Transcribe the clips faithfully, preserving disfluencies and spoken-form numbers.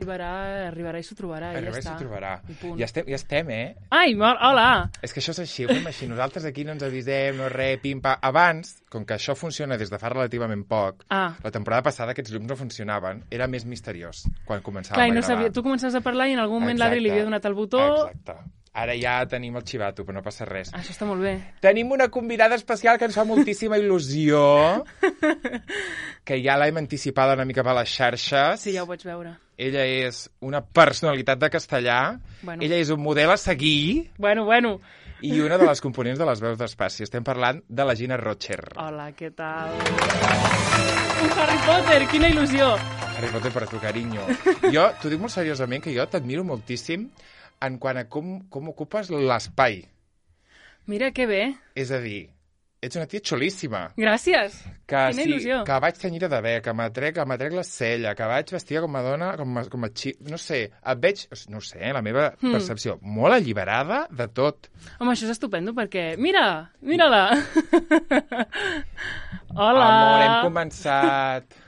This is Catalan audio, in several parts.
arribarà, arribarà i s'ho trobarà. Arribarà i i ja s'ho trobarà. està. Ja estem, ja estem, eh? Ai, hola! És que això és així, ho fem així. Nosaltres aquí no ens avisem, no res, pim-pam. Abans, com que això funciona des de fa relativament poc, ah. la temporada passada aquests llums no funcionaven, era més misteriós quan començàvem Clar, a no gravar. sabia, tu començaves a parlar i en algun moment l'Adri li havia donat el botó... Exacte. Ara ja tenim el xivato, però no passa res. Això està molt bé. Tenim una convidada especial que ens fa moltíssima il·lusió, que ja l'hem anticipada una mica per les xarxes. Sí, ja ho vaig veure. Ella és una personalitat de castellà. Bueno. Ella és un model a seguir. Bueno, bueno. I una de les components de les veus d'espaci. Estem parlant de la Gina Rocher. Hola, què tal? Un Harry Potter, quina il·lusió! Harry Potter per tu, carinyo. Jo, t'ho dic molt seriosament, que jo t'admiro moltíssim en quant a com, com ocupes l'espai. Mira, que bé. És a dir, ets una tia xulíssima. Gràcies. Que, quina sí, il·lusió. Que vaig tenyida de bé, que m'atrec, que m'atrec la cella, que vaig vestida com a dona, com a, com a xip... No sé, et veig, no sé, la meva mm. percepció, molt alliberada de tot. Home, això és estupendo, perquè... Mira, mira-la! Hola! Amor, hem començat.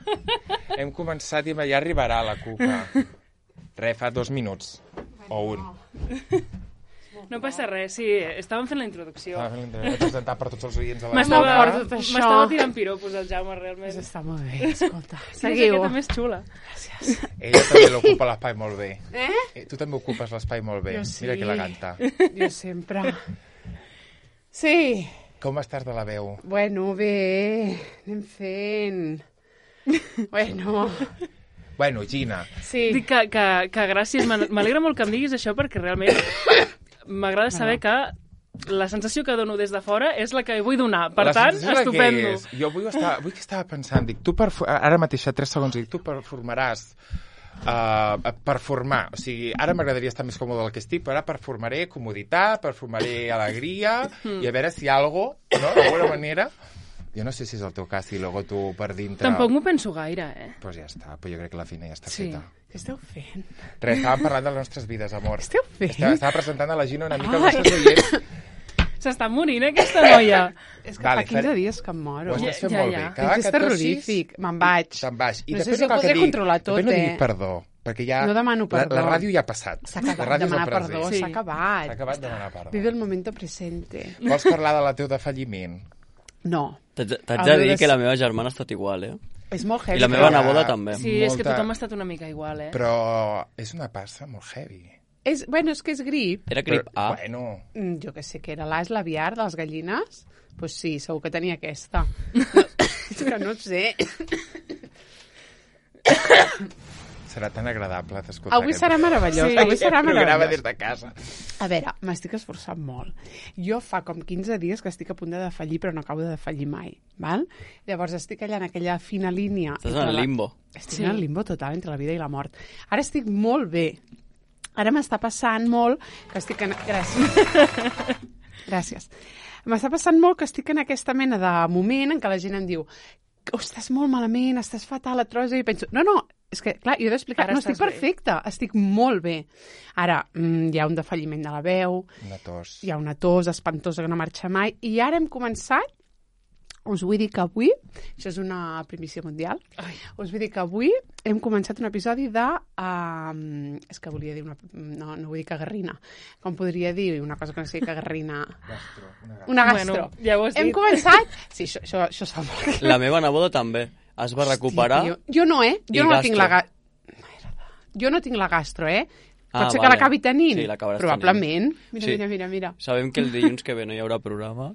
hem començat i ja arribarà la cuca. Re, fa dos minuts. O un. No passa res, sí, estàvem fent la introducció. Estàvem fent la introducció, presentar per tots els oients a la M'estava M'estava M'estava tirant piropos el Jaume, realment. Pues està molt bé, escolta. Seguiu. Quina jaqueta més xula. Gràcies. Ella també l'ocupa l'espai molt bé. Eh? eh? Tu també ocupes l'espai molt bé. Jo sí. Mira que eleganta. Jo sempre. Sí. Com estàs de la veu? Bueno, bé, anem fent. Bueno... Bueno, Gina. Sí. Dic que, que, que gràcies, m'alegra molt que em diguis això perquè realment m'agrada saber que la sensació que dono des de fora és la que vull donar. Per la tant, estupendo. Jo vull estar, vull que estava pensant, dic, tu per, ara mateix, a tres segons, dic, tu performaràs uh, performar. O sigui, ara m'agradaria estar més còmode del que estic, però ara performaré comoditat, performaré alegria, mm. i a veure si algo, no?, d'alguna manera... Jo no sé si és el teu cas i luego tu per dintre... Tampoc m'ho penso gaire, eh? Doncs pues ja està, però jo crec que la feina ja està sí. feta. Què esteu fent? Res, estàvem parlant de les nostres vides, amor. Què esteu fent? Estava, estava presentant a la Gina una mica els nostres oients. S'està morint, aquesta noia. És que vale, fa quinze fer... dies que em moro. Ho estàs fent ja, molt ja. bé. Cada és terrorífic. Me'n vaig. Te'n vaig. I no sé després si ho podré dir, controlar tot, no eh? diguis perdó, perquè ja... No demano perdó. La, la ràdio ja ha passat. S'ha acabat demanar perdó, sí. s'ha acabat. S'ha acabat demanar perdó. Vive el momento presente. Vols parlar de la teu defalliment? No. T'haig de dir que la meva germana ha estat igual, eh? És molt heavy. I la meva neboda també. Sí, molta... és que tothom ha estat una mica igual, eh? Però és una passa molt heavy. És, bueno, és que és grip. Era grip A? Bueno... Mm, jo que sé que era l'A, és l'aviar de les gallines. Doncs pues sí, segur que tenia aquesta. No, és que no sé. Serà tan agradable d'escoltar. Avui serà meravellós. Sí, avui serà meravellós. Programa des de casa. A veure, m'estic esforçant molt. Jo fa com quinze dies que estic a punt de defallir, però no acabo de defallir mai. Val? Llavors estic allà en aquella fina línia. Estàs en el limbo. La... Estic sí. en el limbo total entre la vida i la mort. Ara estic molt bé. Ara m'està passant molt que estic en... Gràcies. Gràcies. M'està passant molt que estic en aquesta mena de moment en què la gent em diu oh, estàs molt malament, estàs fatal, et trobes... I penso, no, no, és que, clar, jo he d'explicar, no, estic perfecta, bé. Estic molt bé. Ara, mm, hi ha un defalliment de la veu, una tos. Hi ha una tos espantosa que no marxa mai, i ara hem començat, us vull dir que avui, això és una primícia mundial, Ai. us vull dir que avui hem començat un episodi de... Uh, és que volia dir una... No, no vull dir cagarrina. Com podria dir una cosa que no sigui cagarrina? Gastro. Una gastro. Una gastro. Bueno, ja ho has dit. Hem començat... Sí, això, això, això sap molt. La meva neboda també. Es va recuperar... Hòstia, jo no, eh? Jo no gastro. tinc la ga... Jo no tinc la gastro, eh? Pot ah, ser vale. que l'acabi tenint? Sí, l'acabaràs probablement. tenint. Mira, sí. mira, mira, mira. Sabem que el dilluns que ve no hi haurà programa.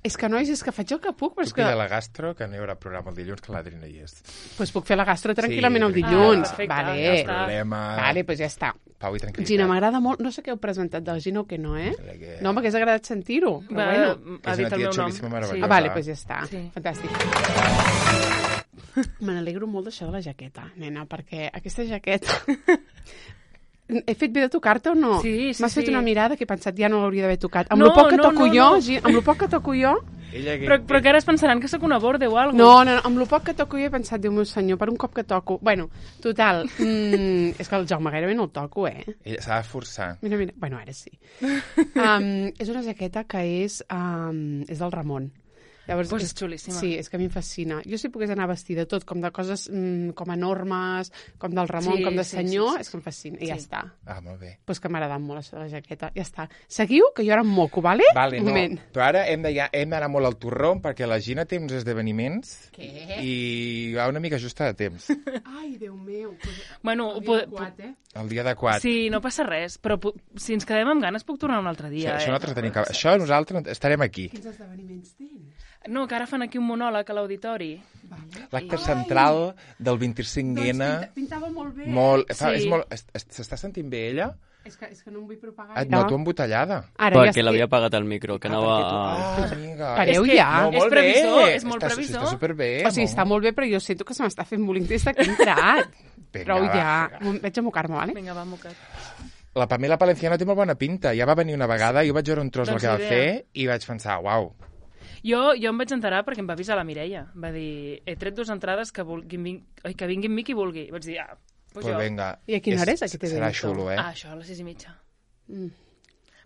És que, nois, és que faig el que puc, però és que... que... la gastro, que no hi haurà programa el dilluns, que l'Adri no hi és. Doncs pues puc fer la gastro tranquil·lament sí, el dilluns. Ah, perfecte, vale. ja està. Problema... Vale, doncs pues ja està. Pau i tranquil·litat. Gina, m'agrada molt... No sé què heu presentat de la Gina o què no, eh? Que... No, m'hagués agradat sentir-ho, però Va, bueno. Ha dit el meu nom. Sí. Ah, vale, doncs pues ja està. Sí. Fantàstic. Me n'alegro molt d'això de la jaqueta, nena, perquè aquesta jaqueta... He fet bé de tocar-te o no? Sí, sí, M'has sí. fet una mirada que he pensat ja no l'hauria d'haver tocat. Amb no, lo poc que no, toco no, jo, no. amb lo poc que toco jo... Ella que... Però, però que ara es pensaran que sóc una borde o alguna No, no, no, amb lo poc que toco jo he pensat, Déu meu senyor, per un cop que toco... Bueno, total, mm, és que el Jaume gairebé no el toco, eh? Ella s'ha de forçar. Mira, mira, bueno, ara sí. um, és una jaqueta que és, um, és del Ramon. Llavors, Pues és xulíssima. Sí, és que a mi em fascina. Jo si pogués anar vestida tot com de coses mm, com enormes, com del Ramon, Sí, com de sí, senyor, sí, sí. és que em fascina. I ja Sí. està. Ah, molt bé. Pues que m'ha agradat molt això de la jaqueta. Ja està. Seguiu, que jo ara em moco, vale? Vale, Un no, moment. però ara hem de- ja- hem d'anar molt al torró perquè la Gina té uns esdeveniments Què? i va una mica justa de temps. Ai, Déu meu. Bueno, ho El dia pode- adequat, eh? El dia adequat. Sí, no passa res, però pu- si ens quedem amb ganes puc tornar un altre Això, dia, això, eh? nosaltres tenim que... això nosaltres estarem aquí. Quins esdeveniments tens? No, que ara fan aquí un monòleg a l'auditori. Vale. L'acte central del vint-i-cinc ene. Doncs pinta, pintava molt bé. Molt, fa, Sí. és molt, es- es- s'està sentint bé ella? És que, és que no em vull propagar. Et noto embotellada. Ara ja Perquè estic... l'havia apagat el micro, que anava... perquè tu- Ah, amiga. Pareu És que- ja. No, És molt previsor, bé. és molt està, previsor. Està superbé. O sigui, està molt bé, però jo sento que se m'està fent bullying des d'aquí entrat. Vinga, Prou va, ja. vinga. Vaig a mocar-me, vale? Vinga, va, mocat. La Pamela Palenciano té molt bona pinta. Ja va venir una vegada, jo vaig veure un tros del Doncs que va idea. fer i vaig pensar, uau. Jo, jo em vaig enterar perquè em va avisar la Mireia. Va dir, he tret dues entrades que, vulguin, vin... Oi, que vingui amb mi qui vulgui. I vaig dir, ah, pues Pues jo. vinga. I a quina hora és aquest Serà evento? xulo, eh? Ah, això, a les sis i mitja. Mm.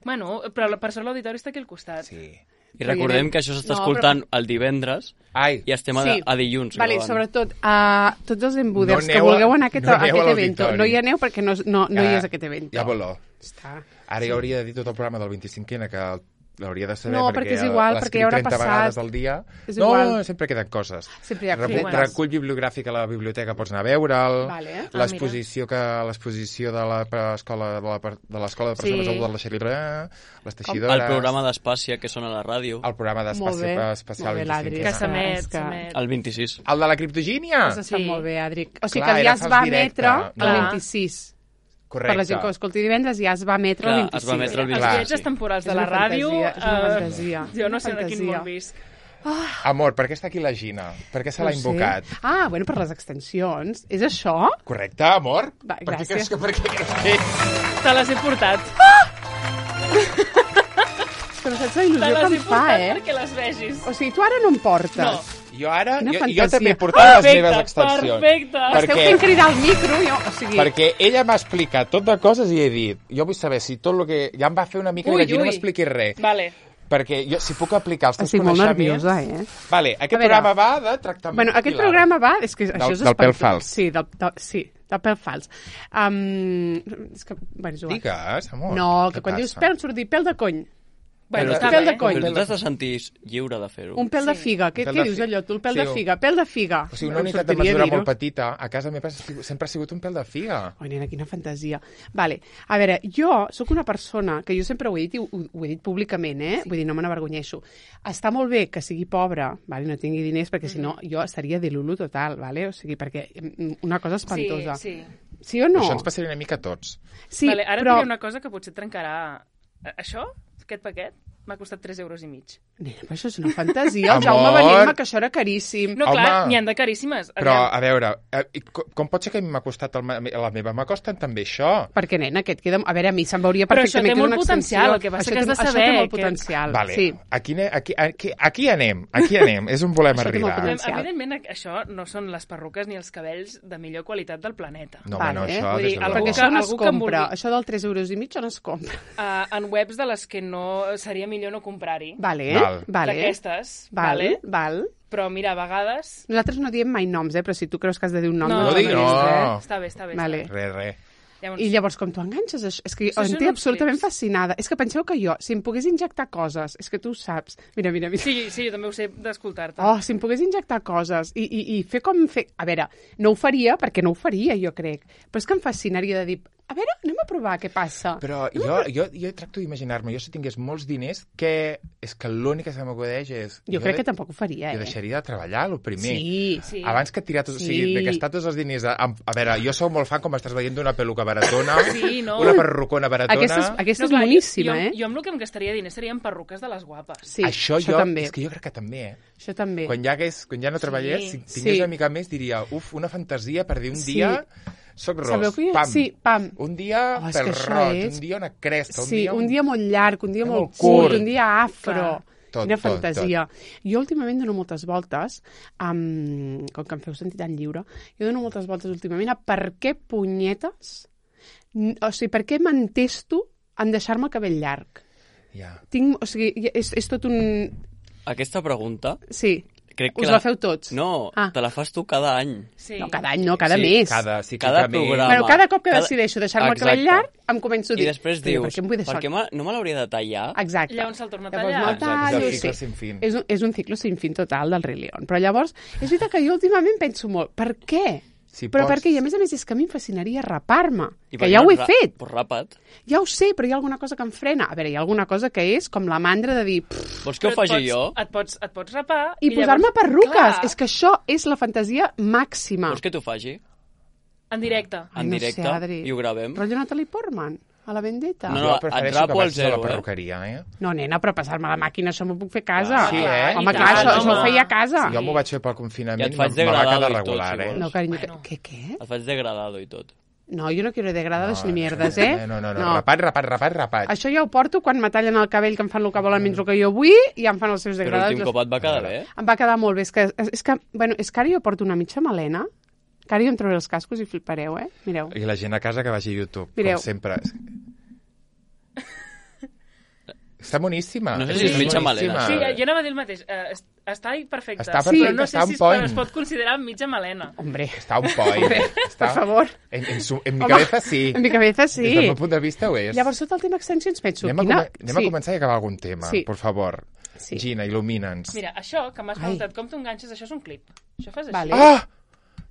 Bueno, però la- per sort l'auditori està aquí al costat. Sí. I recordem que això s'està No, escoltant el divendres Ai, i estem a, Sí. a dilluns. Vale, gravant. sobretot, a tots els embuders No que aneu a- vulgueu anar a aquest, no a aneu a aquest evento, l'auditori. no hi aneu perquè no, no, no hi Ja- és aquest evento. ja voló. Està. Ara sí. hauria de dir tot el programa del vint-i-cinc ene que l'hauria de saber No, perquè, perquè és igual, l'escric perquè ja haurà trenta passat. vegades al dia. És no, igual. sempre queden coses. Sempre hi ha Recu- coses. Recull bibliogràfic a la biblioteca, pots anar a veure'l. Vale. Ah, L'exposició que l'exposició de l'escola de la per- de l'escola de persones Sí. adultes de la Xerilera, les teixidores, El programa d'Espàcia, que sona a la ràdio, el programa Molt d'espaci bé, especial molt bé, l'Adri. vint-i-cinc Que ene. s'emet, És que- s'emet. el vint-i-sis. El de la criptogínia? Has estat Sí. molt bé, Adric. O sigui Clar, que era ja es fals va directe. emetre No. el Clar. vint-i-sis. Correcte. Per la gent que ho escolti divendres ja es va emetre Clar, el vint-i-sis. es va emetre el Els Clar. viatges temporals de És la una ràdio... fantasia, és una eh, fantasia. Jo no Una sé en quin fantasia. món visc. Amor, per què està aquí la Gina? Per què se l'ha No sé. invocat? Ah, bueno, per les extensions. És això? Correcte, amor? Va, per què gràcies. creus que, per què creus que... Te les he portat. Que no saps la Te il·lusió les que he em fa, portat eh? perquè les vegis. O sigui, tu ara no em portes. No. Jo ara, Quina jo, jo fantasia. també he portat les Perfecte, meves extensions. perfecte. Per- Esteu perquè- fent cridar al micro, jo, o sigui... Perquè ella m'ha explicat tot de coses i he dit, jo vull saber si tot el que... Ja em va fer una mica Ui, i vaig dir, no ui. m'expliquis res. Vale. Perquè jo, si puc aplicar els teus Estic molt coneixements... nerviosa, eh? Vale, aquest A veure. programa va de tractament Bueno, aquest pilar. programa va... És que això Del- és del pèl espantós. fals. Sí, del, del, sí, del pèl fals. Um, és que, bueno, és igual. Digues, amor. No, què que quan dius passa? pèl em surt dir pèl de cony. Bueno, Però- està pèl bé. de coll. Però tu t'has de sentir lliure de fer-ho. Un pèl de Sí. figa. Què, Pèl què de dius fi- allò, tu? El pèl Sí, de o- figa. Pèl de figa. O sigui, una Em unitat de sortiria mesura dir-ho. molt petita, a casa meva sempre ha sigut un pèl de figa. Oi, nena, quina fantasia. Vale, a veure, jo sóc una persona que jo sempre ho he dit i ho, ho he dit públicament, eh? Sí. Vull dir, no me n'avergonyeixo. Està molt bé que sigui pobra, vale? No tingui diners, perquè si no jo estaria de lulu total, vale? O sigui, perquè mm, una cosa espantosa. Sí, sí. Sí o no? Això ens passaria una mica a tots. Sí, Vale, ara però... et diré una cosa que potser et trencarà... A- Això, aquest paquet, m'ha costat tres euros i mig. Nena, però això és una fantasia. El Amor. Jaume va dir-me que això era caríssim. No, Home. clar, n'hi han de caríssimes. Però, Aviam. a veure, eh, i co- com pot ser que a mi m'ha costat el, ma- la meva? M'ha costat també això. Perquè, nena, aquest queda... A veure, a mi se'm veuria Però això perfectament té que és molt una potencial, extensió. el que passa Això que has té- de saber Això té molt que- potencial. Vale, Sí. aquí, ne- aquí, aquí, aquí anem, aquí anem, és on volem Això té molt arribar. potencial. Evidentment, això no són les perruques ni els cabells de millor qualitat del planeta. No, Vale, bueno, eh? això... Vull des dir, de algú luego. Perquè això no es algú que em compra. vulgui. Això del tres euros i mig no es compra. Uh, en webs de les que no seria millor no comprar-hi. Vale, Val. vale. D'aquestes, Val, vale? val. Però mira, a vegades... Nosaltres no diem mai noms, eh? Però si tu creus que has de dir un nom... No, No digui diguis, no. eh? Està bé, està bé. Vale. Està bé. Res, res. Llavors, I llavors, com tu enganxes això? És que Això em són té uns absolutament clips. fascinada. És que penseu que jo, si em pogués injectar coses, és que tu ho saps. Mira, mira, mira. Sí, sí, jo també ho sé d'escoltar-te. Oh, si em pogués injectar coses i, i, i fer com fer... A veure, no ho faria, perquè no ho faria, jo crec. Però és que em fascinaria de dir, a veure, anem a provar què passa. Però jo, jo, jo tracto d'imaginar-me, jo si tingués molts diners, que és que l'únic que se m'acudeix és... Jo crec de- que tampoc ho faria, Jo eh? deixaria de treballar, el primer. Sí. Sí. Abans que tirar tot, o sigui, Sí. de gastar tots els diners... A, a, a veure, jo sóc molt fan, com estàs veient, d'una peluca baratona, Sí, no. una perrucona baratona... Aquesta és, aquesta és clar, boníssima, jo, eh? Jo, jo amb el que em gastaria diners serien perruques de les guapes. Sí, això, això jo, també. és que jo crec que també, eh? Això també. Quan ja, hagués, quan ja no treballés, si Sí. tingués Sí. una mica més, diria, uf, una fantasia per dir un Sí. dia soc ros, Sabeu que jo- pam. sí, pam. Un dia Oh, és que pèl això roig, és- un dia una cresta, un Sí, dia... un dia molt llarg, un dia un molt molt curt, curt. un dia afro. Clar. Tot, Quina tot, fantasia. Jo últimament dono moltes voltes, um, com que em feu sentir tan lliure, jo dono moltes voltes últimament a per què punyetes, n- o sigui, per què m'entesto en deixar-me el cabell llarg. Ja. Tinc, o sigui, és, és tot un... aquesta pregunta... Sí. Crec que Us la... la feu tots? No, Ah. te la fas tu cada any. Sí. No, cada any no, cada sí, mes. Cada, sí, Cada ciclament. programa. Bueno, cada cop que Cada- decideixo deixar-me el cabell Exacte. llarg, em començo a I dir... després "Però dius, per què em vull deixar per què m'ha- no me l'hauria de tallar? Exacte. Llavors se'l torna a Llavors tallar. no Exacte, tallo, és el cicle sí. sin fin. És un, és un ciclo sin fin total del Rei León. Però llavors, és veritat que jo últimament penso molt, per què? Si Però pots- per què? I a més a més és que a mi em fascinaria rapar-me, I que per ja què ho he ra- fet. Pues rapa't. Ja ho sé, però hi ha alguna cosa que em frena. A veure, hi ha alguna cosa que és com la mandra de dir... "Pff", Vols que ho Però et faci pots- jo? Et pots, et pots rapar... i posar-me llavors- perruques. Clar, És que això és la fantasia màxima. Vols que t'ho faci? En directe. Ai, En no directe? sé, Adri. I ho gravem? Rotllo Natalie Portman, a la Vendetta. No, Jo no, prefereixo et rapo que al vagis a zero, la eh? perruqueria, eh? No, nena, però passar-me la màquina, això m'ho puc fer a casa. Sí, eh? Home, I clar, tant, això, això ho home. feia a casa. Jo m'ho vaig fer pel I confinament et i faig me va degradado quedar i tot, regular, si eh? vols. No, carinyo, Bueno. què, què? Et faig degradado i tot. No, jo no quiero degradados ni mierdes, eh? No, no, no, rapat, rapat, rapat, rapat. Això ja ho porto quan me tallen el cabell, que em fan el que volen menys el que jo vull, i em fan els seus Però degradados. l'últim cop et va quedar bé. Em va quedar molt bé. És que, és, és que, bueno, és que ara jo porto una mitja melena, que ara jo em trauré els cascos i flipareu, eh? Mireu. I la gent a casa que vagi a YouTube, Mireu. com sempre. Està boníssima. No sé si és mitja melena. Sí, boníssima. jo anava a dir el mateix. Uh, est- està perfecte. Està sí, perfecte, però no sé està si on es, point. es pot considerar mitja melena. Hombre, Està un point. Està... per favor. En, en, su... en mi Home, cabeza sí. En mi cabeza sí. Des del meu punt de vista ho és. Llavors, tot el tema extensions penso... Anem, a, quina... come... Anem a començar i acabar algun tema, Sí. por favor. Sí. Gina, il·lumina'ns. Mira, això que m'has Ai. preguntat, com t'ho enganxes, això és un clip. Això fas així. Vale. ¡Ah!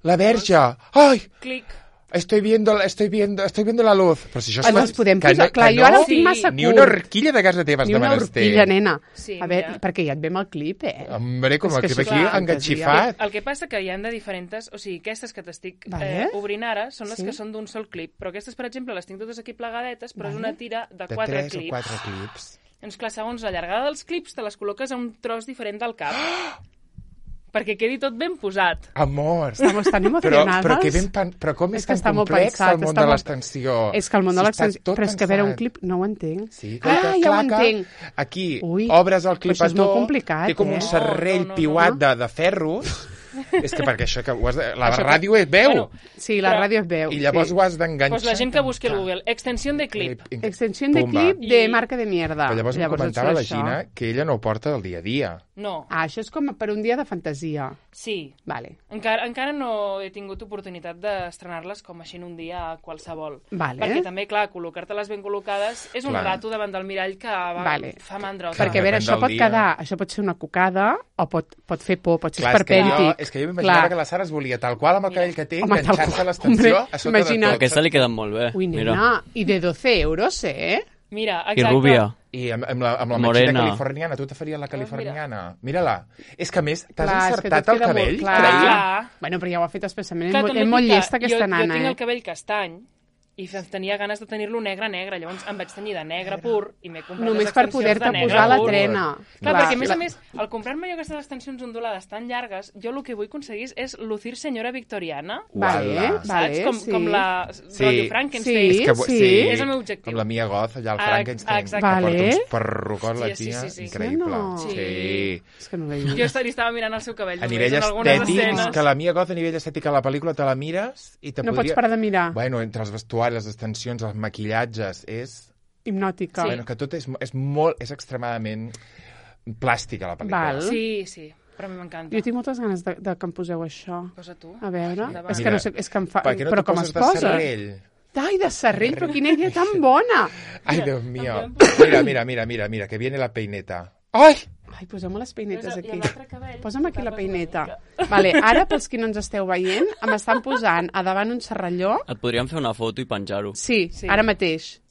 La verge! ¡Ay! Clic. Estoy viendo, estoy viendo, estoy viendo la luz. Però si això Ah, no els podem que posar. no- Clar, que jo ara no, ho tinc massa Ni curt. una horquilla de casa teva has Ni de una menester. horquilla, nena. Sí, a veure, mira. perquè ja et vem el clip, eh? Hombre, com És el que clip això aquí és enganxifat. El que passa que hi han de diferents... O sigui, aquestes que t'estic Vale. eh, obrint ara són les Sí. que són d'un sol clip. Però aquestes, per exemple, les tinc totes aquí plegadetes, però és Vale. una tira de De quatre tres o clips. quatre clips. Doncs clar, segons la llargada dels clips, te les col·loques a un tros diferent del cap. Perquè quedi tot ben posat. Amor. Estamos tan Però, emocionades. però, que ben pan... però com és, És que tan està molt complex pensat, el món està de molt- l'extensió? És que el món de Si està l'extensió... tot Però és que a veure, un pensat. clip no ho entenc. Sí, Ah, claca, ja ho claca. entenc. Aquí Ui, obres el però això és clipató, molt complicat, té com eh? un serrell No, no, no, piuat no. de, de ferros. És que perquè això que ho has de... La Això que- ràdio és veu. Bueno, Sí, la Però- ràdio es veu. I llavors sí. ho has d'enganxar. Doncs la gent que busqui al Google, extensió de clip. Extensió de Pumba. clip de I- marca de mierda. Però llavors, em et comentava la surt això. Gina que ella no ho porta del dia a dia. No, Ah, això és com per un dia de fantasia. sí. Vale. Encara, encara no he tingut oportunitat d'estrenar-les com així en un dia qualsevol. Vale. Perquè també, clar, col·locar-te-les ben col·locades és un Clar. rato davant del mirall que va, Vale. fa mandra. Clar, Perquè, a veure, depèn això del pot dia. quedar... Això pot ser una cocada o pot, pot fer por, pot ser Clar, és que jo, esperpèntic. és que jo m'imaginava Clar. que la Sara es volia tal qual amb el cabell que té, Home, tal enganxar-se qual. a l'extensió Hombre, a sota imagina't. de tot. Aquesta li queden molt bé. Ui, Mira. nena, i de doce euros, eh? Mira, I exacte. rúbia. I amb, amb la, amb la Morena. mexina californiana, tu te faries la californiana. Mira-la. És que a més, t'has Clar, és que encertat tot el queda molt cabell, clar. creia. Clar. Bueno, però ja ho ha fet especialment. Clar, és molt, també és molt et dic que llesta aquesta jo, nana, Jo tinc eh? el cabell castany i fe- tenia ganes de tenir-lo negre-negre, llavors em vaig tenir de negre pur i m'he comprat Només les per extensions poder-te de negre posar la pur. trena. Clar, Clar, perquè a més la- a més, al comprar-me jo aquestes extensions ondulades tan llargues, jo el que vull aconseguir és lucir senyora victoriana, Vale, Uala. saps? vale, com, sí. com la Sí. rotllo Frankenstein. Sí, És que, sí. És el meu objectiu. Com la Mia Goth, allà al Ah, Frankenstein, exacte. que porta Vale. uns perrucons, la Sí, sí, tia, sí, sí. increïble. No. Sí. Sí. És que no l'he Jo vist. est- li estava mirant el seu cabell A només nivell en algunes estètic, escenes. que la Mia Goth a nivell estètic a la pel·lícula te la mires i te No podria... pots parar de mirar. Bueno, entre els vestuaris, les extensions, els maquillatges, és... Hipnòtica. Sí. Bueno, que tot és, és molt... És extremadament plàstica, la pel·lícula. Val. Sí, sí, però a mi m'encanta. Jo tinc moltes ganes de, de que em poseu això. Posa tu. A veure, Endavant. és que Mira, no sé, és que em fa... Per què no però t'ho com poses es de posa? serrell? Ai, de serrell, però quina idea tan bona! Ai, Déu mío. Mira, mira, mira, mira, mira, que viene la peineta. Ai! Ai, posem-me les peinetes I aquí. l'altre cabell, Posa'm aquí la tapes una peineta. mica. Vale, ara, pels qui no ens esteu veient, em estan posant a davant un serralló. Et podríem fer una foto i penjar-ho. Sí, Sí. ara mateix.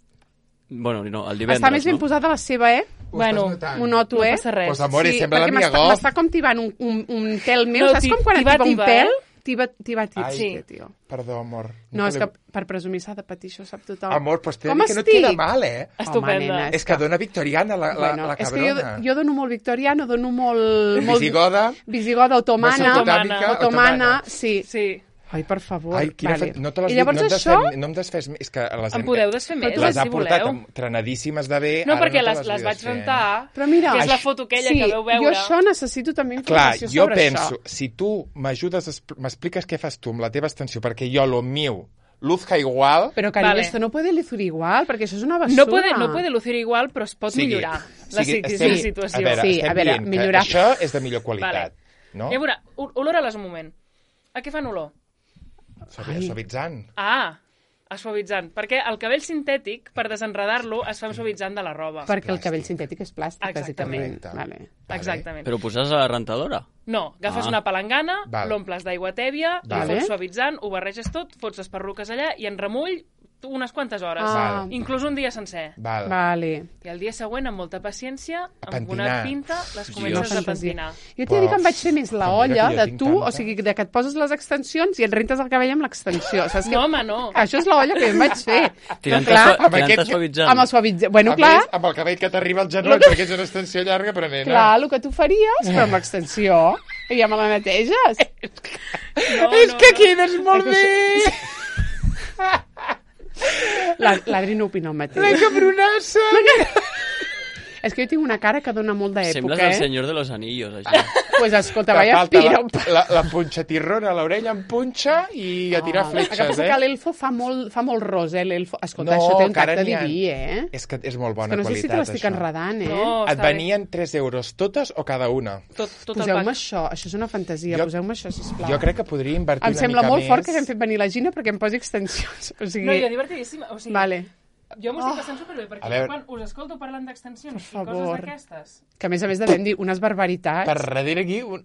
Bueno, no, el divendres, Està més ben no? posada la seva, eh? Ho Bueno, estàs notant? Ho noto, No eh? passa res. Pues, amor, sí, sembla la perquè Mia m'està Goth. m'està com tibant un, un, un tel meu. No, Saps ti- com quan et tiba, tiba un tiba, pèl? eh? Tiba, tiba, tiba. Ai. Sí, tio. Perdó, amor. No, és te que l'he- per presumir s'ha de patir, això ho sap tothom. Amor, pues t'he de Com dir que no et estic? queda mal, eh? Estupenda. Home, nena, És que dona victoriana, la, la, Bueno, la és que jo, cabrona. jo dono molt victoriano, dono molt... molt Visigoda. Visigoda, otomana. Mesopotàmica, Otomana, otomana. sí. Sí. Ai, per favor. Ai, quina vale. fe... no te les I llavors no em això... desfem, no em desfés... És que les Em podeu desfer més, les ha si portat voleu. amb- trenadíssimes de bé. No, ara perquè te les, les vull vaig desfer. rentar, Però mira, que és la això- foto aquella sí, que veu veure. jo això necessito també Clar, informació jo sobre penso, això. si tu m'ajudes, a expl- m'expliques què fas tu amb la teva extensió, perquè jo, lo meu, luzca igual... Però, carinyo, Vale. esto no puede lucir igual, perquè això és una basura. No puede, no puede lucir igual, però es pot sigui, millorar la, sigui, si- estem, la situació. A veure, Sí, estem a veure, dient millorar. que això és de millor qualitat, Vale. no? I a veure, o- olores un moment. A què fan olor? Suavi- Suavitzant. Ah, a suavitzant. Perquè el cabell sintètic, per desenredar-lo, es fa amb suavitzant de la roba. Perquè el cabell sintètic és plàstic, Exactament. bàsicament. Vale. Exactament. Però poses a la rentadora? No, agafes Ah. una palangana, Val. l'omples d'aigua tèbia, Vale. li fots suavitzant, ho barreges tot, fots les perruques allà i en remull unes quantes hores. Ah. Val. Inclús un dia sencer. Val. Vale. I el dia següent, amb molta paciència, A amb una pentinar. pinta, les Sí, comences jo- a pentinar. Jo t'he dit que em vaig fer més la Però mira olla que jo de tinc tu, tanta. o sigui, de que et poses les extensions i et rentes el cabell amb l'extensió. Saps que... No, home, no. Això és la olla que jo em vaig fer. Tirant-te Però, clar, sua- amb tirant-te aquest- suavitzant? amb el suavitzant. Bueno, a clar, més, amb el cabell que t'arriba al genoll, perquè és una extensió llarga, però nena... clar, el que tu faries, però amb l'extensió, i ja me la neteges. No, és no, que no. quedes molt bé! La- L'Adri no opina el mateix. La cabronassa! És que jo tinc una cara que dona molt d'època, Sembles el eh? senyor de los anillos, això. Pues escolta, Te vaya falta piro. la, la, la punxatirrona a l'orella en punxa i a tirar El que fletxes, passa eh? que l'elfo fa molt, fa molt ros, eh, l'elfo. Escolta, No, això té un que ara tacte n'hi ha- diví, eh? És que és molt És bona que no sé si te qualitat, l'estic això. enredant, eh? No, Et està bé. venien tres euros totes o cada una? Tot, tot el Poseu-me pack. això, això és una fantasia, Jo- poseu-me això, sisplau. Jo crec que podria invertir Em una sembla mica molt més. fort que hagin fet venir la Gina perquè em posi extensions. O sigui... No, jo divertidíssima. O sigui, Vale. jo m'ho estic passant superbé, perquè A veure. quan us escolto parlant d'extensions i favor. coses d'aquestes... Que a més a més devem dir unes barbaritats. Per darrere aquí... Un...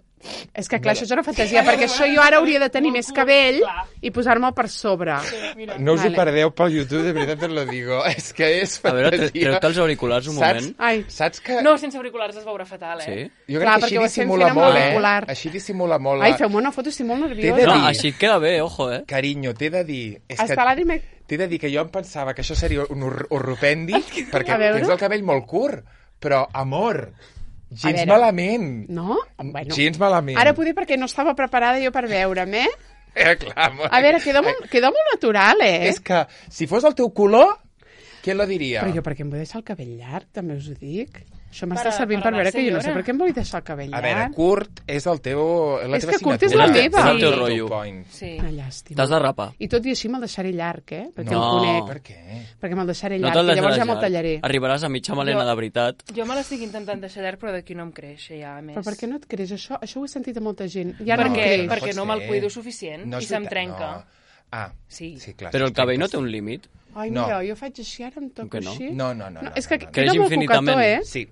És que clar, això és una fantasia, perquè això jo ara hauria de tenir més cabell Clar. i posar-me'l per sobre. Mira. No us Vale. ho perdeu pel YouTube, de veritat us lo digo. És que és A veure, fantasia. tre- treu-te els auriculars un Saps? moment. Ai, Saps que... No, sense auriculars es veurà fatal, eh? Sí? Jo Clar, crec que perquè ho així estem dissimula fent amb molt, eh? l'auricular. Així dissimula molt. ai la- feu-me una foto, estic molt T'he de nerviosa. No, dir- així queda bé, ojo, eh? Carinyo, t'he de dir... És que Està l'Adri... me- t'he de dir que jo em pensava que això seria un hor- horropendi, perquè A veure. tens el cabell molt curt, però, amor, gens veure. malament. No? Bueno. Gens malament. Ara poder perquè no estava preparada jo per veure'm, eh? Eh, clar, amor. A veure, queda molt, queda molt natural, eh? És que, si fos el teu color, què lo diria? Però jo per què em vull deixar el cabell llarg, també us ho dic. Això m'està Per a- servint per per, a la veure que jo no sé senyora. per què em vull deixar el cabell A veure, llarg. curt és el teu... La És teva que curt és signatura. la meva. És el teu És el rotllo. point. Sí. Una llàstima. T'has de rapar. I tot i així me'l deixaré llarg, eh? Perquè No. em conec. Per què? Perquè me'l deixaré No llarg te'l i llavors deixaràs ja me'l llarg. tallaré. Arribaràs a mitja melena Jo- de veritat. Jo me l'estic intentant deixar llarg, però d'aquí no em creix, ja, a més. Però per què no et creix això? Això ho he sentit a molta gent. Ja no, Perquè, em creix. no perquè pots no me'l fer. cuido suficient No i és se'm veritat, trenca. no. Ah, Sí. sí, clar. Però sí, el cabell no trenca, té un sí. límit. Ai, No. mira, jo faig així, ara em toco que no? així. No, no, no. no no és que no, no. queda Creix molt infinitament. cocató, eh? Sí.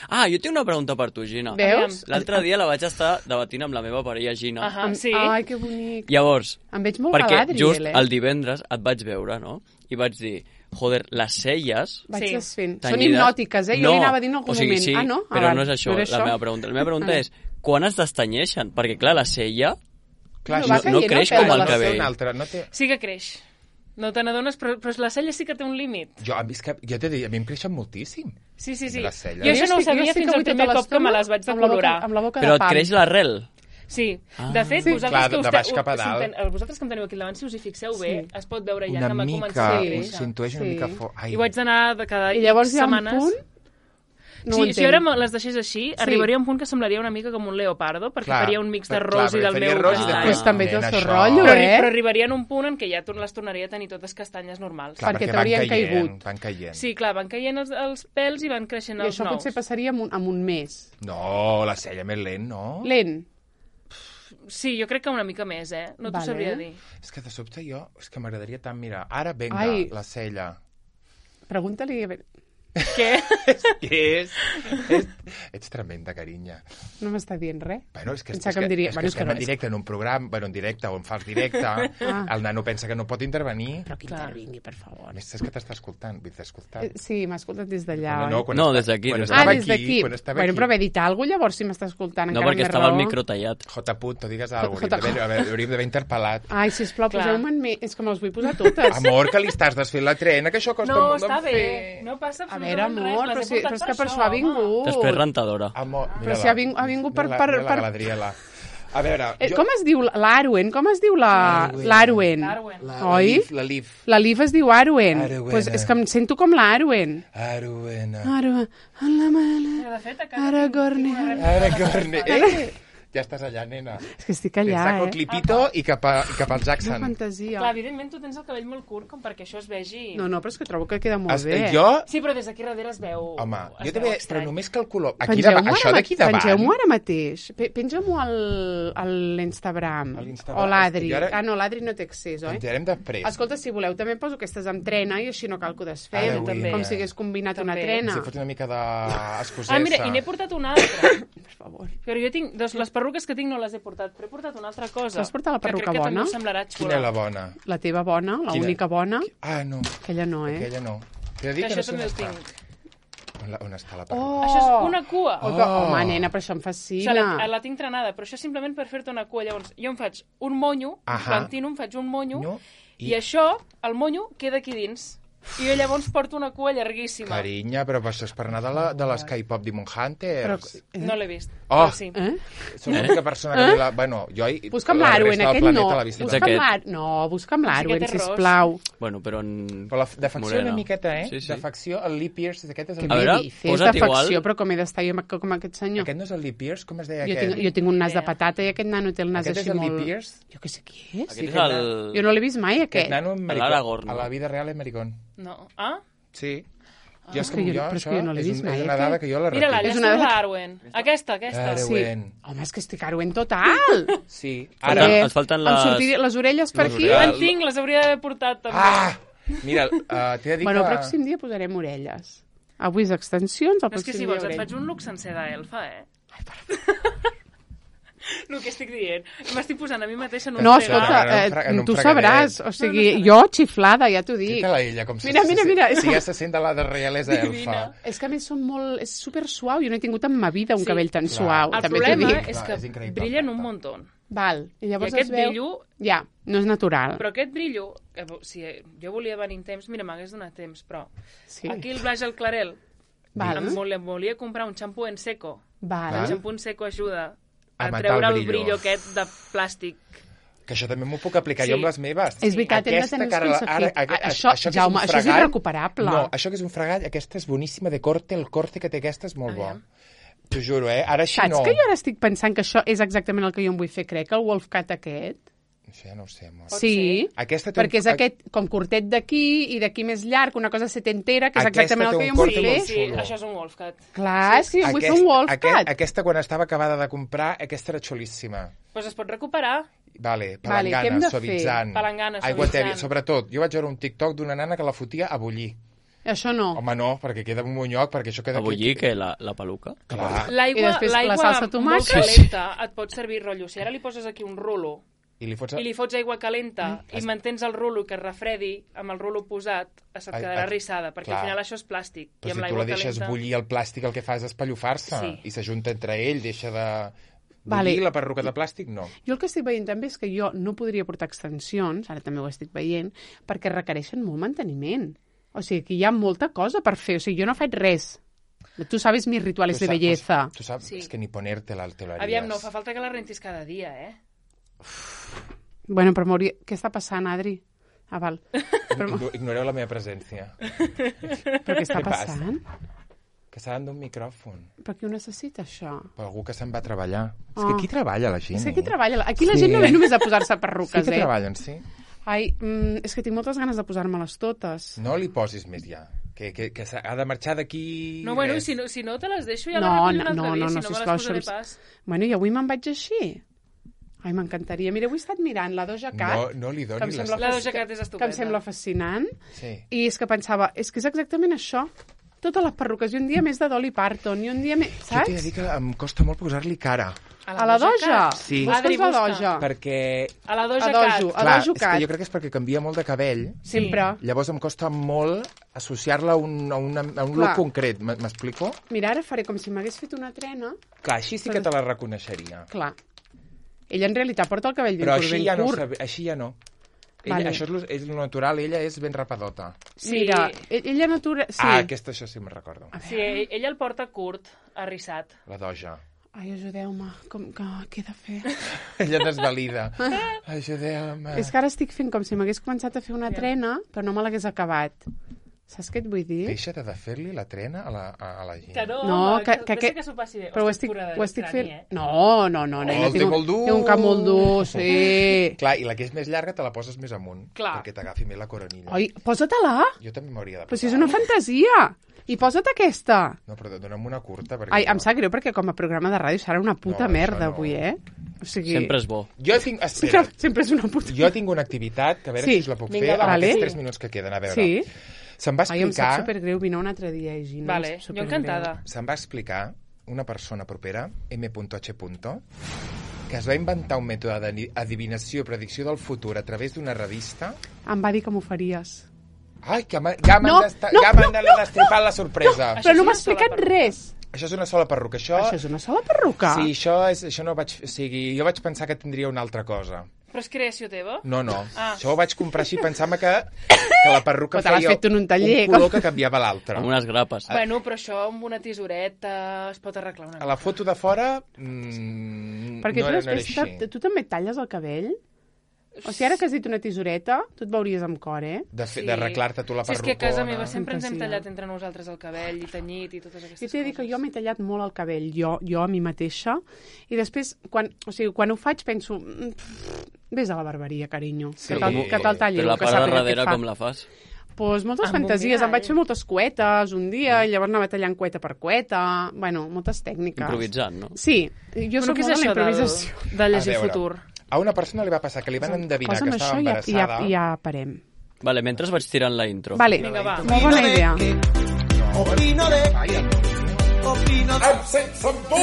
Ah, jo tinc una pregunta per tu, Gina. Veus? L'altre dia la vaig estar debatint amb la meva parella, Gina. Ahà, Em- sí. Ai, que bonic. Llavors, Em veig molt perquè Galadriel, just eh? el divendres et vaig veure, no? I vaig dir, joder, les celles... Vaig Sí. desfent. Són tenyides- hipnòtiques, eh? Jo no, li anava a dir en algun o sigui, moment. Sí, Ah, no? Ah, però val. no és això, No era la això? meva pregunta. La meva pregunta Vale. és, quan es destanyeixen? Perquè, clar, la cella... Clar, No, això va no caient creix el pèl com de el la no té cabell. un altre, no té... Sí que creix. No te n'adones, però, però la cella sí que té un límit. Jo, a mi, és que, jo t'he dit, a mi em creixen moltíssim. Sí, sí, sí. Les celles. Jo això no ho estic- sabia estic fins al avui tota primer cop que me l'estona les vaig amb la boca- decolorar. Amb la boca Però de et pam. creix l'arrel. Sí, Ah. de fet, Sí. vosaltres Clar, que de us baix te- cap a us- si dalt. en ten- vosaltres que em teniu aquí al davant, si us hi fixeu bé, Sí. es pot veure ja Una que m'ha mica, començat a Sí. ho créixer. s'intueix una Sí. mica fort. Ai. I ho haig d'anar de cada I llavors hi ha un setmanes. punt... No sí, ho si entenc. ara me les deixés així, arribaria a un punt que semblaria una mica com un leopardo, perquè Clar, faria un mix de per- ros clar, i del perquè meu faria ros i castany. després Pues també Nena, tot el això- rotllo, Però, eh? però arribaria en un punt en què ja tor- les tornaria a tenir totes castanyes normals. Clar, perquè perquè t'haurien van caient, caigut. Van caient. Sí, clar, van caient els, els pèls i van creixent I els això nous. potser passaria amb un, amb un mes. No, la cella més lent, no? Lent. Sí, jo crec que una mica més, eh? No t'ho Vale. sabria dir. És que de sobte jo, és que m'agradaria tant mirar. Ara, venga, Ai. la cella. Pregunta-li... a veure, Què? Què és? és? Ets tremenda, carinya. No m'està dient res. Bueno, és que, Pensava és que que, em diria- és bueno, que és que estem no, en és- directe en un programa, bueno, en directe o en fals directe. Ah. El nano pensa que no pot intervenir. Però que Clar. intervingui, per favor. A més, és que t'està escoltant. Vull dir, t'ha escoltat. Eh, Sí, m'ha escoltat des d'allà, No, no, oi? quan No, està- des d'aquí, quan des Ah, estava des d'aquí. Quan estava Bueno, aquí. però haver dit alguna cosa, llavors, si m'està escoltant, No, encara perquè més estava raó. el micro tallat. J. Punt, digues alguna J- cosa. A veure, hauríem d'haver interpel·lat. Ai, sisplau, Clar. poseu-me'n més. És que me les vull posar totes. Amor, que li estàs desfent la trena, que això costa No, molt està de bé. fer. No passa A veure, absolutament amor, res. però, Les si, he portat però és que per això, això ha home. vingut. Després rentadora. Amor, Però si ha vingut- ha vingut per- Mira la- per- mira la per- Galadriela. A veure... Eh, com es diu l'Arwen? Com es diu la- l'Arwen? L'Arwen. La, Oi? La Liv, la Liv. La Liv es diu Arwen. Arwen. Pues és que em sento com l'Arwen. Arwen. Arwen. A la mala. De fet, a casa Ara tinc- tinc Gorne. una rèplica Ara, de la Corne. Galadriel. Eh? Ja estàs allà, nena. És que estic Te allà, saco el eh? clipito i cap, a, i cap al Quina Jackson. fantasia. Clar, evidentment tu tens el cabell molt curt com perquè això es vegi... No, no, però és que trobo que queda molt Es, bé. jo... Sí, però des d'aquí darrere es veu... Home, es jo també... veu Però estrany. només que el color... Aquí Pengeu-m'ho davant, això ara d'aquí ma- davant... Pengeu-m'ho ara mateix. Pe- Penja-m'ho al, a l'Instagram. A l'Instagram. O l'Adri. Ara- Ah, no, l'Adri no té accés, oi? Penjarem després. Escolta, si voleu, també poso aquestes amb trena i així no cal que ho desfem. Ara, també. Com si hagués combinat una També. trena. Si fots una mica d'escocesa. Ah, mira, i n'he portat una altra. Per favor. Però jo tinc... Doncs les perruques que tinc no les he portat, però he portat una altra cosa. T'has portat la perruca que crec que bona? també us semblarà xula. Quina és la bona? La teva bona, la Quina? única bona, Ah, no. aquella no, eh? Aquella no. T'he de dir Que que això no sé també on ho està. tinc. On, la, on està la perruca? Oh! Això és una cua. Oh, que, Oh. home, nena, però això em O fascina. sigui, la, la tinc trenada, però això és simplement per fer-te una cua. Llavors, jo em faig un monyo, Ahà. plantino, em faig un monyo, No, i... i- això, el monyo, queda aquí dins. I jo llavors porto una cua llarguíssima. Carinya, però això és per anar de, la, de les K-pop Demon Hunters. Però- No l'he vist. Oh. Però sí. Eh? Soc l'única persona que... Eh? La, bueno, jo... i Busca'm la l'Arwen, resta del aquest planeta no. l'ha vist. Busca'm aquest. l'Ar... No, busca'm l'Arwen, té ros. sisplau. Bueno, però en... Però la de facció morena. una miqueta, eh? Sí, sí. De facció, el Lee Pierce, aquest és el... Què A veure, me dices posa't de igual. facció, però com he d'estar jo com- com aquest senyor? Aquest no és el Lee Pierce? Com es deia Jo aquest? tinc, jo tinc un nas de idea. patata i aquest nano té el nas Aquest és així el molt... Lee Pierce? Jo què sé qui és. Aquest és aquest el... Jo no l'he vist mai, Aquest aquest. nano en maricón. Aragorn, A no? la vida real és maricón. No. Ah? Sí. Ah, Jo, és és que com jo- jo, però és que això jo no l'he és, vist un, mai, és una aquest. dada que jo la Mira-la, retiro. allà És està una- l'Arwen. Aquesta, aquesta. Arwen. Sí. Arwen. Home, és que estic Arwen total. Sí. Ara, Ara... ens falten Em les... sortirien les orelles per les aquí. orelles. En tinc, les hauria d'haver portat també. Ah! Mira, uh, t'he de dir Bueno, el que... pròxim dia posarem orelles. Avui és extensions, el No, és que pròxim si dia vols et orelles. faig un look sencer d'elfa, eh? El que estic dient. M'estic posant a mi mateixa en un No, fregar. escolta, en un eh, fra- en un tu fregadet. sabràs. O sigui, jo xiflada, ja t'ho Què dic. tal ella? Com se, Mira, mira, se, mira, és Si que- ja se sent de la de reialesa elfa. És que a més són molt... És super suau. Jo no he tingut en ma vida un Sí. cabell tan Clar. suau. El també t'ho problema dic. és Clar, que és increïble. brillen un muntó. Val. I I llavors aquest es veu... brillo... Ja, no és natural. Però aquest brillo... Que, si jo volia venir en temps... Mira, m'hagués donat temps, però... Sí. Aquí el Blas el Clarel... Val. Em volia, volia comprar un xampú en seco. Val. El xampú en seco ajuda a, A matar treure el el brillo. brillo aquest de plàstic. Que això també m'ho puc aplicar Sí. jo amb les meves. És veritat, hem de Aquesta tenir els cara- consecuts. ara- ara- Això, que és Jaume, un això és fregall- irrecuperable. No, això que és un fregall, aquesta és boníssima de corte, el corte que té aquesta és molt bo. Aviam. T'ho juro, eh? Ara així Saps no. que jo ara estic pensant que això és exactament el que jo em vull fer, crec, el Wolfcat aquest? Això ja no ho sé, amor. Pot Sí, Aquesta té perquè un- és aquest com curtet d'aquí i d'aquí més llarg, una cosa setentera, que és Aquesta exactament el té que un jo em vull corte fer. molt Sí, xulo. això és un Wolfcat. Clar, és que jo em vull fer Aquest- un Wolfcat. aquest- aquesta, quan estava acabada de comprar, aquesta era xulíssima. Doncs pues es pot recuperar. Vale, Vale, què hem palangana, de fer? suavitzant. Palangana, Aigua suavitzant. tèbia. Sobretot, jo vaig veure un TikTok d'una nana que la fotia a bullir. Això no. Home, no, perquè queda en un monyoc, perquè això queda... A bullir, que la, la peluca. Clar. I L'aigua després la l'aigua salsa de molt tomàquet. calenta et pot servir rotllo. Si ara li poses aquí un rulo I li fots... i li fots aigua calenta i mantens el rulo que es refredi amb el rulo posat, se't Ai, quedarà ai, rissada, perquè clar. al final això és plàstic. I Però amb si tu la l'aigua deixes calenta... bullir el plàstic, el que fa és espallofar-se. Sí. I s'ajunta entre ell, deixa de... Vale. Bullir la perruca de plàstic, no. Jo el que estic veient també és que jo no podria portar extensions, ara també ho estic veient, perquè requereixen molt manteniment. O sigui, que hi ha molta cosa per fer. O sigui, jo no faig res. Tu sabes mis rituales Tu de saps- belleza. Tu saps, Sí. és que ni ponerte-la te lo haries. Aviam, no, fa falta que la rentis cada dia, eh? Bueno, però m'hauria... Què està passant, Adri? Ah, val. Però, Igno- Ignoreu la meva presència. però què està Què passa? passant? Que s'ha d'un micròfon. Per qui ho necessita, això? Per algú que se'n va a treballar. És Ah. que aquí treballa la gent. És que aquí eh? treballa... Aquí la Sí. gent no ve només a posar-se Sí perruques, que eh? treballen, sí. Ai, mm, és que tinc moltes ganes de posar-me-les totes. No li posis més ja. Que, que, que s'ha- ha de marxar d'aquí... No, bueno, i res. si no, si no te les deixo ja No, les recullo no, un altre no, dia, no, si no, no me sisplau, les posaré això pas. Bueno, i avui me'n vaig així. Ai, m'encantaria. Mira, avui he estat mirant la Doja Cat, No, no li que em donis sembla, La fas- Doja Cat és que em estupenda. sembla fascinant. Sí. I és que pensava, és que és exactament això. Totes les perruques. I un dia més de Dolly Parton, i un dia més... Jo t'he de Saps? dir que em costa molt posar-li cara. A la Doja? Cat? Sí. Busca'ls Adri, la busca. Doja. Perquè, A la Doja A Cat. Dojo. A clar, Dojo és que Cat. jo crec que és perquè canvia molt de cabell. Sempre. Llavors em costa molt associar-la a un, a una, a un Clar. look concret. M- M'explico? Mira, ara faré com si m'hagués fet una trena. Clar, així sí que te la reconeixeria. Clar. Ella en realitat porta el cabell ben Però curt, així ben ja no, curt. sabe, així ja no. Ella, Vale. Això és lo, és lo natural, ella és ben rapadota. Sí. Mira, e- ella natura... Sí. Ah, aquesta això sí me'n recordo. Sí, ell- ella el porta curt, arrissat. La Doja. Ai, ajudeu-me. Com que... Què he de fer? Ella desvalida. Ajudeu-me. És que ara estic fent com si m'hagués començat a fer una trena, però no me l'hagués acabat. Saps què et vull dir? Deixa de fer-li la trena a la, a, a la gent. Que no, No, home, que- que, que- que, que- que s'ho passi bé. Però ho Ostres, estic, pura ho estic estrany, fent... Eh? No, no, no, nena, el té tinc, un- molt dur. té un cap molt dur, sí. Clar, i la que és més llarga te la poses més amunt. Clar. Perquè t'agafi més la coronilla. Oi, posa-te-la. Jo també m'hauria de posar. Però si és una fantasia. I posa't aquesta. No, però dona'm una curta. Perquè Ai, no. em sap greu perquè com a programa de ràdio serà una puta No, merda això no. avui, eh? O sigui... Sempre és bo. Jo tinc... Sí, Espera, que sempre és una puta... jo tinc una activitat que a veure Sí. si us la puc Vinga, fer va, en vale. aquests tres minuts que queden. A veure. Sí. Se'm va Ai, em sap explicar... supergreu, vine un altre dia, Gina. Vale, em sap jo supergreu. encantada. Se'm va explicar una persona propera, M H que es va inventar un mètode d'adivinació i predicció del futur a través d'una revista. Em va dir que m'ho faries. Ai, que m'ha- ja m'han No, desta- no, ja m'han no, destripat la sorpresa. Això Però és no m'ha una sola explicat perruca. res. Això és una sola perruca. Això, Això és una sola perruca. Sí, això, és, això no vaig... O sigui, jo vaig pensar que tindria una altra cosa. Però és creació teva? No, no. Ah. Això ho vaig comprar així pensant que, que la perruca Però te l'has feia fet en un taller, un color com- que canviava l'altre. Amb unes grapes. Bueno, però això amb una tisoreta es pot arreglar una A la foto de fora mmm, Perquè no, tu era, no era després, així. te- tu també et talles el cabell? O sigui, ara que has dit una tisoreta, tu et veuries amb cor, eh? De fe- d'arreglar-te tu la Sí, és perrucona. que a casa meva sempre ens hem Fantasia. tallat entre nosaltres el cabell i tenyit i totes aquestes Jo t'he de dir que coses. jo m'he tallat molt el cabell, jo, jo a mi mateixa, i després, quan, o sigui, quan ho faig, penso, "Mm, pff, vés a la barberia, carinyo, Sí. que te'l que te'l talli. Però la que part de sàpiga què et darrere fa." com la fas? Pues moltes Amb un fantasies, em mirall. vaig fer moltes cuetes un dia, i llavors anava tallant cueta per cueta, bueno, moltes tècniques. Improvisant, no? Sí, jo Però soc què és molt de la això del, improvisació. de llegir A veure, futur? A una persona li va passar que li van endevinar Posa'm que estava això i ja, i ja, embarassada. i ja parem. Vale, mentre vaig tirant la intro. Vale, Vinga, va. molt bona idea. Opino de, opino de, Em sents amb tu!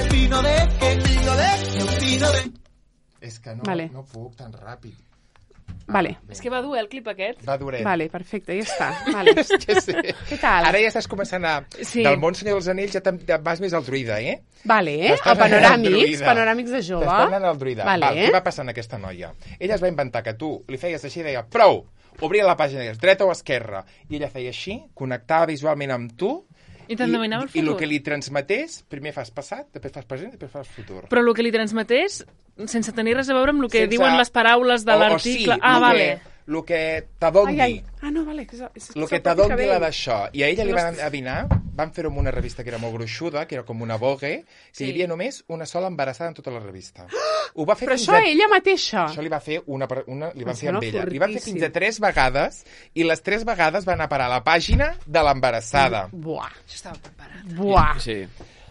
opino de, opino de, opino de. És que no, Vale. no puc tan ràpid. Vale, És que va dur, eh, el clip aquest? Va duret. vale, perfecte, ja està. Vale. Que sí. Què tal? Ara ja estàs començant a... Sí. Del món Senyor dels Anells ja, te'n- ja vas més al druida, eh? Vale, eh? T'estàs El panoràmics, anant al druida. panoràmics de jove. T'estàs anant al druida. Vale, Val, què va passar en aquesta noia? Ella es va inventar que tu li feies així i deia prou, obria la pàgina i deies dreta o esquerra. I ella feia així, connectava visualment amb tu I t'endevinava el i el futur. que li transmetés, primer fas passat, després fas present i després fas futur. Però el que li transmetés, sense tenir res a veure amb el que Sense- diuen les paraules de O- o l'article. sí, ah, lo vale. Que, el que Ai, t'adongui. ai. Ah, no, vale. Que és, és, El és que el propi t'adongui la cabell. d'això. I a ella Si li no van est- endevinar, van fer-ho amb una revista que era molt gruixuda, que era com una Vogue, que Sí. hi havia només una sola embarassada en tota la revista. Ho va fer Però fins això a... ella mateixa. Això li va fer una, per- una li van Em fer amb sembla ella. Li van fer fortíssim. fins a tres vegades i les tres vegades van anar a parar a la pàgina de l'embarassada. Buah, Això estava preparat. buah. Sí.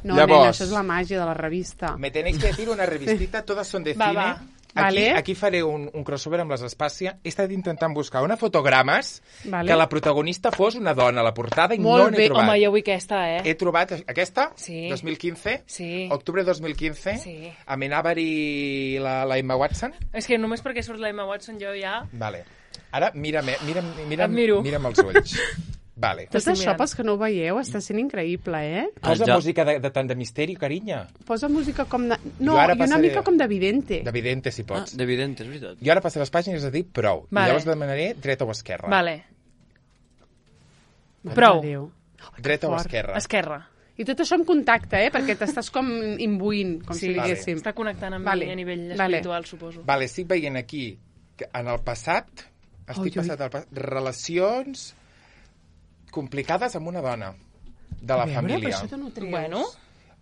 No, Llavors- nena, això és la màgia de la revista. Me tenéis que decir una revistita, todas son de Va, cine. va. Aquí, Vale. aquí faré un, un crossover amb les Espàcia. He estat intentant buscar una fotogrames Vale. que la protagonista fos una dona a la portada i Molt no n'he bé. trobat. Home, jo vull aquesta, eh? He trobat aquesta, Sí. dos mil quinze, Sí. octubre dos mil quinze, Sí. amb en Avery i la, la Emma Watson. És que només perquè surt la Emma Watson jo ja... Vale. Ara mira'm, eh, mira'm, mira'm, Admiro. mira'm els ulls. Vale. Tot T'estic això, mirant. pels que no ho veieu, està sent increïble, eh? Posa El ja- música de, de tant de misteri, carinya. Posa música com de... No, Jo ara i una passaré- mica com d'evidente. D'evidente, si Ah, pots. d'evident, és veritat. Jo ara passaré les pàgines i has de dir prou. Vale. I llavors demanaré dreta o esquerra. Vale. Mare Prou. de Déu. Dreta o fort. esquerra. Esquerra. I tot això amb contacte, eh? Perquè t'estàs com imbuint, com Sí, si diguéssim. està connectant amb Vale. mi a nivell Vale. espiritual, suposo. Vale, estic veient aquí que en el passat, estic Ui, ui. passat al passat, relacions complicades amb una dona de la A veure, família. Però això t'ho no treus. Bueno,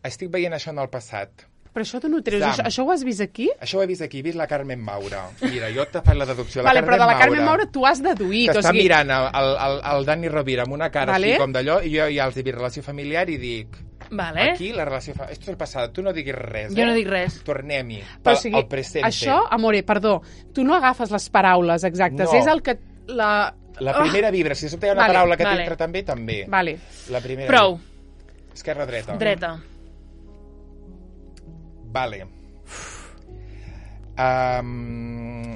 Estic veient això en el passat. Però això t'ho no treus. Sam. Això, això ho has vist aquí? Això ho he vist aquí, he vist la Carmen Maura. Mira, jo te faig la deducció. La Vale, Carmen però de la Carmen Maura tu has deduït. que o està sigui, mirant el, el, el Dani Rovira amb una cara Vale. així com d'allò, i jo ja els he vist relació familiar i dic... vale. Aquí la relació... Fa... Esto és el passat, tu no diguis res, Jo eh? no dic res. Tornem-hi, Però, al, o sigui, al presente. això, amore, perdó, tu no agafes les paraules exactes, No. és el que... La, La primera vibra, si sota hi ha una Vale, paraula que vale. t'entra també, també. Vale. La primera Prou. vibra. Esquerra-dreta. Dreta. Vale. Um...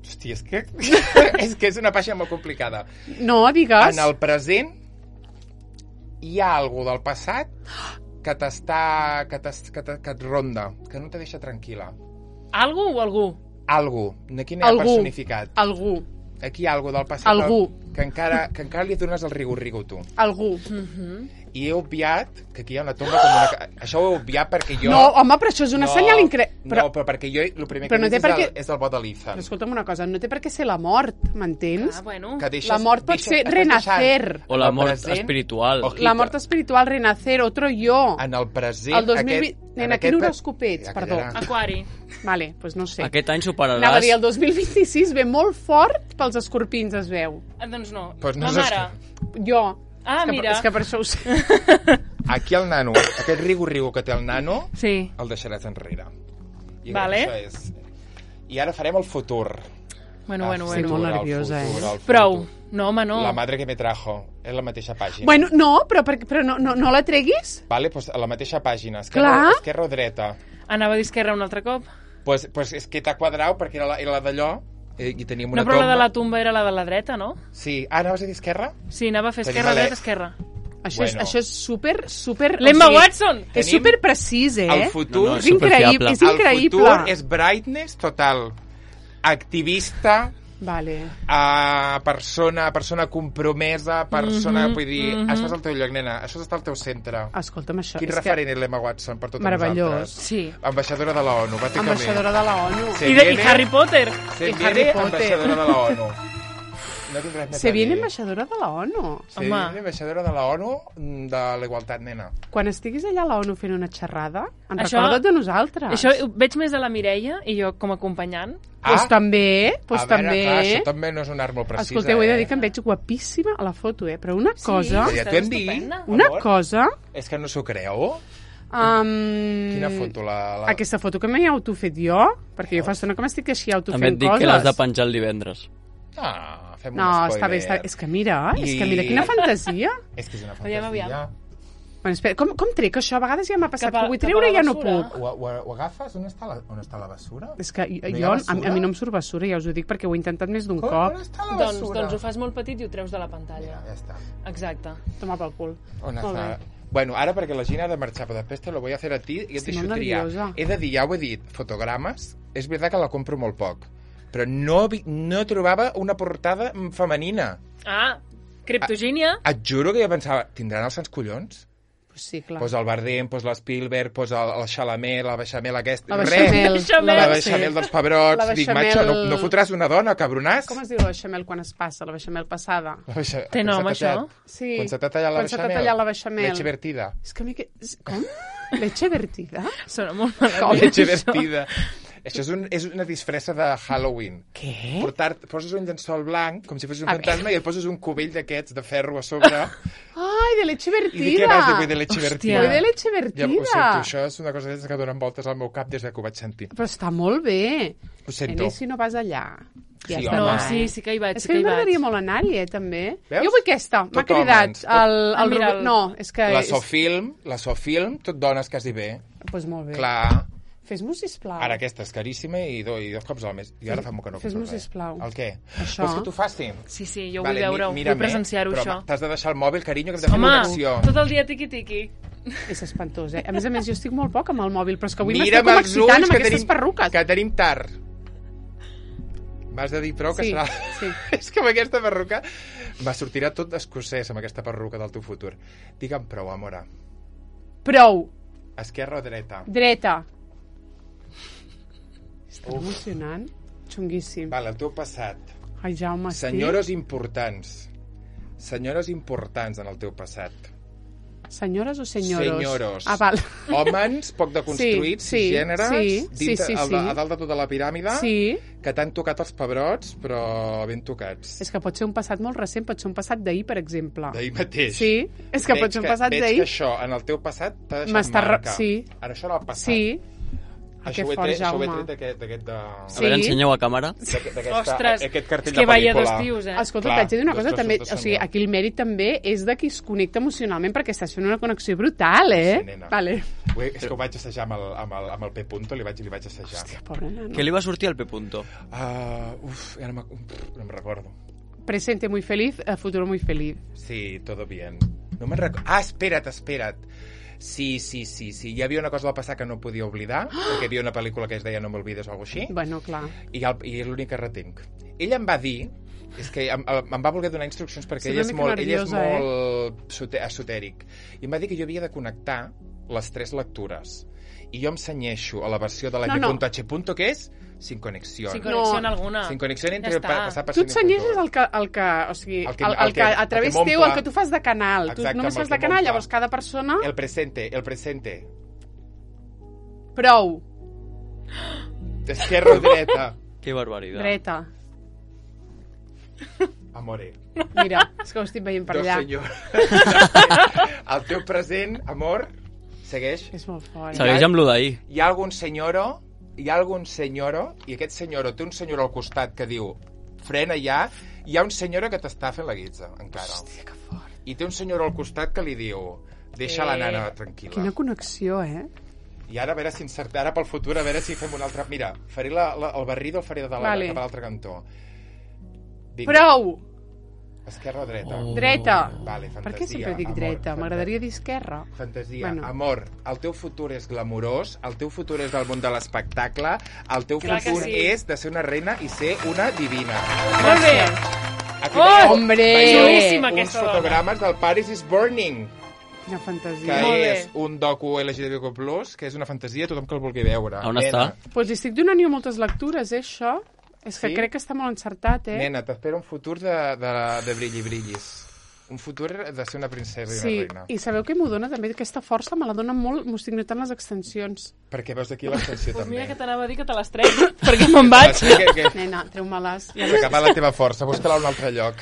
Hòstia, és que... és que és una pàgina molt complicada. No, digues. En el present hi ha alguna del passat que t'està... que, t'es- que, te- que et ronda, que no te deixa tranquil·la. Algú o algú? Algú. Aquí no hi ha Algú. personificat. Algú. Aquí hi ha alguna del passat Algú. que encara, que encara li dones el rigu-rigu, tu. Algú. Mhm. i he obviat que aquí hi ha una tomba com una... Això ho he obviat perquè jo... No, home, però això és una no, senyal increïble. Però... No, però perquè jo el primer Però que no he té vist per és, què- el, és el bot de l'Ethan. Però escolta'm una cosa, no té per què ser la mort, m'entens? Ah, bueno. Que deixes, La mort pot deixes, ser estàs renacer. deixant O la el mort present, espiritual. ojito, La mort espiritual, renacer, otro yo. En el present... El dos mil vint... Aquest, Nena, quin horòscop ets? Ja Perdó. callarà. Aquari. Vale, doncs pues no sé. Aquest any Anava a superaràs... dir, el dos mil vint-i-sis ve molt fort pels escorpins, es veu. Ah, doncs no. Pues no la és mare. Jo. Ah, és que, mira. És que per això ho sé. Aquí el nano, aquest rigo-rigo que té el nano, Sí. el deixaràs enrere. I Vale. Això és... I ara farem el futur. Bueno, El bueno, futur, Estic bueno. molt el nerviosa, futur, eh? el futur. Prou. No, home, no. La madre que me trajo. És la mateixa pàgina. Bueno, no, però, per, però no, no, no la treguis? Vale, pues a la mateixa pàgina. Esquerra, Clar. esquerra o dreta. Anava a dir esquerra un altre cop. Pues, pues és que t'ha quadrat perquè era la, era la d'allò eh, i teníem una No, però tomba. la de la tumba era la de la dreta, no? Sí. Ah, anaves a dir esquerra? Sí, anava a fer Tenim esquerra, la- dreta, esquerra. Això, és, Bueno. això és super, super... L'Emma Watson! És Tenim super precís, eh? El futur... No, no, és increïble, és El increïble. futur és brightness total. Activista, Vale. a persona, persona compromesa, persona... Mhm, vull dir, mhm. això és el teu lloc, nena. Això està al teu centre. Escolta'm, això... Quin és referent és l'Emma Watson per totes Meravellós. nosaltres? Sí. Ambaixadora de la ONU, que... bàsicament. Ambaixadora de la ONU. Se I, de, I viene- Harry Potter. Se I viene Harry Potter. ambaixadora de la ONU. No tinc res més Se a viene dir. ambaixadora de la ONU. Se Home. viene ambaixadora de la ONU de la igualtat, nena. Quan estiguis allà a la ONU fent una xerrada, en Això- recorda't de nosaltres. Això ho veig més a la Mireia i jo com a acompanyant. Pues també, pues a veure, també. clar, això també no és un art molt precisa. Escolteu, he de dir eh? que em veig guapíssima a la foto, eh? Però una cosa... Ja Estàs t'ho hem dit. estupenda. Una amor. cosa... És que no s'ho creu? Um, Quina foto? La, la... Aquesta foto que m'he autofet jo, perquè jo fa estona que m'estic així També autofent et dic coses. que l'has de penjar el divendres. Ah, fem No, un spoiler. està bé, està... és que mira, és I- que mira quina fantasia. És que és una Aviam, fantasia. aviam. Bueno, espera, com, com trec això? A vegades ja m'ha passat Cap a- que vull cap a treure la i ja no basura. puc. Ho, ho, ho agafes? On està la, on està la basura? És que jo, No hi ha jo a, basura? a mi no em surt basura, ja us ho dic, perquè ho he intentat més d'un Com, cop. on està la Doncs, basura? doncs ho fas molt petit i ho treus de la pantalla. Ja està. Exacte. Toma pel cul. On Molt està? bé. Bueno, ara perquè la Gina ha de marxar, però després te lo voy a hacer a ti i et Estic deixo molt triar. nerviosa. He de dir, ja ho he dit, fotogrames, és veritat que la compro molt poc, però no, vi- no trobava una portada mm, femenina. Ah, Criptogínia. Et juro que jo pensava, tindran els sants collons? Pues sí, clar. Pues el Bardem, pues l'Spielberg, pues el, el Chalamet, la Beixamel aquesta... La Res. Beixamel. Beixamel. La sí. Beixamel dels pebrots. La Dic, Beixamel- macho, no, no fotràs una dona, cabronàs? Com es diu la beixamel quan es passa? La beixamel passada? La Beixa- Té quan nom, s'ha això? tallat- Sí. Quan se t'ha tallat la Quan se t'ha beixamel. tallat la beixamel. Leche vertida. És que a mi que... és- Com? Leche vertida? Sona molt malament. Leche això. vertida. Això és, un, és una disfressa de Halloween. Què? Portar, poses un llençol blanc, com si fos un A fantasma, i et poses un cubell d'aquests de ferro a sobre. Ai, de leche I vertida! dic, què vas dir, vull de leche Hòstia. vertida? Vull de leche Ja, vertida! ho sento, això és una cosa que donen voltes al meu cap des que ho vaig sentir. Però està molt bé. Ho sento. I si no vas allà? Ja Sí, està home. No, bé. sí, sí que hi vaig, És sí que que a hi mi vaig. m'agradaria molt anar-hi, eh, també. Veus? Jo vull aquesta. M'ha Tot cridat homes, tot- el, Ah, el mira, Robert... el- No, és que... La és... Sofilm, la Sofilm, tot dones quasi bé. Pues molt bé. Clar, Fes-m'ho, sisplau. ara aquesta és caríssima i, do, i dos cops al mes. I ara fa molt que no Fes-m'ho, compro res. sisplau. El què? Això. Vols que t'ho faci? Sí, sí, jo Vale, vull veure-ho, mi- vull mírame, presenciar-ho, però això. t'has de deixar el mòbil, carinyo, que hem de fer Home, una acció. tot el dia tiqui-tiqui. És espantós, eh? A més a més, jo estic molt poc amb el mòbil, però és que avui m'estic Mira'm com els excitant ulls amb que aquestes tenim, perruques. que tenim tard. M'has de dir prou que Sí, serà... sí. És que amb aquesta perruca va sortirà tot escocès amb aquesta perruca del teu futur. Digue'm prou, amora. Prou. Esquerra o dreta? Dreta. Està emocionant. Xunguíssim. Vale, el teu passat. Ai, Jaume, estic... Senyores importants. Senyores importants en el teu passat. Senyores o senyoros? Senyoros. Ah, val. Hòmens poc deconstruïts, Sí, sí, gèneres, sí, sí, dintre, sí, al de- sí. a dalt de tota la piràmide, Sí. que t'han tocat els pebrots, però ben tocats. És que pot ser un passat molt recent, pot ser un passat d'ahir, per exemple. D'ahir mateix. Sí, és que Veig pot ser un passat veig d'ahir. que això, en el teu passat, t'ha deixat M'està re- marca. sí. Ara això era el passat. Sí. Ah, Això que ho he fort, tret, això ho he Jaume. tret d'aquest... d'aquest de... A Sí. veure, ensenyeu a càmera. d'aquest- d'aquesta- Ostres, aquest és cartell que de vaya pel·lícula. dos tios, eh? Escolta, Clar, t'haig de dir una dos cosa, trossos també, de o sigui, senyor. aquí el mèrit també és de qui es connecta emocionalment perquè estàs fent una connexió brutal, eh? Sí, nena. Vale. Ho he- És que ho vaig assajar amb el, amb el, amb el P. Punto, li vaig, li vaig assajar. Hòstia, pobre nano. Què li va sortir al P. Punto? Uh, uf, ja no, me, no em recordo. Presente muy feliz, eh, futuro muy feliz. Sí, todo bien. No me'n recordo. Ah, espera't, espera't. Sí, sí, sí, sí. Hi havia una cosa al passat que no podia oblidar, perquè hi havia una pel·lícula que es deia No m'olvides o alguna així, Bueno, clar. i, el, i és l'únic que retenc. Ella em va dir És que em, em va voler donar instruccions perquè Sí, ell una és mica molt, ell és nerviosa, eh? molt sote- esotèric. I em va dir que jo havia de connectar les tres lectures. I jo em cenyeixo a la versió de la No, no. M.H. que és sin conexión. Sin conexión No. alguna. Sin conexión entre Ja està. pa- passar per Tu et Sony punto senyeixes el que, el que, o sigui, El el que- que, el, el el que- que a el que través m'omple. teu, el que tu fas de canal. Exacte, tu només amb el fas de que canal, m'omple. llavors cada persona... El presente, el presente. Prou. Esquerra o dreta. Que barbaritat. Dreta. Amore. Mira, és que ho estic veient per Dos allà. senyor. El teu present, amor, segueix. És molt fort. Segueix amb lo d'ahir. Hi ha algun senyoro, hi ha algun senyoro, i aquest senyoro té un senyor al costat que diu frena ja, hi ha un senyoro que t'està fent la guitza, encara. Hòstia, que fort. I té un senyor al costat que li diu deixa la nana tranquil·la. Quina connexió, eh? I ara a veure si encerta, ara pel futur, a veure si fem un altre... Mira, faré la, la, el barrido, el faré de la, Vale. cap a l'altre cantó. Vinga. Prou! Esquerra o dreta? Oh. Dreta. Vale, fantasia. Per què sempre dic amor, dreta? fanta- M'agradaria dir esquerra. Fantasia. Bueno. Amor, el teu futur és glamurós, el teu futur és del món de l'espectacle, el teu Clar que futur sí. és de ser una reina i ser una divina. Molt bé. Aquí Oh! veieu- Hombre! veieu Xulíssima uns aquesta dona. fotogrames del Paris is Burning, Quina que fantasia. Molt bé. és un docu L G B T Q plus, que és una fantasia, tothom que el vulgui veure. On Nena, està? Doncs pues li estic donant jo moltes lectures, eh, això. És que Sí? crec que està molt encertat, eh? Nena, t'espera un futur de, de, de brilli brillis. Un futur de ser una princesa i Sí, una reina. i sabeu què m'ho dona també? Aquesta força me la dona molt, m'ho estic notant les extensions. Perquè veus d'aquí l'extensió Pues també. mira que t'anava a dir que te les trec, perquè me'n vaig. Sí, que, que Nena, treu-me-les. Ja s'ha acabat la teva força, busca-la a un altre lloc.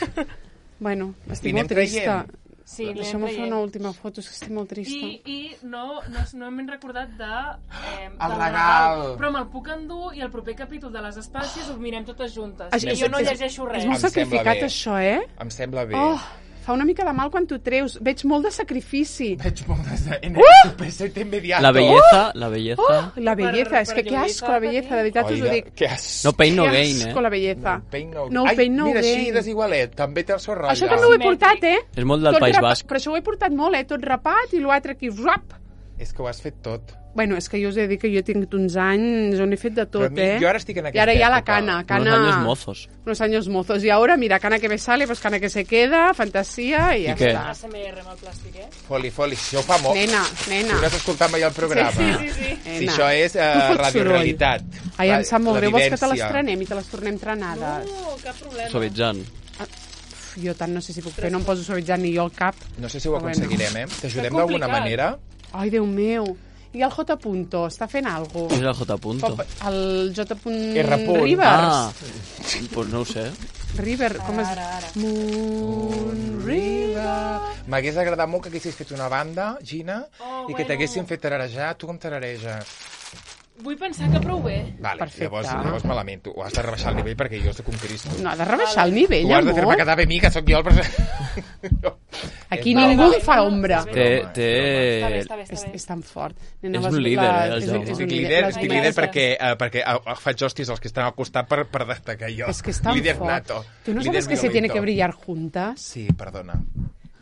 Bueno, I estic anem molt trista. traient. Sí, anem Deixa'm fer traient. una última foto, és que estic molt trista. I, i no, no, no hem recordat de, eh, El del regal. Però me'l puc endur i el proper capítol de les espècies ho mirem totes juntes. Això I jo no és- llegeixo res. És molt Em sembla sacrificat, bé. això, eh? Em sembla bé. Oh, fa una mica de mal quan t'ho treus. Veig molt de sacrifici. Veig moltes de... En Uh! el presente inmediato. La belleza, la belleza... Oh, la belleza, Per- és per que que lluir, asco la belleza, de veritat us ho Oiga, dic. que asco. No pain, no Que gain, asco eh? la belleza. Pain no, No Ai, pain, no mira, gain. així desigualet, també té el seu ratlla. Això també ho he portat, eh? És molt del Tot País rapa- Basc. Però això ho he portat molt, eh? Tot rapat i l'altre aquí, rap. És que ho has fet tot. Bueno, és que jo us he de dir que jo he tingut uns anys on he fet de Però tot, a mi- eh? jo ara estic en I aquesta ara ja la època. cana, Unos cana... años mozos. Unos años mozos. Y ahora, mira, cana que me sale, pues cana que se queda, fantasía y I ya què? està. A S M R amb el plàstic, eh? Foli, foli, això ho fa molt. Nena, Tu nena. no has escoltat mai el programa. Sí, sí, sí. Si Nena. això és Tu eh, fots radiorealitat. Ai, em sap molt La greu. Vols que te les vivència. trenem i te les tornem trenades? No, cap problema. Suavitzant. Uf, jo tant no sé si puc fer, no em poso suavitzant ni jo al cap. No sé si ho Però bueno. aconseguirem, eh? T'ajudem Que d'alguna complicat. manera? Ai, Déu meu. I el J. Punto, està fent alguna Qui és el J. Punto? El J. R. Punt. Rivers. Ah, pues no ho sé. River, com es... Ara, ara. Moon River. M'hagués agradat molt que haguessis fet una banda, Gina, Oh, i que bueno. t'haguessin fet tararejar. Tu com tarareges? Vull pensar que prou bé. Vale, Perfecte. llavors, llavors malament. Tu ho has de rebaixar el nivell perquè jo soc un Cristo. No, ha de rebaixar el nivell, Tu has de fer-me amor. quedar bé a mi, que sóc jo el present. Aquí És ningú broma. em fa ombra. Té- Té, Està bé, té... està bé, És, està bé. és tan fort. Nena, És vas- un líder, eh, el és, Jaume. és Estic un líder, les estic Ai, líder gràcies. perquè, eh, perquè eh, faig hòsties als que estan al costat per, per destacar jo. És que és tan líder fort. nato. ¿Tú no Líder sabes que se tiene violento. que brillar juntas? Sí, perdona.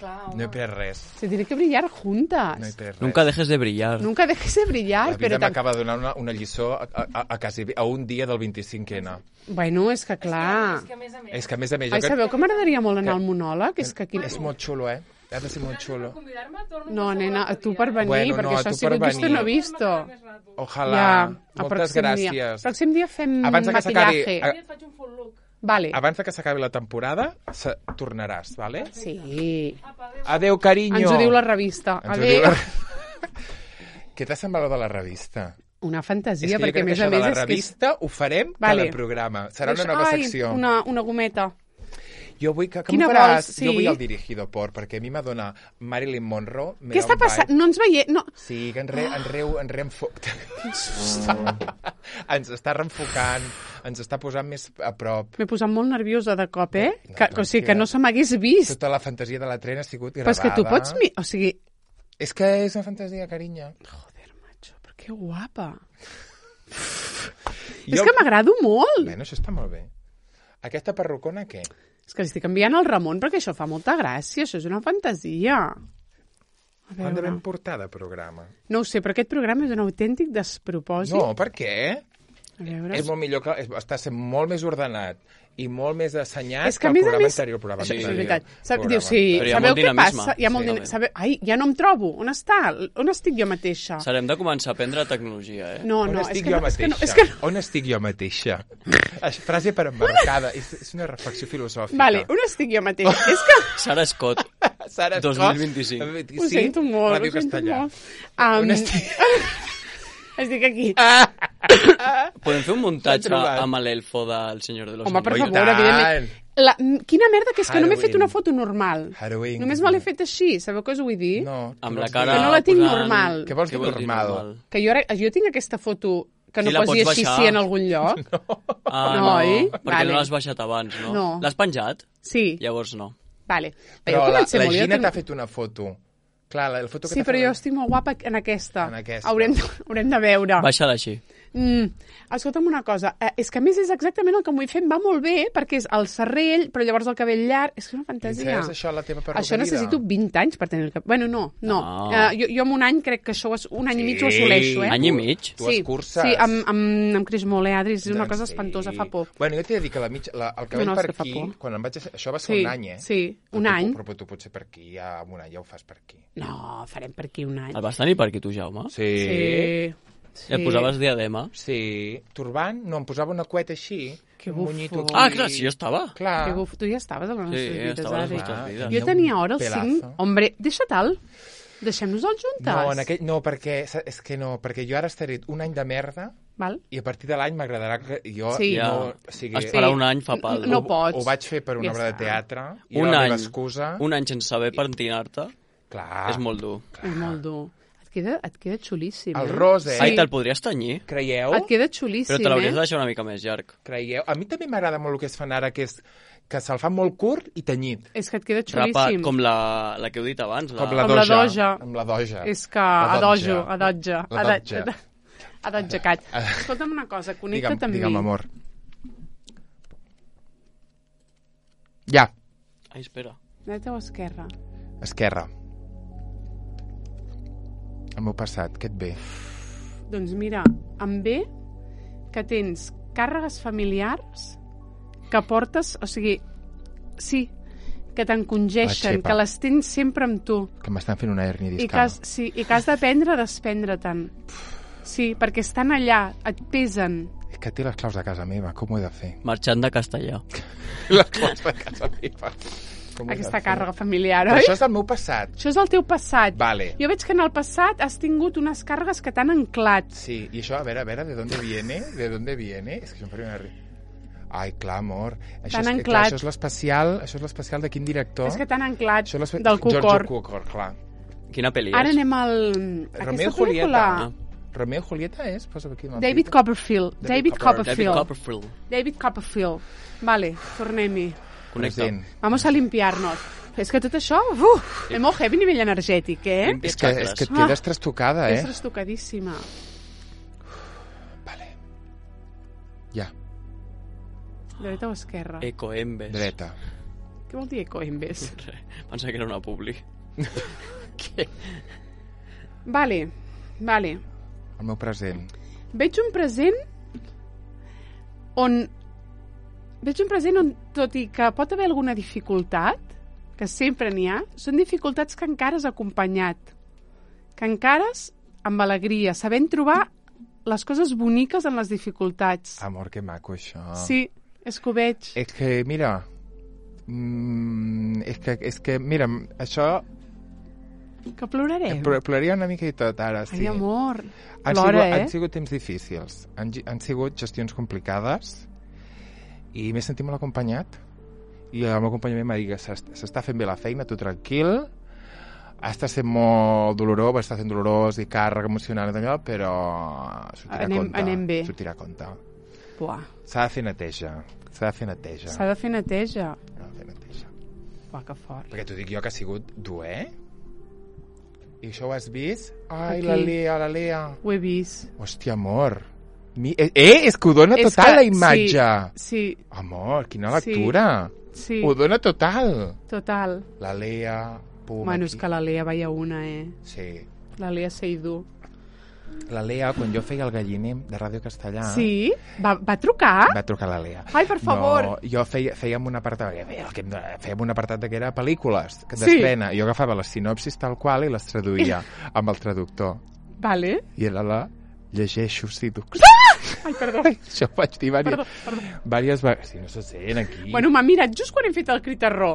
Clar, No he home. pres res. Se tiene que brillar juntas. No he pres res. Nunca dejes de brillar. Nunca dejes de brillar, La vida però... tam- m'acaba de donar una, una lliçó a, a, a, quasi, a un dia del vint-i-cinc ene. Bueno, és que clar... És que a més a més... És que, a més a més, jo Ai, crec- sabeu que m'agradaria molt anar al monòleg? És que aquí... és molt xulo, eh? Ha de ser molt xulo. Convidar-me, torno No, a nena, qualsevol tu per dia. venir, Bueno, perquè no, això tu ha sigut per visto no venir. visto. Ojalà. Ja, el Moltes pròxim gràcies. Dia. Pròxim dia fem Abans que s'acabi- maquillaje. a- Et faig un full look. Vale. Abans de que s'acabi la temporada, se... tornaràs, vale? Sí. Apa, adéu. Adéu, carinyo. Ens ho diu la revista. Ens ho Adéu. diu la... Què t'ha semblat de la revista? Una És fantasia, que jo perquè crec a que més això a de més la és que... és- revista ho farem Vale. cada programa. Serà una nova Ai, secció. Una, una gometa. Jo vull que, que Quina m'ho faràs? vols? Sí. Jo vull el dirigido por, perquè a mi m'adona Marilyn Monroe. me Què da està un passant? vibe. No ens veiem... No. Sí, que en, re, en reu, en reenfo... ens està reenfocant, ens està posant més a prop. M'he posat molt nerviosa de cop, eh? No, Que, o sigui, que no se m'hagués vist. Tota la fantasia de la trena ha sigut Però gravada. és que tu pots... Mi... O sigui... És que és una fantasia, carinyo. Joder, macho, però que guapa. Jo... És que m'agrado molt. Bueno, això està molt bé. Aquesta perrucona, què? És que li estic enviant al Ramon perquè això fa molta gràcia, això és una fantasia. A Quan devem veure... portar de programa? No ho sé, però aquest programa és un autèntic despropòsit. No, per què? A veure... És molt millor que... És, està sent molt més ordenat i molt més assenyat És que, que a el més a programa més... anterior. Programa Això és anterior. veritat. Sap, Programa. diu, sí, Però hi ha sabeu molt què dinamisme. passa? Hi ha molt Sí, din... home. sabeu... Ai, ja no em trobo. On està? On estic jo mateixa? S'haurem de començar a aprendre tecnologia, eh? No, On no, és estic que jo no, és que no, mateixa? és que no. On estic jo mateixa? Això, frase per embarcada. És, és una reflexió filosòfica. Vale, on estic jo mateixa? És que... Sara Scott. Sara dos Scott, mil vint-i-cinc. sí? Ho sento molt, Ràdio ho sento Castellà. molt. Um, On estic? estic aquí. Podem fer un muntatge S'ha trobat. amb l'elfo del Senyor de los Home, per Oi, Anillos? favor, tant. evidentment. La, quina merda, que és que no m'he fet Halloween. una foto normal. Halloween. Només me l'he fet així, sabeu què us vull dir? No. Amb què la vols cara... dir? Que no la tinc posant- normal. Què vols dir dir normal? Que jo, ara- jo tinc aquesta foto que no Sí, la posi pots així baixar. sí en algun lloc. Ah, No, no, oi? perquè Vale. no l'has baixat abans, no? No. L'has penjat? Sí, Llavors no. vale. Però jo que la, vaig ser la molt- jo Gina també- t'ha fet una foto. Clar, la, la foto que Sí, t'ha però fet... jo estic molt guapa en aquesta. En aquesta. Haurem, de- haurem de veure. Baixa-la així. Mm, escolta'm una cosa, eh, és que a més és exactament el que m'ho he fet, va molt bé, perquè és el serrell, però llavors el cabell llarg, és que és una fantasia. Princesa, això la teva perruqueria. Això necessito vint anys per tenir el cabell... Bueno, no, no. No. Uh, jo, jo en un any crec que això, ho es- un any i mig ho assoleixo, eh? Any i mig? Tu sí, escurces. sí, amb, amb, amb Cris Molé, Adris, és una Doncs cosa sí. espantosa, fa por. Bueno, jo t'he de dir que la mig, la, el cabell No, no, és per que fa aquí, por. quan em vaig... a- Això va ser Sí, un any, eh? sí, Però un tu- any. Però tu potser per aquí, ja amb un any ja ho fas per aquí. No, farem per aquí un any. El vas tenir per aquí, tu, Jaume? Sí. Sí. I et posaves diadema? Sí. Turbant? No, em posava una cueta així. Que un bufo. monyito aquí. Ah, clar, sí, jo estava. Clar. Que buf, tu ja estaves a les Sí, nostres vides, estava a les Adri. nostres vides. Jo tenia hora el Pelazo. cinc... Hombre, deixa tal. Deixem-nos-el juntes. No, en aquell, no, perquè, és que no, perquè jo ara estaré un any de merda Val? i a partir de l'any m'agradarà que jo Sí. Ja. no... O sigui, Esperar Sí. un any fa pal. No ho, pots. Ho vaig fer per una Ja obra de està. teatre i Un era la any, meva excusa. un any sense saber pentinar-te Clar. és molt dur. És molt dur. Et queda, et queda xulíssim, El eh? ros, eh? Sí. Ai, te'l podries tenyir? Creieu? Et queda xulíssim, Però te l'hauries eh? de deixar una mica més llarg. Creieu? A mi també m'agrada molt el que es fan ara, que és que se'l fa molt curt i tenyit. És que et queda Rapat, xulíssim. com la, la que heu dit abans. La... Com la Com la doja. doja. Amb la doja. És que La adojo, dotja. adotja, La adotja. dotja. Adotja, cat. Escolta'm una cosa, connecta't Digue'm, amb digue'm, mi. amor. Ja. Ai, espera. Dreta o esquerra? Esquerra. El meu passat, què et ve? Doncs mira, em ve que tens càrregues familiars que portes, o sigui, sí, que t'encongeixen, La xepa. que les tens sempre amb tu. Que m'estan fent una hernia I que, discal. has, sí, i que has d'aprendre a desprendre-te'n. Sí, perquè estan allà, et pesen. És que té les claus de casa meva, com ho he de fer? Marxant de castellà. Les claus de casa meva. Com ho he de Aquesta fer? càrrega familiar, Però oi? això és el meu passat. Això és el teu passat. Vale. Jo veig que en el passat has tingut unes càrregues que t'han anclat. Sí, y això, a veure, a veure, ¿de dónde viene? ¿De dónde viene? És que això em faria una... ri- Ai, clar, amor. Això T'han és, anclat. clar, això és l'especial, això és l'especial de quin director? És que t'han anclat Això és l'espe- del Giorgio Cucor. Cukor, clar. Quina pel·li Ara és? anem al... Romeo i Aquesta Julieta. pel·lícula... Romeo i Julieta és? Posa aquí una David fita. Copperfield. David David Copper- David Copperfield. Copperfield. David Copperfield. Vale, tornem-hi. Connecta. Present. Vamos a limpiarnos. És que tot això, uf, és molt heavy a nivell energètic, eh? Limpia És que, és xacres. que et quedes trastocada, És eh? trastocadíssima. Vale. Ja, Dreta o esquerra? Ecoembes. dreta. Què vol dir ecoembes? Pensa que era una publi. Què? Vale, vale. El meu present. Veig un present on... Veig un present on, tot i que pot haver alguna dificultat, que sempre n'hi ha, són dificultats que encara has acompanyat. Que encara has amb alegria, sabent trobar les coses boniques en les dificultats. Amor, que maco, això. Sí, és que ho veig. És que, mira... Mm, és, que, és que, mira, això... Que plorarem. Pl- Ploraria una mica i tot, ara, sí. Ai, amor. Han Plora, sigut, eh? han sigut temps difícils. Han, gi- han sigut gestions complicades i m'he sentit molt acompanyat. I el meu acompanyament m'ha dit que s'est- s'està fent bé la feina, tu tranquil. Està sent molt dolorós, va estar sent dolorós i càrrega emocional i allò, però sortirà Anem- a compte. anem bé. Sortirà a compte. Buah, S'ha de fer neteja. S'ha de fer neteja. s'ha de fer neteja. S'ha de fer neteja. Buah, que fort. Perquè t'ho dic jo que ha sigut dur, eh? I això ho has vist? Ai, Aquí. la Lea, la Lea. Ho he vist. Hòstia, amor. Mi... Eh, eh, és que ho dona És total que- la imatge. Sí, Amor, quina Sí. lectura. sí, Ho dona total. total. La Lea, pum, Bueno, aquí. és que la Lea veia una, eh? Sí. La Lea Seydoux. La Lea, quan jo feia el galliner de Ràdio Castellà... Sí? Va, va trucar? Va trucar la Lea. Ai, per favor. No, jo feia, fèiem un apartat, fèiem un apartat de que era pel·lícules que Sí. d'estrena. Jo agafava les sinopsis tal qual i les traduïa amb el traductor. Vale. I era la llegeixo Sidux. Ai, perdó. Això ho vaig dir Perdó, diverses, perdó. diverses vegades. Si no se sent aquí... Bueno, m'ha mirat just quan hem fet el critarró.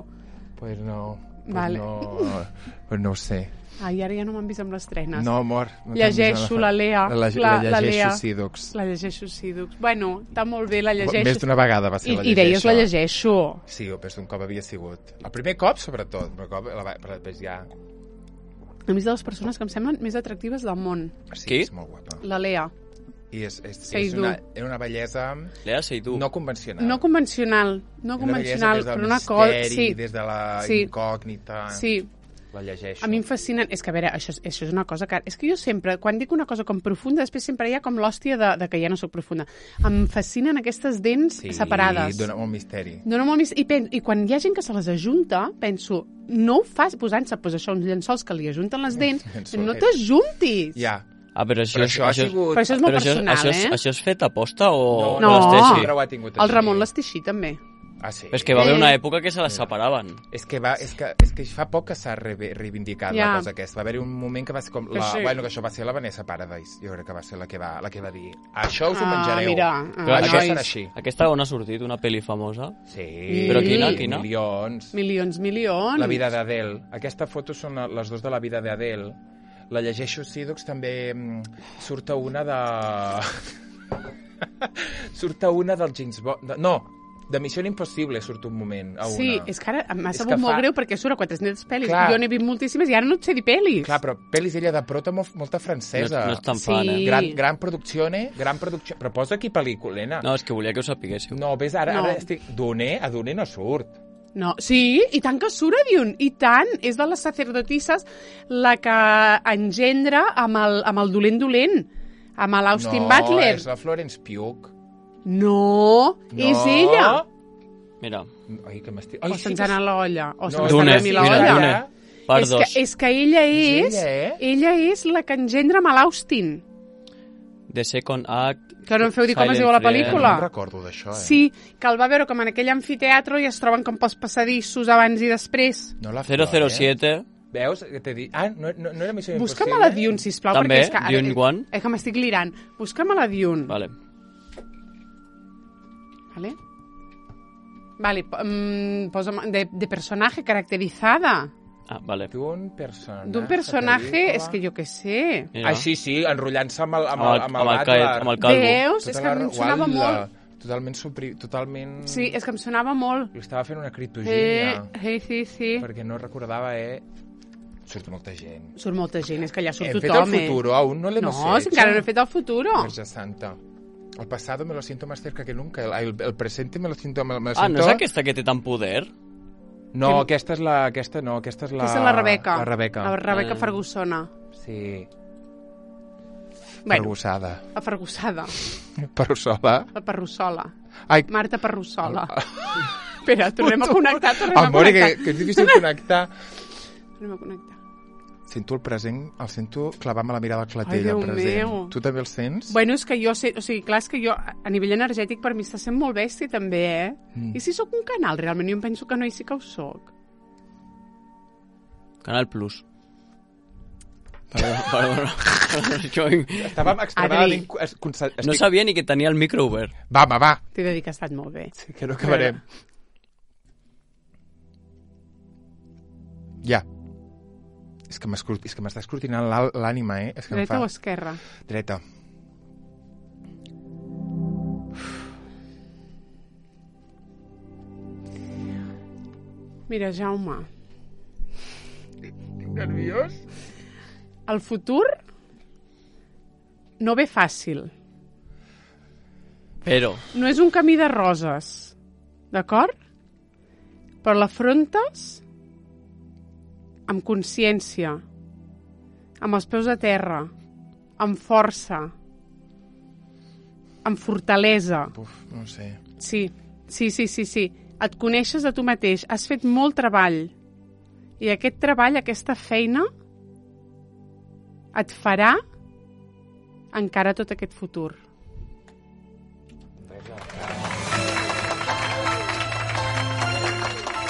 Pues no, pues Vale. no, pues no ho sé. Ai, ara ja no m'han vist amb les trenes. No, amor. No t'han Llegeixo vist a la Lea. La, la, La- la la llegeixo Lea. Sidux. La llegeixo Sidux. Bueno, està molt bé, la llegeixo. Més d'una vegada va ser I, la I deies llegeixo. la llegeixo. Sí, o més d'un cop havia sigut. El primer cop, sobretot, però, cop, la, però després ja... A més de les persones que em semblen més atractives del món. Sí, Qui? és molt guapa. La Lea. I és, és, és Seidu. una, era una bellesa Lea, sei tu. no convencional. No convencional, no Una convencional, bellesa des però del una cosa... misteri, Sí, des de la Sí. incògnita. sí. La llegeixo. A mi em fascinen... És que, a veure, això, és- això és una cosa que... És que jo sempre, quan dic una cosa com profunda, després sempre hi ha com l'hòstia de, de que ja no sóc profunda. Em fascinen aquestes dents sí, separades. dona molt misteri. Dóna molt mis... I, pen... I quan hi ha gent que se les ajunta, penso, no ho fas posant-se pues, això, uns llençols que li ajunten les dents, Llençol, no eh? t'ajuntis. Ja. Ah, però això, Però això ha sigut... Però això és molt però això, personal, això, és, eh? això és fet a posta o No. o l'Esteixi? Sempre ho ha tingut El així. Ramon l'Esteixí, també. Ah, sí? És que va haver Eh. una època que se les separaven. És que, va, és que, és que fa poc que s'ha re reivindicat Ja. la cosa aquesta. Va haver-hi un moment que va ser com... Que La, sí. bueno, que això va ser la Vanessa Paradise. Jo crec que va ser la que va, la que va dir això us ho Ah, menjareu. mira, Però ah, això nois. serà així. Aquesta on ha sortit una pel·li famosa? Sí. Però quina, quina? Milions. Milions, milions. La vida d'Adele. Aquesta foto són la- les dues de la vida d'Adele. La llegeixo Sidux també mm, surt a una de... surt a una del James Bond... De... No, de Missió Impossible surt un moment a una. Sí, és que ara m'ha És sabut que molt fa- greu perquè surt a quatre-centes pel·lis. Clar. Jo n'he vist moltíssimes i ara no et sé dir pel·lis. Clar, però pel·lis ella de prota molt, molta No, francesa. no és tan Sí. fan, eh? Gran, gran produczione, gran producció... Però posa aquí pel·lículena. No, és que volia que ho sapiguéssiu. No, ves, ara, No. ara estic... Doné, a Doné no surt. No, sí, i tant que surt a Dune, i tant. És de les sacerdotisses la que engendra amb el, amb el dolent dolent, amb l'Austin no, Butler. és la Florence Pugh. No, No. és ella. Mira, Ai, que m'estic... O se'ns ha anat l'olla. O No, se'ns ha Dune, anat a mi mira, l'olla. Dune. Per És dos. que, és que ella és... És ella, eh? Ella és la que engendra amb l'Austin. The Second Act... Que no em feu dir com es Silent diu la Friend. pel·lícula. No em recordo d'això, eh? Sí, que el va veure com en aquell amfiteatre i es troben com pels passadissos abans i després. No la zero zero Flores. siete. Veus? Que t'he dit... Ah, no, no, no era Missió Busca'm Impossible? a la Dune, sisplau. També, perquè és que, ara- Dune One. És que m'estic lirant. Busca'm a la Dune. Vale. Vale. Vale, po- mm, posa'm de, de personaje caracterizada. Ah, vale. D'un personatge... D'un personaje, és que jo què sé. Mira. Ah, sí, sí, enrotllant-se amb el, amb Amb el, el- amb el, amb el Butler. caet- amb el calvo. Veus? És Tota que la em sonava guatla, molt. Totalment, supri... totalment... Sí, és que em sonava molt. Li estava fent una Eh, criptogènia, eh, sí, sí. perquè no recordava, eh... Surt molta gent. Surt molta gent, és que allà surt Hem fet tothom, el futuro, aún no l'hemos No, si hecho. encara no he fet el futuro. Verge Santa. El pasado me lo siento más cerca que nunca. El, el, el presente me lo siento... Me, me lo Ah, no siento... és aquesta que té tant poder? No, aquesta és la... Aquesta no, aquesta és la... Aquesta és la Rebeca. La Rebeca. La Rebeca Ah. Fergusona. Sí. Bueno, Fergusada. la Fergusada. Perussola. La Perrussola. Ai, Marta Perrussola. Espera, tornem a connectar, tornem a amor, que, connectar. que és difícil connectar. Tornem a connectar. Sento el present, el sento clavant-me la mirada al Ai, clatell, Déu el present. meu. Tu també el sents? Bueno, és que jo sé... O sigui, clar, és que jo, a nivell energètic, per mi està sent molt bèstia, també, eh? Mm. I si sóc un canal, realment? Jo em penso que no, i sí que ho sóc. Canal Plus. Perdona, perdona. Jo Estàvem extremadament... es- conce- no estic- sabia ni que tenia el micro obert. Va, home, va. T'he de dir que ha estat molt bé. Sí, que no acabarem. Ja. És que m'escrut- és que m'està escrutinant l'al- l'ànima, eh? És que em Dreta fa... o esquerra? Dreta. Mira, Jaume, Estic nerviós. el futur no ve fàcil. Però, No és un camí de roses, d'acord? Però l'afrontes amb consciència, amb els peus a terra, amb força, amb fortalesa. Uf, no ho sé. Sí, sí, sí, sí, sí. Et coneixes de tu mateix, has fet molt treball. I aquest treball, aquesta feina, et farà encara tot aquest futur.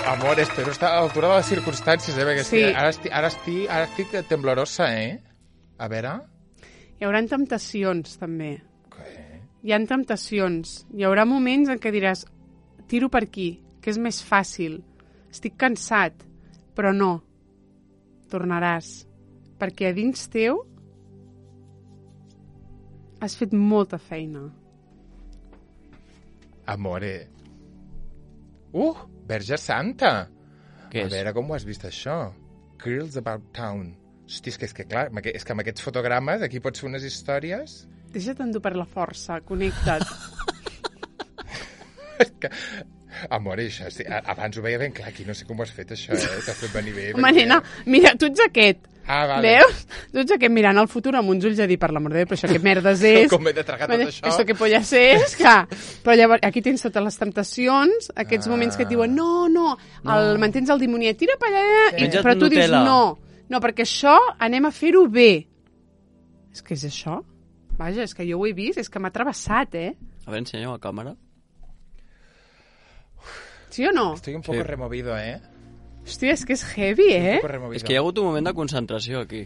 Amor, espero estar a l'altura de les circumstàncies, eh? Perquè Sí. sí. ara, estic, ara, estic, ara estic temblorosa, eh? A veure... Hi haurà temptacions, també. Què? Hi ha temptacions. Hi haurà moments en què diràs tiro per aquí, que és més fàcil. Estic cansat, però no. Tornaràs. Perquè a dins teu has fet molta feina. Amore. Uh, Verge Santa! Què A és? veure com ho has vist, això. Girls About Town. Hosti, és que, és que clar, amb aqu- és que amb aquests fotogrames aquí pots fer unes històries... Deixa't endur per la força, connecta't. És que... Amor, això, sí, a- abans ho veia ben clar, aquí no sé com ho has fet, això, eh? T'has fet venir bé. Home, perquè- nena, mira, tu ets aquest. Ah, vale. Veus? Tu ets aquest mirant el futur amb uns ulls a dir, per l'amor de Déu, però això què merdes és? Com he de tragar tot això? Esto que pollas és, clar. Però llavors, aquí tens totes les temptacions, aquests Ah. moments que et diuen, no, no, el, mantens el dimoniet, tira per allà, i, Menja't però tu dius, Nutella. no, no, perquè això anem a fer-ho bé. És que és això? Vaja, és que jo ho he vist, és que m'ha travessat, eh? A veure, ensenya a càmera. Sí o no? Estoy un poco Sí. removido, eh? Hòstia, és que és heavy, eh? Un poco removido. És que hi ha hagut un moment de concentració aquí.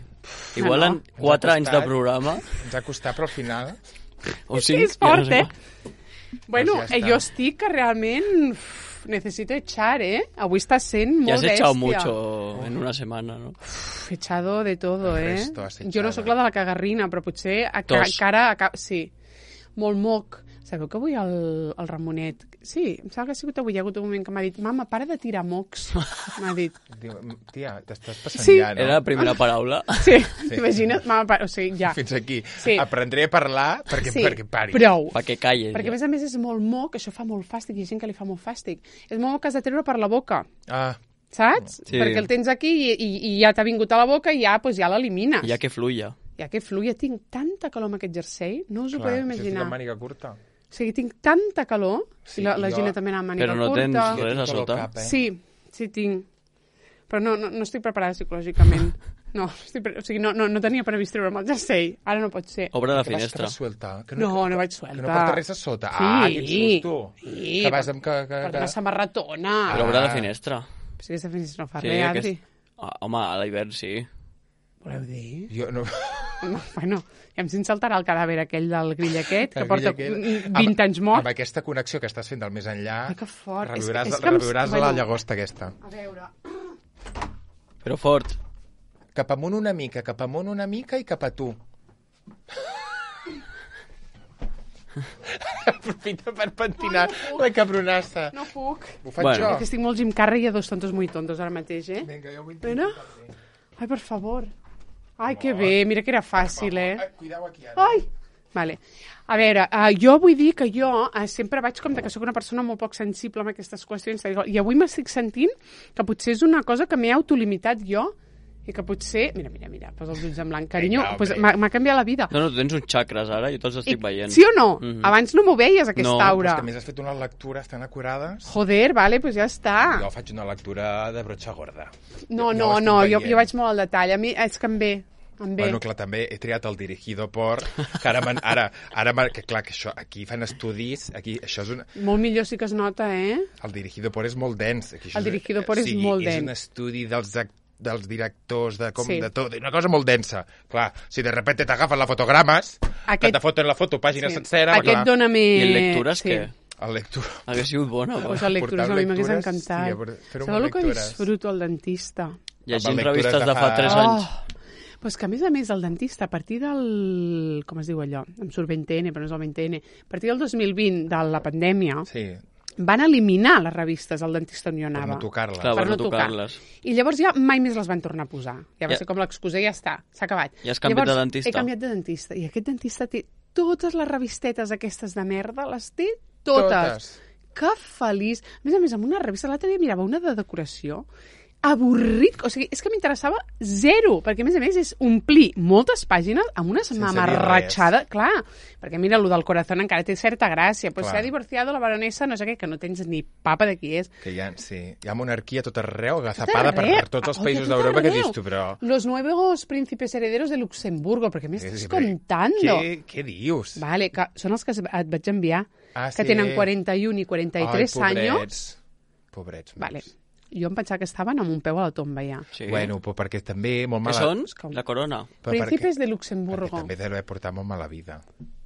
Igual no. en quatre Ens ha anys de costat. programa, Ens ha costat, però al final... o Sí, cinc, és fort, ja eh? no sé. Bueno, Doncs ja eh, està. jo estic que realment uf, necesito echar, eh? Avui està sent Ja molt has bèstia. echado mucho en una setmana, no? Uf, he echado de todo, El eh? resto has Jo no echado. sóc la de la cagarrina, però potser a ca Tos. cara... A ca sí, molt moc. Sabeu que avui el, el Ramonet... Sí, em sembla que ha sigut avui. Hi ha hagut un moment que m'ha dit mama, para de tirar mocs. M'ha dit. Diu, tia, t'estàs passant Sí. ja, no? Era la primera paraula. Sí, t'imagines? Mama, para... O sigui, ja. Fins aquí. Sí. Aprendré a parlar perquè, Sí, perquè pari. prou. Perquè calles. Perquè, a ja. més a més, és molt moc, això fa molt fàstic, hi ha gent que li fa molt fàstic. És molt moc que has de treure per la boca, Ah, saps? Sí. Perquè el tens aquí i, i, i ja t'ha vingut a la boca i ja, pues, ja l'elimines. Ja que fluia. Ja que fluïa, tinc tanta calor amb aquest jersei, no us ho clar, podeu si estic imaginar. amb màniga curta. O sigui, tinc tanta calor, Sí, i la, la jo- Gina també anava amb màniga Però no curta. tens Jo res tinc a tot el sota. cap, eh? Sí, sí tinc. Però no, no, no estic preparada psicològicament. No, estic pre... o sigui, no, no, no tenia previst treure'm el jersei. Ara no pot ser. Obre la Que vas, que finestra. vas suelta. Que No, no vaig Que suelta. no porta res a sota. Sí. Ah, quin susto. Sí, Que vas amb... Que, que, Porta que... una samarratona. Però obre la Ah. finestra. Però si aquesta finestra no fa Sí, res, Adri. aquest- Ah, home, a l'hivern sí. Voleu dir? Jo no... No, bueno, ja em sent saltarà el cadàver aquell del grill aquest, que El porta grill mm, aquest. vint Amb- anys mort. Amb aquesta connexió que estàs fent del més enllà, Ai, que fort. És- reviuràs, és que em- reviuràs bueno. la llagosta aquesta. A veure... Però fort. Cap amunt una mica, cap amunt una mica i cap a tu. Aprofita per pentinar la cabronassa. No puc. Ho faig Bueno. jo. És que estic molt Jim Carrey i a dos tontos muy tontos ara mateix, eh? Vinga, jo ho intento. Mira. Ai, per favor. Ai, que bé. Mira que era fàcil, eh? Ai, cuidao aquí, ara. Ai! Vale. A veure, uh, jo vull dir que jo uh, sempre vaig com de que sóc una persona molt poc sensible amb aquestes qüestions, i avui m'estic sentint que potser és una cosa que m'he autolimitat jo, i que potser... Mira, mira, mira, posa els ulls en blanc. Carinyo, Vinga, pues, hombre. m'ha m'ha canviat la vida. No, no, tu tens uns xacres ara, jo te'ls estic I, veient. sí o no? Mhm. Abans no m'ho veies, aquesta No, aura. Però és que a més has fet unes lectures tan acurades. Joder, vale, pues ja està. Jo faig una lectura de brotxa gorda. No, Jo- no, jo ho no, estic jo, veient. jo vaig molt al detall. A mi és que em ve, em ve. Bueno, clar, també he triat el dirigido por... Que ara, man, ara, ara man, que clar, que això, aquí fan estudis, aquí, això és una... Molt millor sí que es nota, eh? El dirigido por és molt dens. Aquí, això El és- dirigido por o és sigui, molt És dens. un estudi dels ac- dels directors, de com, Sí. de tot, una cosa molt densa. Clar, si de repente t'agafen la fotogrames, Aquest- que te foten la foto pàgina Sí. sencera, Aquest clar, dona més... I en lectures sí. què? el lectura... Hauria sigut bona, Pues però. el lectures Portar a mi m'hagués lectures, encantat. sí, per- fer Sabeu el que lectures. disfruto al dentista? Llegint lectures revistes de de fa fa- tres Oh. anys. Pues que, a més a més, el dentista, a partir del... Com es diu allò? Em surt vint ene, però no és el vint ene. A partir del dos mil vint, de la pandèmia, Sí, van eliminar les revistes al dentista on jo per anava. no tocar-la. Clar, per per no no tocar. tocar-les. I llavors ja mai més les van tornar a posar. Ja va Ja. ser com l'excusa i ja està, s'ha acabat. I has canviat llavors, de dentista? He canviat de dentista. I aquest dentista té totes les revistetes aquestes de merda, les té totes. Totes. Que feliç. A més a més, amb una revista, l'altre dia mirava una de decoració, avorrit, o sigui, és que m'interessava zero, perquè a més a més és omplir moltes pàgines amb una mamarratxada, clar, perquè mira, lo del corazón encara té certa gràcia, pues Clar. se ha divorciado la baronesa, no sé què, que no tens ni papa de qui és. Que hi ha, sí, hi ha monarquia a tot arreu, agazapada per, arreu. per tots els Oye, països tot d'Europa, que arreu. dius tu, però... Los nuevos príncipes herederos de Luxemburgo, perquè m'estàs Sí, sí, però contando. Què, què dius? Vale, que són els que et vaig enviar, Ah, que sí? tenen quaranta-un i quaranta-tres Ai, anys. pobrets. Pobrets. Vale. meus. Jo em pensava que estaven amb un peu a la tomba ja. Sí. Bueno, però perquè també molt Què mala... són? La corona. Però Príncipes perquè, de Luxemburgo. perquè també deu portar molt mala vida.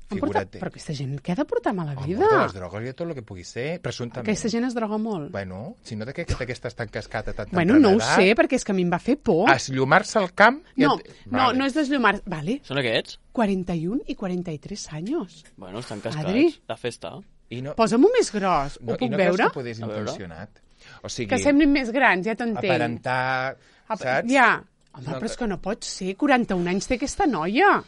Han portat... Figura't. Però aquesta gent, què ha de portar mala Home, vida? de les drogues i tot el que pugui ser, presumptament. Aquesta gent es droga molt. Bueno, si no d'aquesta aquesta tan cascata, tan Bueno, no ho sé, perquè és que a mi em va fer por. Eslumar-se al camp... i No, et- no, Vale. no és deslumar. Vale, Són aquests? quaranta-un i quaranta-tres anys. Bueno, estan cascats. Adri. La festa. I no, Posa'm-ho més gros, no, ho i puc no veure? creus que podés A veure. intencionat? O sigui, Que semblin més grans, ja t'entenc. aparentar... Apa- Saps? Ja. Home, No, però és que no pot ser. quaranta-un anys té aquesta noia.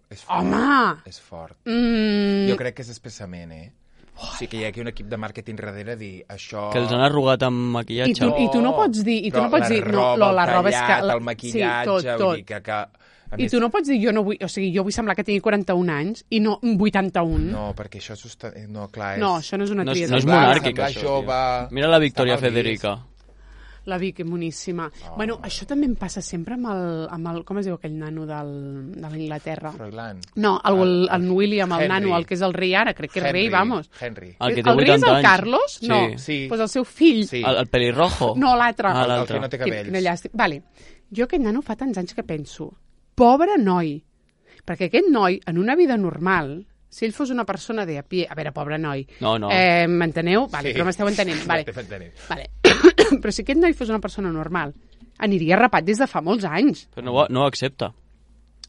És fort. Home! És fort. Mm, Jo crec que és espessament, eh? O sigui que hi ha aquí un equip de màrqueting darrere a dir això... Que els han arrugat amb I maquillatge. tu, I tu no pots dir... I tu Però no pots la dir no, roba, lo, la el roba és que... tallat, La, el maquillatge, sí, tot, vull tot. dir que... que a I tu no pots dir, jo no vull... O sigui, jo vull semblar que tingui quaranta-un anys i no vuitanta-un. No, perquè això és... Sosta... No, clar, és... No, això no és una No és, tria. no és de- Semblar- monàrquic, semblar això, jove, tio. Mira la Victòria està mal vist. Federica. La Vic, boníssima. Oh. Bueno, això també em passa sempre amb el... Amb el com es diu aquell nano del, de l'Inglaterra? Froilán. No, el, el, el William, el Henry. nano, el que és el rei ara, crec que és Henry, rei, vamos. Henry. El que el té rei és vuitanta el anys. Carlos? Sí. No, Sí. pues el seu fill. Sí. El, el pelirrojo? No, l'altre. Ah, El l'altre. que no té cabells. Quina llàstima. Vale. Jo aquest nano fa tants anys que penso, pobre noi, perquè aquest noi, en una vida normal, si ell fos una persona de a pie... A veure, pobre noi. No, no. Eh, M'enteneu? Vale, Sí. però m'esteu entenent. Vale. T'he fet tenir. Vale. Però si aquest noi fos una persona normal, aniria rapat des de fa molts anys. Però no, ho- no ho accepta.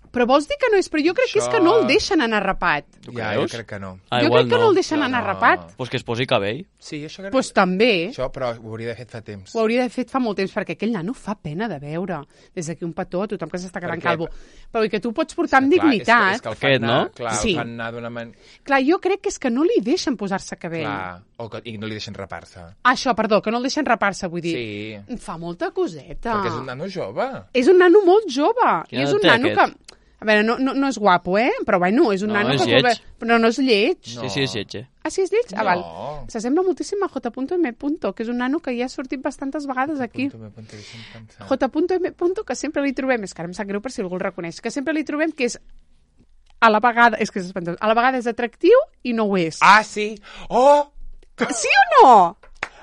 Però vols dir que no és? Però jo crec que és que no el deixen anar rapat. Tu Ja, creus? jo crec que no. Ah, jo igual crec que no, no el deixen No, anar no. rapat. Pues que es posi cabell. Sí, això crec Doncs pues també. Això, però ho hauria d'haver fet fa temps. Ho hauria de fet fa molt temps, perquè aquell nano fa pena de veure. Des d'aquí un petó a tothom que s'està quedant Perquè- calvo. Però i que tu pots portar amb Clar, dignitat. És que, és que el fan Aquest, anar, no? clar, Sí. el fan anar d'una manera... Clar, jo crec que és que no li deixen posar-se cabell. Clar, o que, i no li deixen rapar-se. Ah, això, perdó, que no el deixen rapar-se, vull dir. Sí, Em fa molta coseta. perquè és un nano jove. És un nano molt jove. Quina I és un edat té nano aquest? que... A veure, no, no, no és guapo, eh? Però bueno, és un No, nano és que... lleig. Ve... Però no és lleig. No. Sí, sí, és lletge. Ah, sí, és lleig? Ah, val. No. S'assembla moltíssim a J M. que és un nano que ja ha sortit bastantes vegades aquí. Punto, me punto, deixa'm pensar. J M. que sempre li trobem, és que ara em sap greu per si algú el reconeix, que sempre li trobem que és a la vegada, és que és espantós, a la vegada és atractiu i no ho és. Ah, sí! Oh! Sí o no?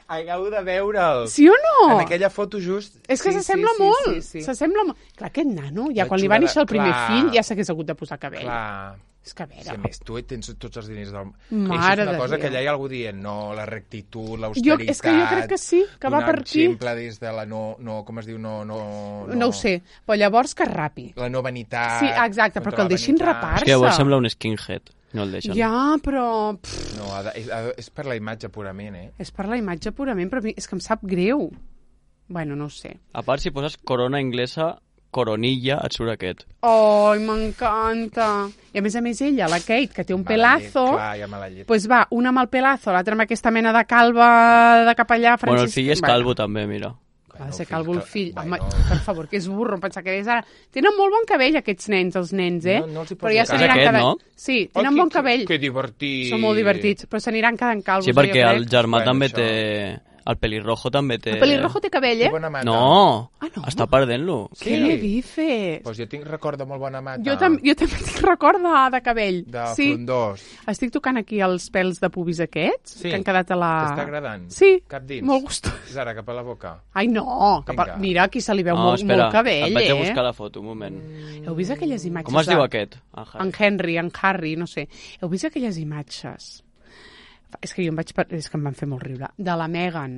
Acabo de veure'l. Sí o no? En aquella foto just... És que sí, s'assembla sí, sí, molt. Sí, sí, sí. S'assembla molt. Clar, aquest nano, ja La quan li va xulada- néixer el primer clar. fill, ja s'hagués hagut de posar cabell. Clar. És que a veure... Si a més tu tens tots els diners del... Mare Això és una de cosa Déu. que allà hi ha algú dient, no, la rectitud, Jo, l'austeritat... és que jo crec que sí, que va donar per aquí. exemple des de la no, no... Com es diu? No, no, No ho sé, però llavors que rapi. La no vanitat... Sí, exacte, però contra que el la deixin vanitat. rapar. És que llavors Barça. sembla un skinhead. No el deixen. Ja, però... Pff, No, ha de, és, ha de, és per la imatge purament, eh? és per la imatge purament, però a mi és que em sap greu. Bueno, no ho sé. A part, si poses corona inglesa, coronilla, et surt aquest. Ai, m'encanta. I a més a més ella, la Kate, que té un pelazo, Llet, clar, ja mala llet. pues va, una amb el pelazo, l'altra amb aquesta mena de calva de capellà Bueno, el Francis... fill és calvo també, mira. Ha de ser calvo el fill. Home, Bueno, per favor, que és burro, em pensava que és ara... Tenen molt bon cabell, aquests nens, els nens, eh? No- no els hi poso però ja cara. s'aniran És aquest, quedant... no? Sí, Oh, tenen que- bon cabell. Que divertit. Són molt divertits, però s'aniran quedant calvos. Sí, jo perquè crec. el germà Bueno, també això- té... El pelirrojo també té... El pelirrojo té cabell, Que eh? bona mata. No, Ah, no? està perdent-lo. Sí. Què me dices? Pues jo tinc record de molt bona mata. Jo, tam jo també tinc record de, de cabell. De sí. frondós. Estic tocant aquí els pèls de pubis aquests, Sí. que han quedat a la... T'està agradant? Sí, Cap dins? molt gustós. Ara, cap a la boca. Ai, no, cap a... Vinga. mira, aquí se li veu No, molt, espera, molt cabell, et vaig a eh? buscar la foto, un moment. Heu vist aquelles imatges? Com es diu de- aquest? Ah, En Henry, en Harry, no sé. Heu vist aquelles imatges? És que jo em vaig... per- És que em van fer molt riure. De la Meghan,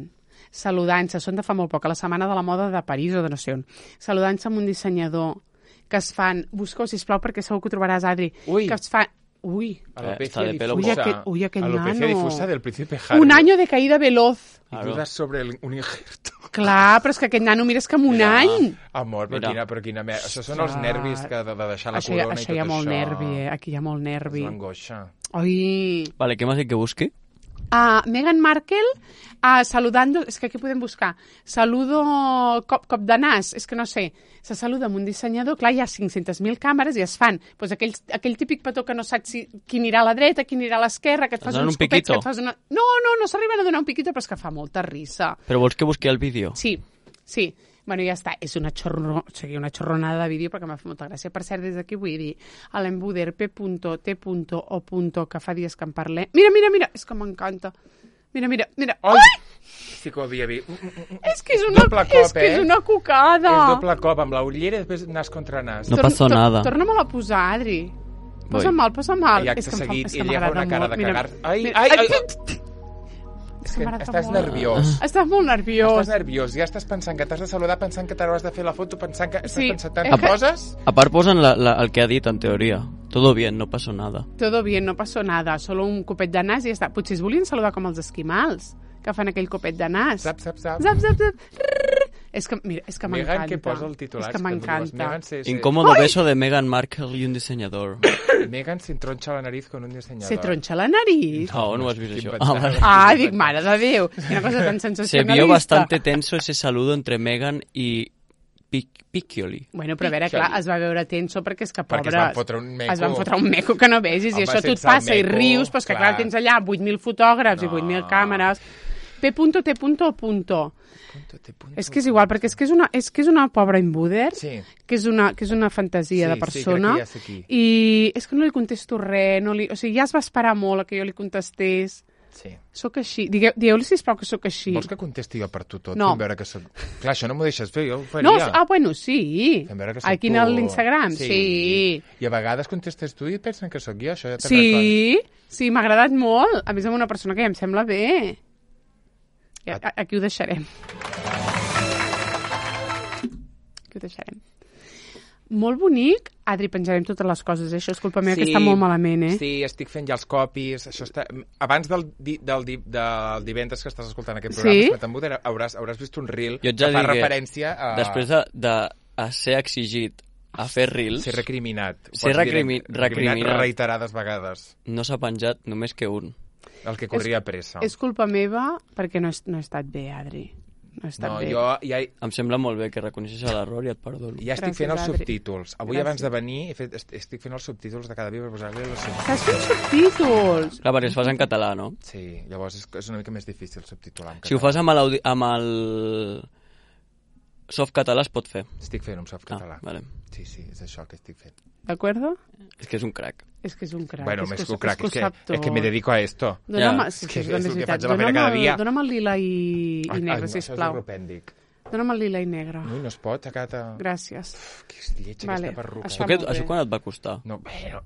saludant-se, són de fa molt poc, a la Setmana de la Moda de París o de no sé on, saludant-se amb un dissenyador, que es fan... Busca-ho, sisplau, perquè segur que ho trobaràs, Adri. Ui. Que es fan... Ui, Alopecia está de pelo difusa. Uy, aquel- uy, aquel Alopecia nano. difusa del príncipe Harry. un año de caída veloz. I Claro. dudas sobre el, un injerto. Clar, però és que aquest nano, mira, és que amb un Mira. any... Amor, però Mira. quina, però quina mer... Això són els Ostres. nervis que de, de deixar la Això, hi ha- corona això i hi ha tot molt això. nervi, eh? Aquí hi ha molt És nervi. l'angoixa. Ai, Vale, què m'has dit que busqui? Uh, Meghan Markle uh, saludando... És que aquí podem buscar. Saludo cop, cop de nas. És que no sé. Se saluda amb un dissenyador. Clar, hi ha cinc-centes mil càmeres i es fan pues, aquell, aquell típic petó que no saps si, qui anirà a la dreta, qui anirà a l'esquerra, que et fas uns uns copets, piquito? que et fas una... No, no, no s'arriben a donar un piquito, però és que fa molta risa. Però vols que busqui el vídeo? Sí, sí. Bueno, ja està. És una, xorro... o sigui, una xorronada de vídeo perquè m'ha fet molta gràcia. Per cert, des d'aquí vull dir a l'embuder p punto t punto o punto que fa dies que en parlem. Mira, mira, mira! És que m'encanta. Mira, mira, mira. Ai! Sí que ho havia vist. És que és una, Doble cop, és, que és eh? una cucada. És doble cop, amb la ullera i després nas contra nas. No passa nada. Torna-me-la a posar, Adri. Posa mal, posa mal. I acte és que em fa- seguit, és que i ella fa m'agrada una cara molt. de Mira, cagar. Ai, mira. ai, ai, Ai, ai. És que m'agrada estàs molt. nerviós. Estàs molt nerviós. Estàs nerviós, ja estàs pensant que t'has de saludar, pensant que t'hauràs de fer la foto, pensant que estàs Sí. pensant tantes Eh, coses. A part posen la, la, el que ha dit, en teoria. Todo bien, no pasó nada. Todo bien, no pasó nada. Solo un copet de nas i ja està. Potser es volien saludar com els esquimals, que fan aquell copet de nas. Zap, zap, zap. Zap, zap, zap. Rrrr. És que, mira, és que m'encanta. Megan, que posa el titular. És que m'encanta. Megan se, se, Incómodo Ai! beso de Meghan Markle y un diseñador. Megan se entroncha la nariz con un diseñador. Se tronxa la nariz. No, no has vist Quin això. pensat. Ah, vale. Ah, dic, mare de Déu. Quina cosa tan Se sensacionalista. vio bastante tenso ese saludo entre Meghan y Pic Piccioli. Bueno, però a veure, clar, es va veure tenso perquè és que, Perquè pobre... es van fotre un meco. Es van fotre un meco que no vegis, Home, i això tu et sense el passa i meco, rius, però és que, clar, clar. tens allà vuit mil fotògrafs i No. vuit mil càmeres. P punto T punto punto. Punto, te punto. És que és igual, perquè és que és una, és que és una pobra imbuder, Sí. que és una, que és una fantasia Sí, de sí, persona, crec que ja sé qui. i és que no li contesto res, no li, o sigui, ja es va esperar molt a que jo li contestés. Sí. Soc així. Digueu, dieu-li, sisplau, que sóc així. Vols que contesti jo per tu tot? No. Fem veure que soc... Clar, això no m'ho deixes fer, jo ho faria. No, ah, bueno, sí. Fem veure que soc Aquí tu. a l'Instagram, sí. I a vegades contestes tu i pensen que sóc jo, això ja te'n Sí, sí, m'ha agradat molt. A més, amb una persona que ja em sembla bé. I a- Aquí ho deixarem. Aquí ho deixarem. Molt bonic. Adri, penjarem totes les coses, eh? Això és culpa meva, que està molt malament, eh? Sí, estic fent ja els copis. Això està... Abans del, di, del, di, del divendres que estàs escoltant aquest programa, Sí? sí? hauràs, hauràs vist un reel Jo et ja que fa digué, referència a... Després de, de a ser exigit a fer reels, Ser recriminat. Ho Ser pots dir, recrimi- recriminat. reiterades vegades. no s'ha penjat només que un. El que corria pressa. És culpa meva perquè no he, no he estat bé, Adri. No he estat No, bé. jo ja, Em sembla molt bé que reconeixis l'error i et perdono. ja estic Gràcies, fent els Adri. subtítols. Avui, Gràcies. abans de venir, he fet, est- estic fent els subtítols de cada dia per posar-li els subtítols. Estàs fent subtítols. Clar, perquè es fas en català, no? Sí, llavors és, és una mica més difícil subtitular en Si ho català. fas amb el, amb el softcatalà es pot fer. Estic fent un softcatalà. Ah, vale. Sí, sí, és això que estic fent. D'acord? És que és un crac. És que és un crac. Bueno, és més que, que un crac, és és que, que, ho sap és que me tot. dedico a esto. Dóna'm, Ja. sí, És que és és el que veritat. faig a la feina Dóna'm cada el- dia. Dóna'm el lila i, i Ai, negre, ai, no, sisplau. Això és europèndic. Dóna'm el lila i negre. Ui, no es pot, a cada... Gràcies. Que és lletja, Vale, aquesta perruca. això- Això, que, molt bé. això quan et va costar? No, bueno,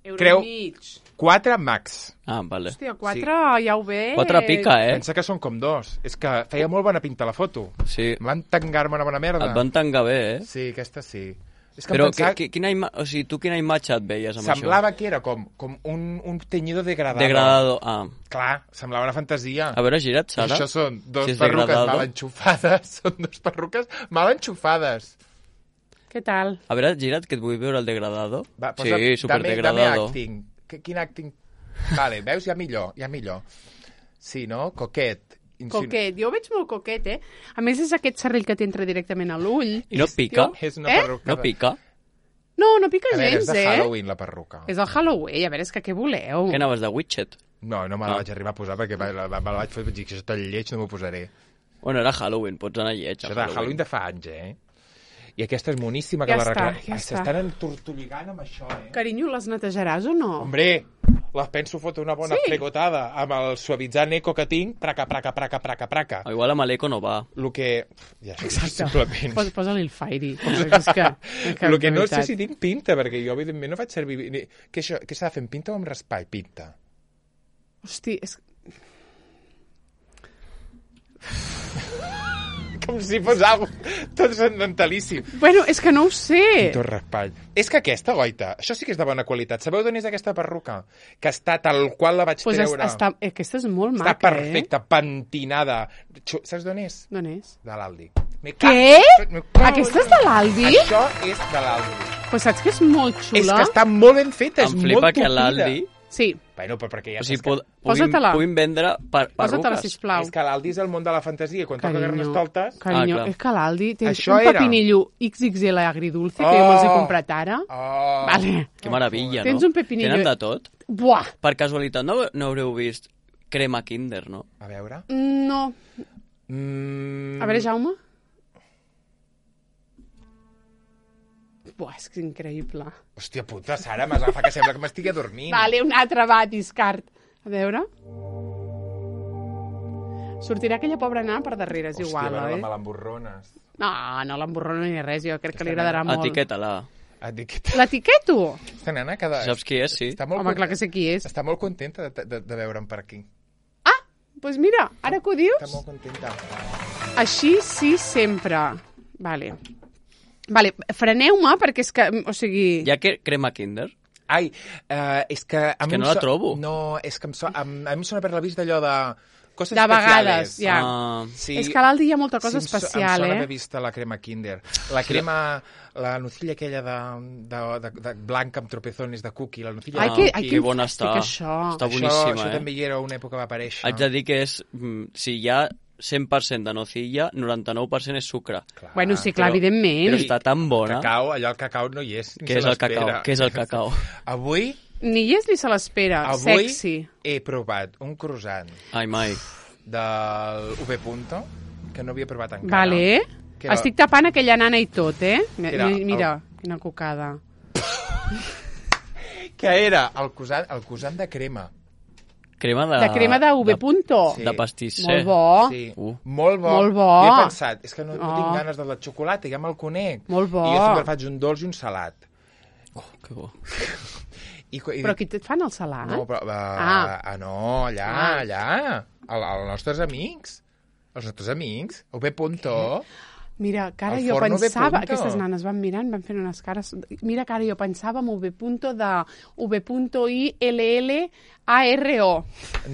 Euro Creu- i mig. quatre max. Ah, vale. Hòstia, quatre ja ho veig. Quatre pica, eh? Pensa que són com dos. És que feia molt bona pinta la foto. Sí. Van tangar-me una bona merda. Et van tangar bé, eh? Sí, aquesta sí. És que Però em pensava... que, que, quina ima... o sigui, tu quina imatge et veies amb Semblava que era com, com un, un teñido això? degradado. Degradado. Ah. Clar, semblava una fantasia. A veure, gira't, Sara. Això són dos Si és perruques degradado. mal enxufades. Són dos perruques mal enxufades. Què tal? A veure, gira't, que et vull veure el degradado. Va, posa, sí, super dame, dame degradado. acting. Qu- Quin acting? Vale, veus? Ja millor, ja millor. Sí, no? Coquet. Insinu- Coquet. Jo ho veig molt coquet, eh? A més, és aquest serrell que t'entra directament a l'ull. I no pica? És una Eh? perruca. No de- pica? No, no pica A veure, és gens, de eh? Halloween, la perruca. És el Halloween. A veure, és que què voleu? Què anaves, de Witchet? No, no me la Ah. vaig arribar a posar perquè me la, me la vaig fer i vaig dir que això tan lleig no m'ho posaré. Bueno, era Halloween, pots anar lleig a Això de Halloween de fa anys, eh? I aquesta és moníssima, que Ja la està, recla... ja Ai, està. s'estan entortolligant amb això, eh? Carinyo, les netejaràs o no? Hombre, les penso fotre una bona Sí. fregotada amb el suavitzant eco que tinc, praca, praca, praca, praca, praca. O igual amb l'eco no va. El que... Ja sé, simplement... Posa, posa-li el Fairy. És que, que, El que no de sé veritat. si tinc pinta, perquè jo, evidentment, no faig servir... ni- Què, això, què s'ha de fer, amb pinta o amb raspall? Pinta. Hosti, és... Com si fos algo transcendentalíssim. Bueno, és que no ho sé. Pinta o raspall. És que aquesta, goita, això sí que és de bona qualitat. Sabeu d'on és aquesta perruca? Que està tal qual la vaig Pues es, treure. està, aquesta és molt Està maca, perfecta, pentinada. Xu- Saps d'on és? eh? D'on és? De l'Aldi. Me Què? cago- me cago- Aquesta és de l'Aldi? Això és de l'Aldi. Pues saps que és molt xula? És que està molt ben feta, és Em molt flipa que tupida. l'Aldi Sí. Bueno, però perquè ja O sigui, saps que... pod, puguin, Posa-te-la. puguin vendre per, Posa-te-la, perruques. sisplau. És que l'Aldi és el món de la fantasia. Quan toca Carinyo, Carnestoltes... carinyo, Ah, clar. és que l'Aldi té Això un era. pepinillo X X L agridulce que Oh. jo me'ls he comprat ara. Oh. Vale. Que meravella, Tens no? un pepinillo. Tenen de tot. Buah! Per casualitat no, no haureu vist crema Kinder, no? A veure... No. Mm... A veure, Jaume. Buah, és que és increïble. Hòstia puta, Sara, m'has agafat que sembla que m'estigui dormint. Vale, un altre va, discard. A veure. Sortirà aquella pobra nana per darrere, és Hòstia, igual, bueno, oi? me l'emborrones. No, no l'emborrono ni res, jo crec que li agradarà molt. Etiqueta-la. Etiqueta. L'etiqueto? Aquesta nena cada... Saps qui és, sí? Està molt Home, clar que sé qui és. Està molt contenta de, de, de veure'm per aquí. Doncs pues mira, ara que ho Està dius, molt contenta. així sí sempre. Vale. Vale, freneu-me perquè és que, o sigui... Hi ha que, crema Kinder? Ai, uh, és que... A És mi que em no la so- trobo. No, és que em so... a, a mi em sona per la vist d'allò de... Coses De vegades, especiales. ja. Ah, Sí. És que a l'Aldi hi ha molta cosa Sí, em so- especial, em sona eh? haver vist la crema Kinder. La crema... La nocilla aquella de, de, de, de blanca amb tropezones de cookie. La nocilla Ai, de que, cookie. ai, que que bona fàstic, està. això. Està Això, boníssima, això eh? també hi era una època que va aparèixer. Haig de dir que és... mm, Si hi ha cent per cent de nocilla, noranta-nou per cent és sucre. Clar. Bueno, sí, clar, Però- evidentment. Però està tan bona. Cacau, allò el cacau no hi és. ni Què se és el l'espera. cacau? Què és el cacau? Avui, Ni hi és ni se l'espera. avui Sexy. he provat un croissant Ai, mai. del U V Punto que no havia provat encara. Vale. Que era- Estic tapant aquella nana i tot, eh? Mi- Era el- Mira, quina cocada. Que era el croissant, el croissant de crema. Crema de... De crema de V Punto. Sí. De pastisser. Molt bo. Sí, Uh. molt bo. Molt bo. I he pensat, és que no, no Oh. tinc ganes de la xocolata, ja me'l conec. Molt bo. I jo sempre faig un dolç i un salat. Oh, que bo. I, i, Però aquí et fan el salat? No, però... Uh, Ah. ah. no, allà, Ah. allà. El, els nostres amics. Els nostres amics. U V Punto. Mira, que ara El jo forno V pensava... punto. Aquestes nanes van mirant, van fent unes cares... Mira que ara jo pensava en V punto de V I L L A R O.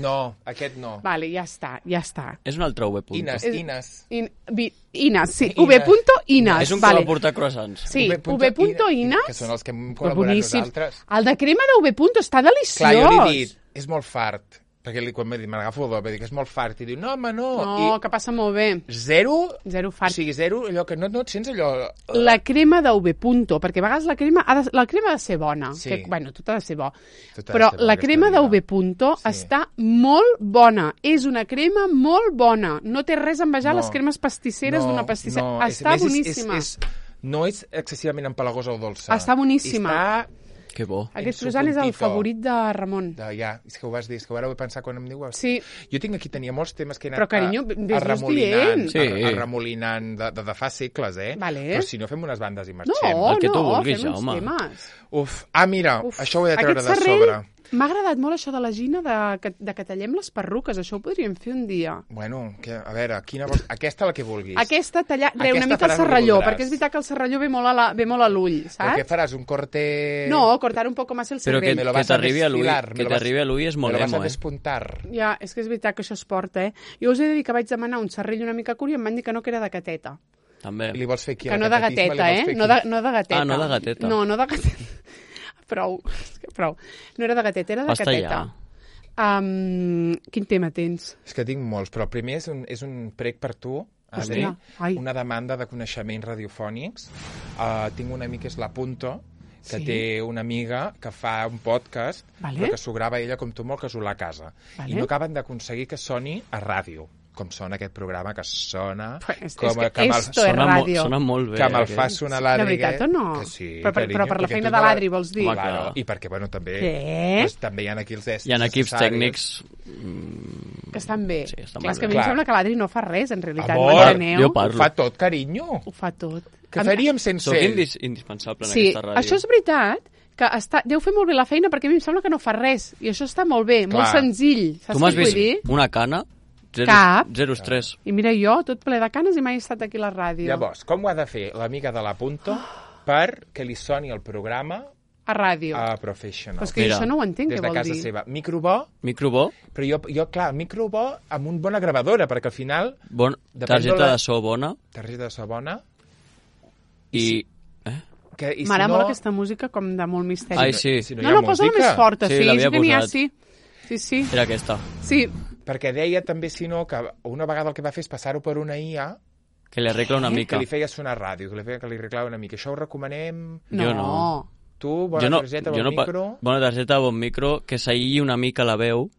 No, aquest no. Vale, ja està, ja està. És un altre V punt. Ines, És- Ines. In, vi, Ines, sí, Ines. V punto Ines. És un vale. que va portar croissants. Sí, V V punto punto Ines, Ines. que són els que hem Però col·laborat boníssims. nosaltres. El de crema de V punto està deliciós. Clar, jo li he dit, és molt fart. Perquè li, quan m'ha dit, me l'agafo el do, va dir que és molt fart. I diu, no, home, no. No, que passa molt bé. I zero, Zero o fart. sigui, zero, allò que no, no et sents allò... La crema de V punto, perquè a vegades la crema ha de, la crema ha de ser bona. Sí. Que, bueno, tot ha de ser bo. Tot ha de Però ser bo la aquesta crema de vida. V punto Sí. està molt bona. És una crema molt bona. No té res a envejar No. les cremes pastisseres No, d'una pastissera. no, és- està més, és- boníssima. És, és, no és excessivament empalagosa o dolça. Està boníssima. Està... Que bo. Aquest en su croissant és el puntito. favorit de Ramon. De, ja, és que ho vas dir, és que ara ho he pensat quan em diu... Sí. Jo tinc aquí, tenia molts temes que he anat Però, carinyo, a- ves-los arremolinant, dient. Sí. a- arremolinant de, de, de fa segles, eh? Vale. Però si no, fem unes bandes i No, marxem. El que tu no, vulguis, fem uns Jaume. temes. Uf, ah, mira, Uf, això ho he de treure aquest de serrell, sobre. M'ha agradat molt això de la Gina, de que, de que tallem les perruques. Això ho podríem fer un dia. Bueno, que, a veure, quina vols... Aquesta la que vulguis. Aquesta, tallar, re, Aquesta una mica el faràs el que serralló, voldràs. perquè és veritat que el serralló ve molt a la- ve molt a l'ull, Però què saps? faràs, un corte... No, cortar un poco más el Però que, cervell. Me lo que vas a t'arribi a l'ull desfilar, me que lo vas- t'arribi a l'ull és Me molt lo vas a emo, eh? despuntar. Ja, és que és veritat que això es porta, eh? Jo us he de dir que vaig demanar un serrell una mica curt i em van dir que no, que era de cateta. També. I li vols fer aquí Que al no de catetisme, li gateta, vols eh? fer No aquí? de, no de gateta. Ah, no de gateta. No, no de gateta. Prou, és que prou. No era de gateta, era de Basta cateta. ja. Um, quin tema tens? És que tinc molts, però el primer és un, és un prec per tu, a mi, Hòstia, ai. una demanda de coneixements radiofònics. Uh, tinc un amic que és la Punto, que Sí. té una amiga que fa un podcast, Vale. però que s'ho grava ella com tu molt casolà a casa. Vale. I no acaben d'aconseguir que soni a ràdio, com sona aquest programa, que sona... Pues és com, que que me'l- esto és Sona, mo ràdio. sona molt bé. que me'l aquest. fa sonar De l'Adri. veritat o no? Que sí, però, per, carinyo, però per la perquè feina tu de la- l'Adri, vols dir? Home, Claro, clar. i perquè, bueno, també... Què? Doncs, també hi ha equips Hi ha equips necessaris. tècnics... Que estan bé. Sí, estan Clar, és molt que a bé. mi em Clar. sembla que l'Adri no fa res, en realitat. Amor, M'enteneu? jo Ho parlo. fa tot, carinyo. Ho fa tot. Què Em- faríem sense Sóc ell? indis indispensable en Sí, aquesta ràdio. això és veritat, que està, deu fer molt bé la feina perquè a mi em sembla que no fa res. I això està molt bé, molt Clar. senzill. Saps Tu m'has què vull vist dir? una cana? Zero, Cap. Zero estrès. I mira jo, tot ple de canes i mai he estat aquí a la ràdio. Llavors, com ho ha de fer l'amiga de la Punto per que li soni el programa A ràdio. a Professional? Però és que Mira, jo això no ho entenc, Des què de vol casa dir. seva. Micro bo, Micro bo, però jo, jo clar, micro bo amb una bona gravadora, perquè al final, bon, Depèn targeta de la- de so bona targeta de so bona, i... Eh? Que, i si M'agrada no, molt aquesta música com de molt misteri. Ai, sí. Si no, No, hi ha no, posa-la música. més forta, Sí, sí, l'havia sí que n'hi ha, posat. sí. Sí, sí. Era aquesta. Sí, Perquè deia també, si no, que una vegada el que va fer és passar-ho per una I A Que li arregla una que mica. li feia sonar ràdio, que li feia que li arreglava una mica. Això ho recomanem. no. Jo no. Tu, bona jo no, targeta, jo bon no pa- micro... Bona targeta, bon micro, que s'aïlli una mica la veu.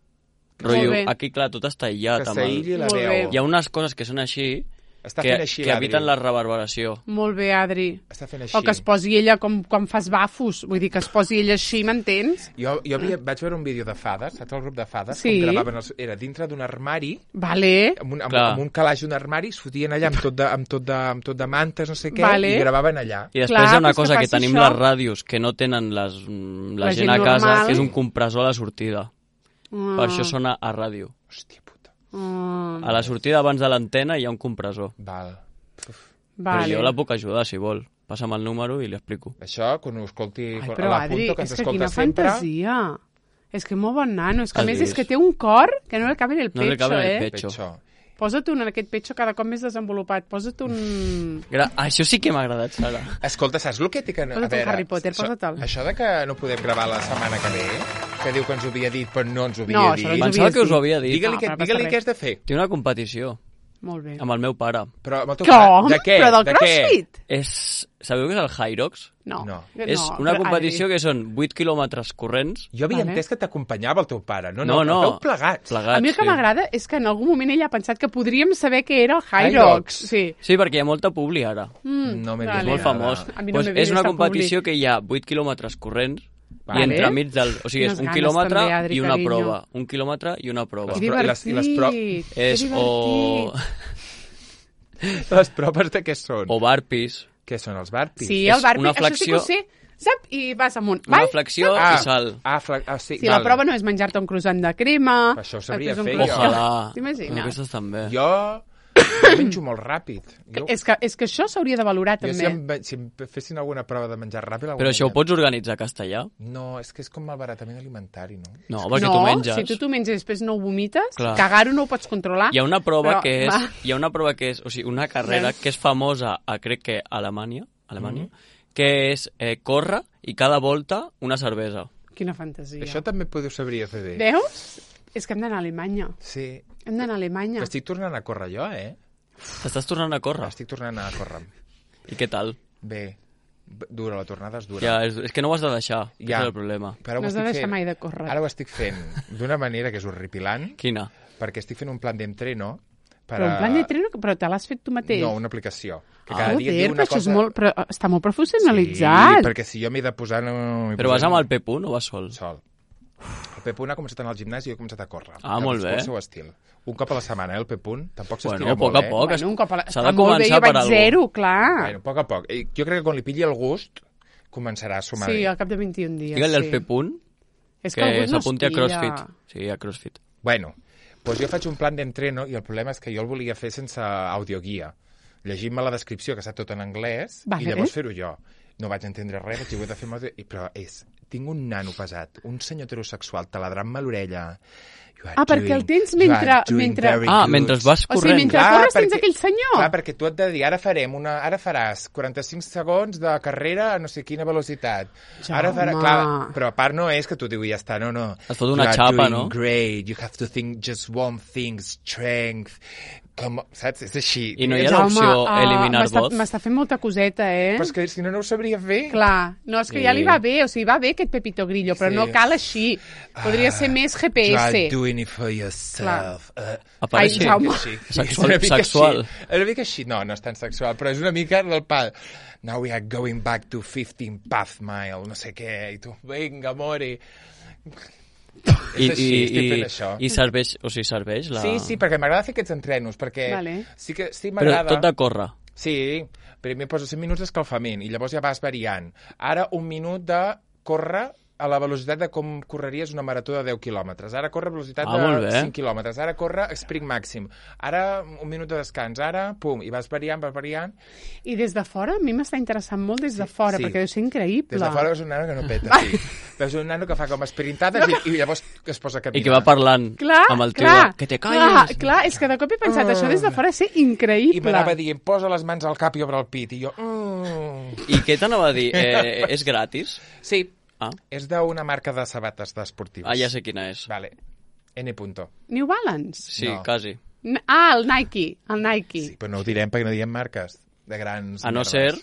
Rotllo, bé. aquí, clar, tot està aïllat. Que amb el- s'aïlli la Molt veu. bé. Hi ha unes coses que són així Està que, fent així que l'Adri. eviten la reverberació. Molt bé, Adri. Està fent així. O que es posi ella com quan fas bafos. Vull dir, que es posi ella així, m'entens? Jo, jo havia, vaig veure un vídeo de fades, saps el grup de fades? Sí. Com gravaven els, era dintre d'un armari, Vale. amb un, amb, Clar. amb un calaix d'un armari, es fotien allà amb tot de, amb tot de, amb tot de mantes, no sé què, Vale. i gravaven allà. I després Clar, hi ha una pues que cosa que, faci tenim això. les ràdios que no tenen les, mm, la, La gent gent a casa, normal. que és un compressor a la sortida. Mm. Per això sona a ràdio. Hòstia puta. Mm. A la sortida abans de l'antena hi ha un compressor. Val. Vale. Però jo la puc ajudar, si vol. Passa'm el número i li explico. Això, quan ho escolti Ai, quan- però a Adri, l'Apunto, que és ens que escolta quina sempre... fantasia. És que molt bon nano. És que a Has més és vist? que té un cor que no li cabe en el No li pecho, cabe en el eh? pecho. Petxó. Posa't un en aquest pecho cada cop més desenvolupat. Posa't un... Gra això sí que m'ha agradat, Sara. Escolta, saps el que té que... a Posa't un veure, Harry Potter, això- posa't-el. Això de que no podem gravar la setmana que ve, que diu que ens ho havia dit, però no ens ho havia No, dit. això no ens ho Pensava havies que us ho dit. havia dit. Digue-li No, què, però no passa digue-li res. què has de fer. Té una competició Molt bé. amb el meu pare. Però amb el teu Com? pare, de què? Però del de què? CrossFit? És... Sabeu què és el Hyrox? No. No. És no, una però, competició Adri, que són vuit quilòmetres corrents. Jo havia Vale. entès que t'acompanyava el teu pare. No, No, no, no. esteu plegats. Plegats, A mi el que sí. m'agrada és que en algun moment ella ha pensat que podríem saber què era el Hyrox. Hyrox. Sí. Sí, perquè hi ha molta publi ara. Mm, No m'he vale. vist Molt nada. famós. A mi no pues m'he vist és una esta competició que hi ha vuit quilòmetres corrents Vale. i entremig del... O sigui, és Quines un ganes quilòmetre també, Adri, i una carinyo. prova. Un quilòmetre i una prova. Que Les pro- i les- divertit. i les pro- que És o... divertit. Les proves de què són? o barpis. Què són, els barpis? Sí, És el barbi, una això sí que ho flexió- sé. Sap? I vas amunt. Una Vai, flexió ah, i salt. Ah, fla... ah, sí, Si la val. prova no és menjar-te un croissant de crema... Això ho sabria després un fer, croissant- jo. Ojalà. T'imagines? Aquestes també. Jo, jo menjo molt ràpid. Jo, És que, és que això s'hauria de valorar, jo també. si, em, si em fessin alguna prova de menjar ràpid... la Però això ho guanyaria. pots organitzar a castellà? No, és que és com malbaratament alimentari, no? No, perquè no, tu menges. si tu t'ho menges i després no ho vomites, Clar. cagar-ho no ho pots controlar. Hi ha una prova Però, que és... va. Hi ha una prova que és... O sigui, una carrera Veus? que és famosa a, crec que, a Alemanya, Alemanya Mm. que és eh, córrer i cada volta una cervesa. Quina fantasia. Això també podeu sabria fer bé. Veus? És que hem d'anar a Alemanya. Sí. Hem d'anar a Alemanya. Estic tornant a córrer jo, eh? T'estàs tornant a córrer? Estic tornant a córrer. I què tal? Bé. B- Dura, la tornada és dura. Ja, és, és que no ho has de deixar. Ja. Ja. És el problema. Però No ho has de estic deixar fent- mai de córrer. Ara ho estic fent d'una manera que és horripilant, Quina? perquè estic fent un plan d'entreno per Però a... un plan de treno, però te l'has fet tu mateix? No, una aplicació. Que Ah. cada dia et Joder, diu però una això cosa... és molt, però està molt Sí, professionalitzat. perquè si jo m'he de posar... No, Però vas amb el P-Punt o vas sol? Sol. El P-Punt ha començat a anar al gimnàs i jo he començat a córrer. Ah, molt bé. El seu estil. Un cop a la setmana, eh, el P-Punt. Tampoc s'estira Bueno, a poc molt, a eh? poc. Bueno, un cop a la... S'ha Està de molt bé, començar jo per vaig algú. zero, clar. Bueno, a poc a poc. I Jo crec que quan li pilli el gust, començarà a sumar. Sí, al cap de vint-i-un dies. Digue'l sí. al P-Punt És que que, algú no s'apunti a es pilla. CrossFit. Sí, a CrossFit. Bueno, doncs jo faig un plan d'entreno i el problema és que jo el volia fer sense audioguia. Llegint-me la descripció, que està tot en anglès, Vale. i llavors fer-ho jo. No vaig entendre res, vaig dir, ho he de fer amb audio... I, però és, tinc un nano pesat, un senyor heterosexual taladrant-me a l'orella. You are Ah, perquè el doing- tens you are mentre- doing mentre- very Ah, good. mentre vas O sigui, corrent. mentre Clar, corres tens perquè- aquell senyor. Clar, perquè tu et de dir, ara farem una... Ara faràs quaranta-cinc segons de carrera a no sé quina velocitat. Ara farà... Jaume. Clar, però a part no és que tu diu, ja està, no, no. Es fot una You are xapa, doing no? great, you have to think just one thing, strength... Com, saps? És així. I no hi ha És- l'opció ah, eliminar m'està- voz? M'està fent molta coseta, eh? Però és que si no, no ho sabria fer. Clar, no, és que ja li va bé, o sigui, va bé aquest Pepito Grillo, però Sí. no cal així. Podria ser més G P You are S. doing it for yourself. Uh, Apareix Ai, Jaume. així. Sexual- És una mica sexual. Així. És una mica així. No, no és tan sexual, però és una mica del pal. Now we are going back to fifteen path mile, no sé què, i tu, vinga, mori. I, És així, i, estic i, fent això. I serveix, o sigui, serveix la... Sí, sí, perquè m'agrada fer aquests entrenos, perquè Vale. sí que sí Però m'agrada... tot de córrer. Sí, primer poso cinc minuts d'escalfament i llavors ja vas variant. Ara un minut de córrer a la velocitat de com correries una marató de deu quilòmetres. Ara corre a velocitat Ah, molt de bé. cinc quilòmetres. Ara corre sprint màxim. Ara un minut de descans. Ara, pum, i vas variant, vas variant. I des de fora, a mi m'està interessant molt des de fora, sí. perquè deu ser increïble. Des de fora veus un nano que no peta, sí. Veus un nano que fa com esprintades i, i llavors es posa a caminar. I que va parlant Clar, amb el teu... clar, Que te clar, calles. clar, és que de cop he pensat, això des de fora ser I increïble. m'anava dient, posa les mans al cap i obre el pit. I jo, mm, I què t'anava a dir? Eh, és gratis? Sí, Ah. és d'una marca de sabates d'esportius. ah, ja sé quina és. Vale, N. Punto. New Balance? Sí, No. quasi. N- Ah, el Nike, el Nike. Sí, però no ho direm perquè no diem marques de grans A no merdes. ser...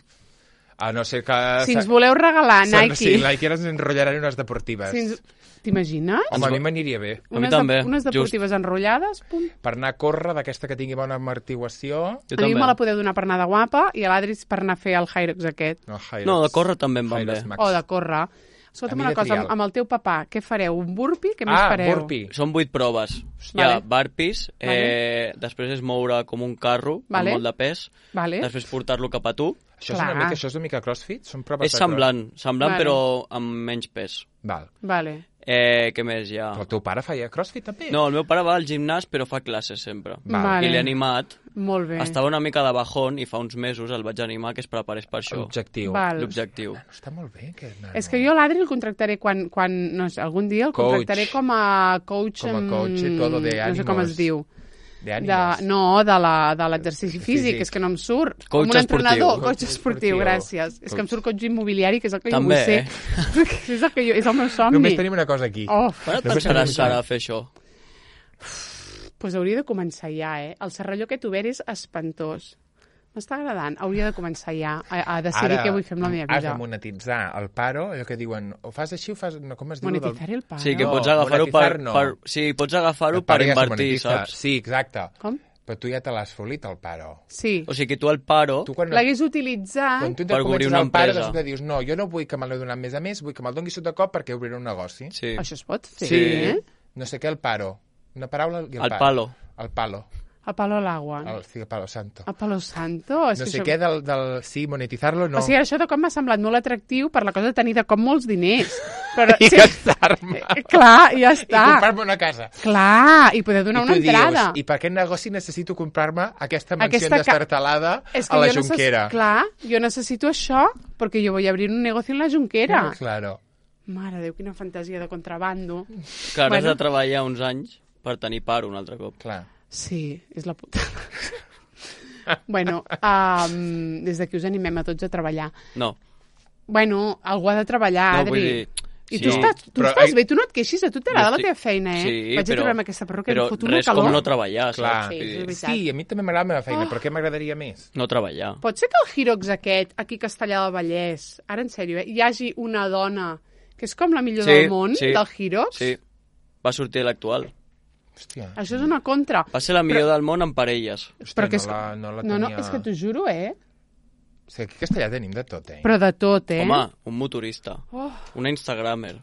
A no ser que... Si ens voleu regalar se- Nike... Sí, Nike ens enrotllaran unes deportives. Si ens... T'imagines? Home, a mi m'aniria bé. A mi Unes, també, de, unes deportives enrotllades, pum. Per anar a córrer, d'aquesta que tingui bona amortiguació... Jo a mi també. me la podeu donar per anar de guapa i a l'Adri per anar a fer el Hyrox aquest. No, Hyrox. No, de córrer també em van Hyrox bé. Max. O de córrer. Escolta'm A mi una de cosa, trial. amb, amb el teu papà, què fareu? Un burpee? Què més Ah, fareu? burpee. Són vuit proves. Hi Vale. ha burpees, eh, després és moure com un carro Vale. amb molt de pes, Vale. després portar-lo cap a tu. Això és, una Clar. mica, això és una mica crossfit? Són proves És de semblant, semblant Vale. però amb menys pes. Cross... Val. Vale. Eh, què més hi ha? Però el teu pare feia crossfit també? No, el meu pare va al gimnàs però fa classes sempre. Val. Vale. I l'he animat. Molt bé. Estava una mica de bajón i fa uns mesos el vaig animar que es preparés per això. L'objectiu. Val. L'objectiu. Està molt bé, aquest nano. És que jo l'Adri el contractaré quan, quan no sé, algun dia el Coach. contractaré com a coach... Com a amb- coach i todo de No sé com ánimos. es diu. De De, ànimes. no, de la- de l'exercici físic, Físic. és que no em surt. Coach com un entrenador, esportiu. coach esportiu, Coach gràcies. esportiu. És que em surt coach immobiliari, que és el que També, jo vull eh? ser. és, el que jo, és el meu somni. Només tenim una cosa aquí. Oh, Quan et Només pensaràs, tenim- Sara, a fer això? pues hauria de començar ja, eh? El serralló aquest obert és espantós. M'està agradant. Hauria de començar ja a, a decidir què vull fer amb la meva has de vida. monetitzar el paro, allò que diuen, o fas així o fas... No, com es diu? Monetitzar el pare. Sí, que No, pots agafar-ho per, monetitzar no. per... Sí, pots agafar-ho El per paro ja es invertir, monetitza. saps? Sí, exacte. Com? Però tu ja te l'has folit, el paro. Sí. O sigui que tu el paro... Tu quan, L'hagués utilitzat... quan tu per te obrir comences una el paro, empresa. després dius, no, jo no vull que me l'he donat més a més, vull que me'l doni sota cop perquè obriré un negoci. Sí. Això es pot fer, Sí. eh? No sé què, el paro. Una paraula i el, El palo. El palo. A palo al agua. El, sí, el palo santo. A palo santo? És No que sé això... què del, del... Sí, monetitzar-lo, no. O sigui, això de cop m'ha semblat molt atractiu per la cosa de tenir de cop molts diners. Però, I sí, gastar-me. eh, clar, ja I està. comprar-me una casa. Clar, i poder donar I una tu entrada. dius, i per aquest negoci necessito comprar-me aquesta mansió Aquesta ca- destartalada És que a la jo necess- Junquera. Clar, jo necessito això perquè jo vull obrir un negoci en la Junquera. Claro. Mare de Déu, quina fantasia de contrabando. Clar, Bueno. has de treballar uns anys per tenir paro un altre cop. Clar. Sí, és la puta. bueno, um, des d'aquí us animem a tots a treballar. No, Bueno, algú ha de treballar, no Adri. vull dir... I sí, tu estàs, tu però, estàs ai, bé, tu no et queixis, a tu t'agrada jo la estic- teva feina, eh? Sí, Vaig però, a trobar-me aquesta perruca però i em fot una res calor. com no treballar, Clar. saps? Sí, Vull és dir, veritat. Sí, a mi també m'agrada la meva feina, Oh. però què m'agradaria més? no treballar. Pot ser que el Hirox aquest, aquí a Castellà del Vallès, ara en sèrio, eh, hi hagi una dona que és com la millor Sí, del món, sí. del Hirox? Sí, va sortir a l'actual. Hòstia, Això és una contra. Va ser la millor del món en parelles. hòstia Però que no, és- la, no la No, tenia... no, és que t'ho juro, eh? És que aquí a Castellà tenim de tot, eh? Però de tot, eh? Home, un motorista, Oh, una instagramer,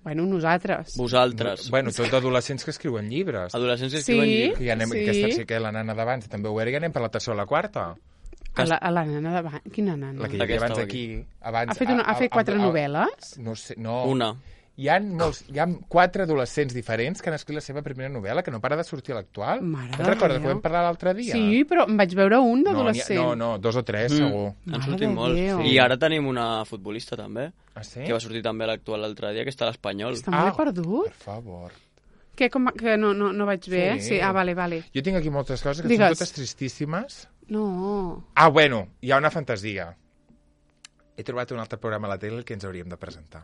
bueno, nosaltres. vosaltres, Bueno, tots adolescents que escriuen llibres. adolescents que Sí. escriuen llibres. Que ja anem, Sí. sí. Aquesta sí que la nana d'abans també ho era, i anem per la tercera o la quarta. A la, a la nana davant. Quina nana? La que hi havia Aquesta abans o aquí. Abans, Ha fet, una, ha fet quatre novel·les? No sé, no. Una. Hi ha, molts, hi ha quatre adolescents diferents que han escrit la seva primera novel·la, que no para de sortir a l'actual. Mare Te'n de recordes Déu. que vam parlar l'altre dia? Sí, però em vaig veure un no, n'hi ha- d'adolescent. no, no, dos o tres, Mm. segur. Han Mare sortit de molts. Déu. I ara tenim una futbolista també, Ah, sí? que va sortir també a l'actual l'altre dia, que està a l'Espanyol. Està molt perdut. Per favor. Què, com, que no, no, no vaig bé? Sí. Sí. Ah, vale, vale. Jo tinc aquí moltes coses que Digues. són totes tristíssimes. No. Ah, bueno, hi ha una fantasia. He trobat un altre programa a la tele que ens hauríem de presentar.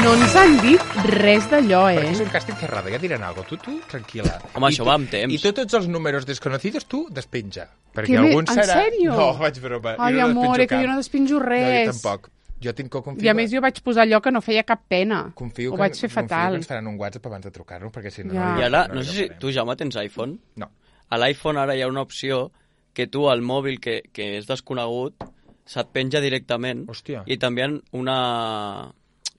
No ens han dit res d'allò, Perquè eh? és un càsting cerrado, ja diran alguna cosa. Tu, tu, tranquil·la. Home, I això tu- va amb temps. I tu, tots els números desconocidos, tu, despenja. Perquè Que bé, algun en serà... sèrio? No, vaig broma. Ai, jo no amor, despenjo que jo cap. no despenjo No, jo res. tampoc. Jo tinc que confiar. I a més jo vaig posar allò que no feia cap pena. Confio Ho que, vaig fer confio fatal. que ens faran un WhatsApp abans de trucar-nos, perquè si no... Ja. no I ara, no no hi sé si farem. tu, Jaume, tens iPhone? No. A l'iPhone ara hi ha una opció que tu al mòbil que, que és desconegut se't penja directament Hòstia. i t'envien una...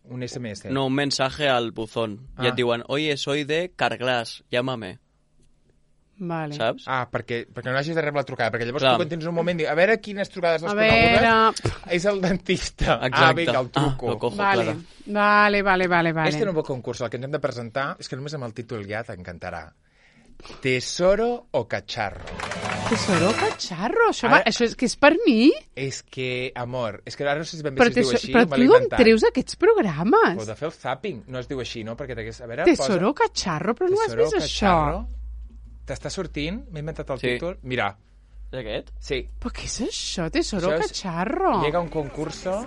Un S M S. No, un mensaje al buzón. Ah. I et diuen, oye, soy de Carglass, llámame. Vale. Saps? Ah, perquè, perquè no hagis de rebre la trucada, perquè llavors Clar. tu quan tens un moment dius, a veure quines trucades A desconegudes veure... és el dentista. Exacte. Ah, vinga, el truco. Ah, lo cojo, Vale, claro. vale, vale, vale, vale. Este nou concurs, el que ens hem de presentar, és que només amb el títol ja t'encantarà. Tesoro o cacharro? Tesoro cacharro, això, va, Ara- això és que és per mi? És que, amor, és que ara no sé si ben bé Però, si es diu teso- així, però me tu l'he d'on inventat. treus aquests programes? O de fer el zapping, no es diu així, no? Perquè t'hagués... A veure, Tesoro cacharro, però no has Tesoro vist cacharro. això? T'està sortint? M'he inventat el Sí. títol? Mira, És aquest? Sí. Però què és això? Tesoro Això és- cacharro. Llega un concurso.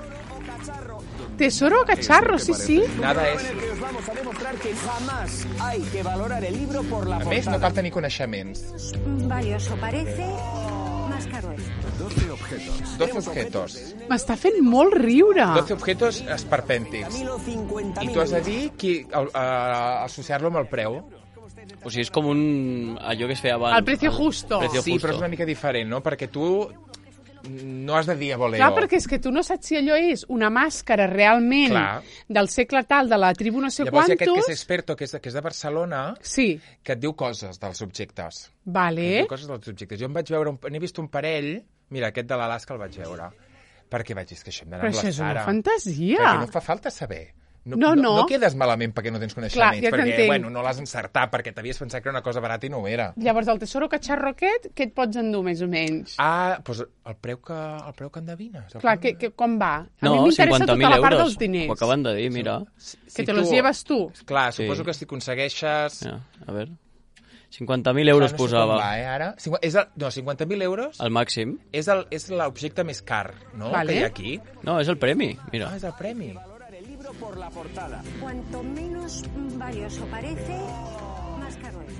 Tesoro cacharro, sí, sí. Nada és... Que os vamos a demostrar que jamás hay que valorar el libro por la A més, no portada. cal tenir coneixements. Valioso parece, más caro es. doce objetos. M'està fent molt riure. doce objetos esperpèntics. Camilo, cincuenta I mil tu has de euros. dir qui, el, a, associar-lo amb el preu. O sigui, és com un... allò que es feia abans. El precio justo. Precio Sí, justo. però és una mica diferent, no? Perquè tu no has de dir a voleo. Clar, perquè és que tu no saps si allò és una màscara realment Clar. del segle tal, de la tribu no sé Llavors hi ha aquest que és quantos. experto, que és, que és de Barcelona, Sí, que et diu coses dels objectes. Et vale. diu coses dels objectes. Jo em vaig veure, un- n'he vist un parell, mira, aquest de l'Alaska el vaig veure, perquè vaig dir, és que això hem d'anar Però amb això la és una Sara. fantasia. Perquè no fa falta saber. No, No, no. no quedes malament perquè no tens coneixements, Clar, ja perquè, t'entenc. bueno, no l'has encertat, perquè t'havies pensat que era una cosa barata i no ho era. Llavors, el tesoro cacharro aquest, què et pots endur, més o menys? Ah, doncs el preu que, el preu que endevines. El Clar, preu que, que, com va? A mi No, m'interessa cinquanta tota mil la part euros. dels diners. Ho acaben de dir, mira. Que te los lleves tu. Clar, Sí. suposo que si aconsegueixes... Ja, a veure. cinquanta mil euros no sé posava. com va, eh, ara. Cinqu- És el, no, cinquanta mil euros El màxim. és el- és l'objecte més car, no?, Vale. que hi ha aquí. No, és el premi, mira. Ah, és el premi. Valorar el libro por la portada. Cuanto menos valioso parece, más caro es.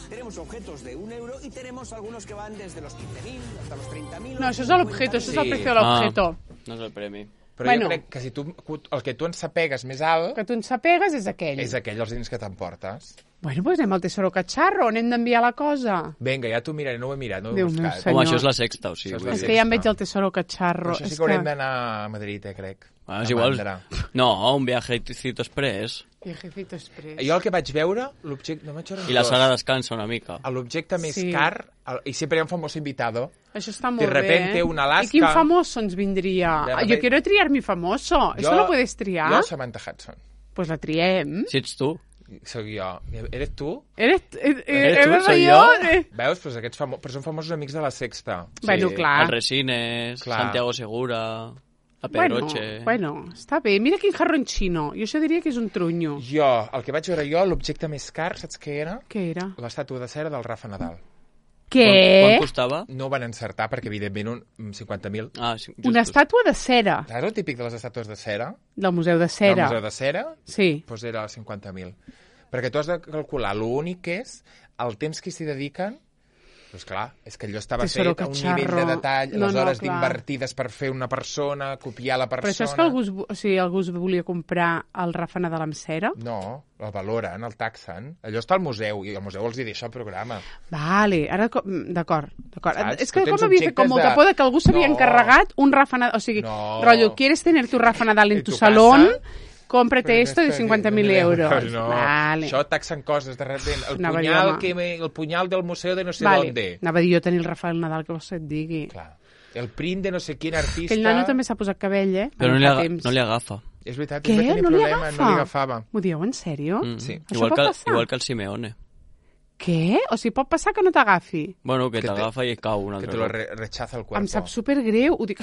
Tenemos objetos de un euro y tenemos algunos que van desde los quince mil hasta los treinta mil. No, això és l'objeto, això és el Sí. precio de l'objeto. Ah, no és el premi. Però Bueno. jo crec que si tu, el que tu en sapegues més alt Que tu en sapegues és aquell. és aquell els diners que t'emportes. Bueno, doncs anem al tesoro cacharro, on hem d'enviar la cosa. Vinga, ja t'ho miraré, no ho he mirat, no ho he Déu meu buscat. senyor. Home, això és la sexta, o sigui. Això és vull la És dir. que ja em sexta. veig el tesoro cacharro. Però això sí És que haurem d'anar a Madrid, eh, crec. Ah, és A igual. Mandra. No, un viajecito express. Viejecito express. Jo el que vaig veure, l'objecte... No vaig veure I la dos. Sara descansa una mica. L'objecte més Sí. car, el, i sempre hi ha un famós invitado. Això està molt De repente, bé. un Alaska. I quin famoso ens vindria? De Ah, repente- Jo quiero triar mi famoso. ¿Eso lo puedes triar? Jo, Samantha Hudson. Pues la triem. Si ets tu. Soc jo. Eres tu? Eres, eh, Eres tu, eres soy jo? yo. Eh. Veus? Pues aquests famo... Però són famosos amics de la Sexta. Bueno, clar. El Resines, Clar. Santiago Segura, la Bueno, Pedroche... bueno, està bé. Mira quin jarrón xino. Jo això diria que és un trunyo. Jo, el que vaig veure jo, l'objecte més car, saps què era? Què era? L'estàtua de cera del Rafa Nadal. Quan, Què? quan costava? No ho van encertar perquè, evidentment, un cinquanta mil. Ah, sí, Una justos. estàtua de cera, Saps el típic de les estàtues de cera? del Museu de Del Cera. Museu de Cera? Sí. Doncs era cinquanta mil. Perquè tu has de calcular l'únic que és el temps que s'hi dediquen. Doncs clar, és que allò estava Tesoro fet a un cacharro. nivell de detall, No, les no, hores clar. d'invertides per fer una persona, copiar la Però persona... això és que algú, es, o sigui, algú es volia comprar el Rafa Nadal amb cera? No, el valoren, el taxen. Allò està al museu, i el museu els hi deixa el programa. Vale, ara... co- mm, D'acord, d'acord. Saps? És que Tu tens com havia fet com objectes molta de- por de que algú s'havia No. encarregat un Rafa Nadal... O sigui, No. rotllo, ¿quieres tener tu Rafa Nadal en En tu, tu salón? casa? Cómprate esto de cincuenta mil euros. No, Vale. això taxen coses de repente. El Anava jo, punyal, home. que me, el punyal del museu de no sé Vale. dónde. Anava a dir jo tenir el Rafael Nadal, que vols que et digui. Clar. El print de no sé quin artista... Aquell nano també s'ha posat cabell, eh? Però no Ara li, fa aga temps. no li agafa. És veritat, Què? és va tenir No li problema, agafa? no li agafava. M'ho dieu en sèrio? Mm. Sí. Això Igual pot que, passar? igual que el Simeone. Què? O sigui, pot passar que no t'agafi? Bueno, que Que te- t'agafa i cau un Que altre te lo cop. re rechaza el cuerpo. Em sap supergreu. Ho dic...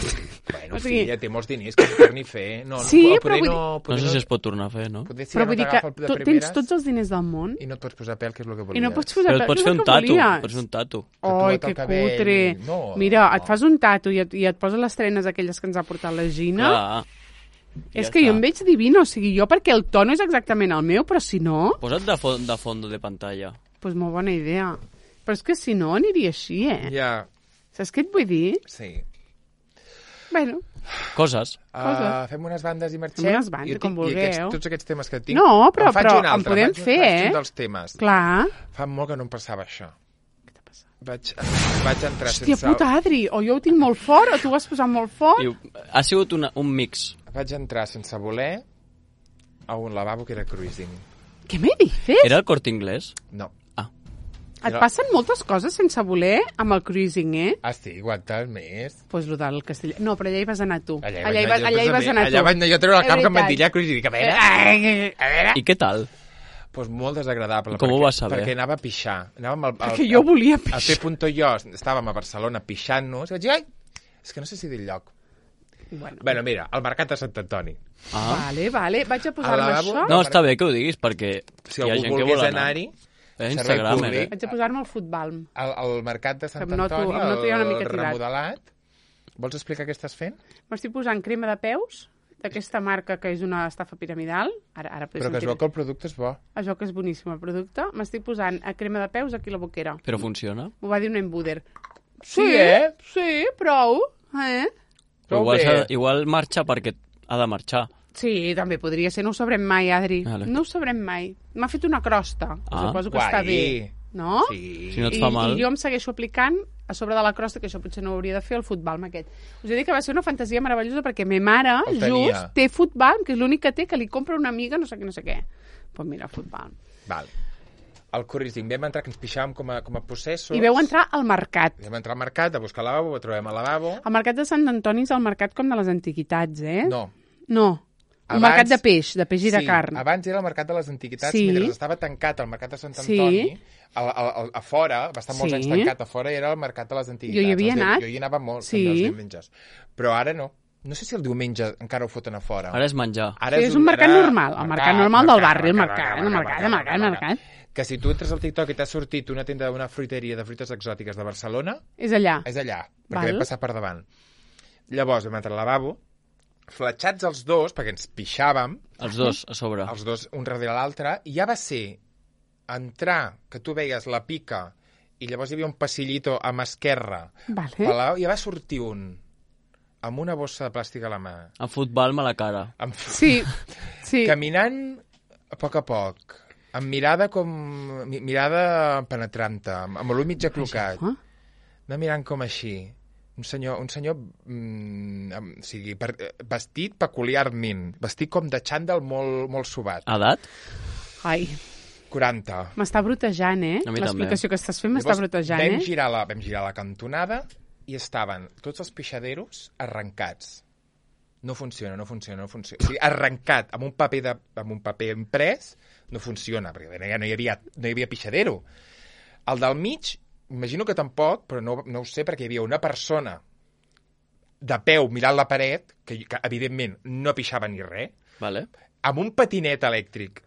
Bueno, o sigui, filla, té molts diners que s'ho torni a fer. No, Sí, no, però poder vull no, No poder sé si es pot tornar a fer, no? Poder si però ja vull no dir que t'agafa el de tu tens primeres tots els diners del món i no et pots posar pèl, que és el que volies. i no pots posar... Però et pèl, pots és fer el un que tatu. volies. Pots fer un tatu. Ai, tatuat que el cabell. cutre. No, Mira, no. et fas un tatu i et, i et poses les trenes aquelles que ens ha portat la Gina. Clar. És Ja que està. jo em veig divina, o sigui, jo perquè el to no és exactament el meu, però si no, Posa't de, fo de fondo de pantalla. doncs molt bona idea. Però és que si no aniria així, eh? Ja, Saps què et vull dir? sí. Bueno, Coses. Uh, fem unes bandes i marxem. Fem unes bandes, Jo com tinc- i vulgueu. Aquests, tots aquests temes que tinc... No, però- en faig però un en altre, podem faig, fer, faig eh? un dels temes. clar. Fa molt que no em passava això. Vaig, vaig entrar Hòstia sense... puta, Adri, o jo ho tinc molt fort, o tu ho has posat molt fort. I ha sigut una, un mix. Vaig entrar sense voler a un lavabo que era cruising. Què me dices? Era el Corte Inglés? No. Et passen moltes coses sense voler amb el cruising, eh? Ah, sí, aguantes més. Doncs pues lo del castell... No, però allà hi vas anar tu. Allà, allà, hi, vas, allà hi vas anar tu. Allà vaig anar jo a treure el És cap que em van veritat. dir allà cruising. Dic, a veure, Eh, a veure... I què tal? Pues molt desagradable. Com ho perquè, vas saber? Perquè anava a pixar. Anàvem al, al, Perquè jo volia A pixar. fer punto jo, estàvem a Barcelona pixant-nos, i vaig dir, ai, és que no sé si dir el lloc. Bueno, Bueno, mira, al Mercat de Sant Antoni. Ah. vale, vale. Vaig a posar-me Al lavabo? això. No, està bé que ho diguis, perquè Si hi ha algú gent que volgués vol anar. anar-hi, Eh, servei Instagram, públic. eh? Haig de posar-me el futbal. Al, al mercat de Sant Em noto- Antoni, em noto ja una el mica tirat. remodelat. Vols explicar què estàs fent? M'estic posant crema de peus d'aquesta marca que és una estafa piramidal. Ara, ara Però que es veu que el producte és bo. Es veu que és boníssim el producte. M'estic posant a crema de peus aquí a la boquera. Però funciona. M'ho va dir un embuder. Sí, eh? Sí, prou. Eh? Però Prou igual, bé. s'ha- igual marxa perquè ha de marxar. Sí, també podria ser. No ho sabrem mai, Adri. Vale. No ho sabrem mai. M'ha fet una crosta. Ah, Suposo que guai. està bé. No? Sí. Si no et I, fa mal. I jo em segueixo aplicant a sobre de la crosta, que això potser no ho hauria de fer, el futbal amb aquest. Us he dit que va ser una fantasia meravellosa perquè ma mare, El tenia. just, té futbal, que és l'únic que té, que li compra una amiga, no sé què, no sé què. Pues mira, futbal. Val. El cruising, vam entrar, que ens pixàvem com a, com a possessos. I veu entrar al mercat. Vam entrar al mercat a buscar lavabo, ho trobem al lavabo. El mercat de Sant Antoni és el mercat com de les antiguitats, eh? No. No. El Abans- mercat de peix, de peix i de sí, carn. abans era el mercat de les antiguitats, Sí. mentre estava tancat el mercat de Sant Sí. Antoni, a, a, a, a fora, va estar molts Sí. anys tancat, a fora era el mercat de les antiguitats. Jo hi havia Els di- anat. Jo hi anava molt, Sí. també els diumenges. Però ara no. No sé si el diumenge encara ho foten a fora. Ara és menjar. Ara Sí, és un mercat era- normal, el mercat normal del barri, el mercat, el mercat, el mercat, el mercat. Que si tu entres al TikTok i t'ha sortit una tenda d'una fruiteria de fruites exòtiques de Barcelona, És allà. és allà, perquè Val. vam passar per davant. Llavors vam entrar al lavabo, fletxats els dos, perquè ens pixàvem, Els dos, a sobre. els dos un darrere l'altre, i ja va ser entrar, que tu veies la pica, i llavors hi havia un passillito a mà esquerra, Vale. i ja va sortir un amb una bossa de plàstic a la mà, En futbal, mala cara. amb... Sí, sí. caminant a poc a poc, amb mirada com... mi- mirada penetrante, amb, amb l'ull mig aclocat, Ah, anar mirant com així. Un senyor, un senyor mm, amb, o sigui, per, eh, vestit peculiarment, vestit com de xandall molt, molt subat. Edat? Ai, quaranta. m'està brutejant, eh? A mi L'explicació que estàs fent m'està Llavors, brutejant, vam eh? girar, la, vam girar la cantonada i estaven tots els pixaderos arrencats. No funciona, no funciona, no funciona. O sigui, arrencat amb un paper, de, amb un paper imprès, no funciona, perquè ja no hi havia, no hi havia pixadero. El del mig, imagino que tampoc, però no, no ho sé, perquè hi havia una persona de peu mirant la paret, que, que evidentment no pixava ni res, Vale. amb un patinet elèctric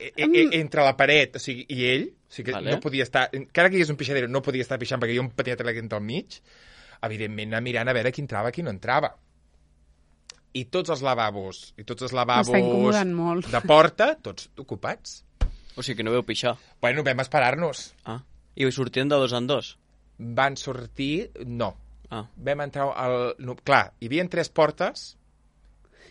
e, e, e, entre la paret, o sigui, i ell, o sigui, que Vale. no podia estar, encara que hi hagués un pixadero, no podia estar pixant perquè hi havia un patinet elèctric entre el mig, evidentment anar mirant a veure qui entrava, qui no entrava. I tots els lavabos, i tots els lavabos M'està incomodant molt. de porta, tots ocupats. O sigui que no veu pixar. Bueno, vam esperar-nos. Ah. I sortien de dos en dos? Van sortir... No. Ah. Vam entrar al... No, clar, hi havia tres portes.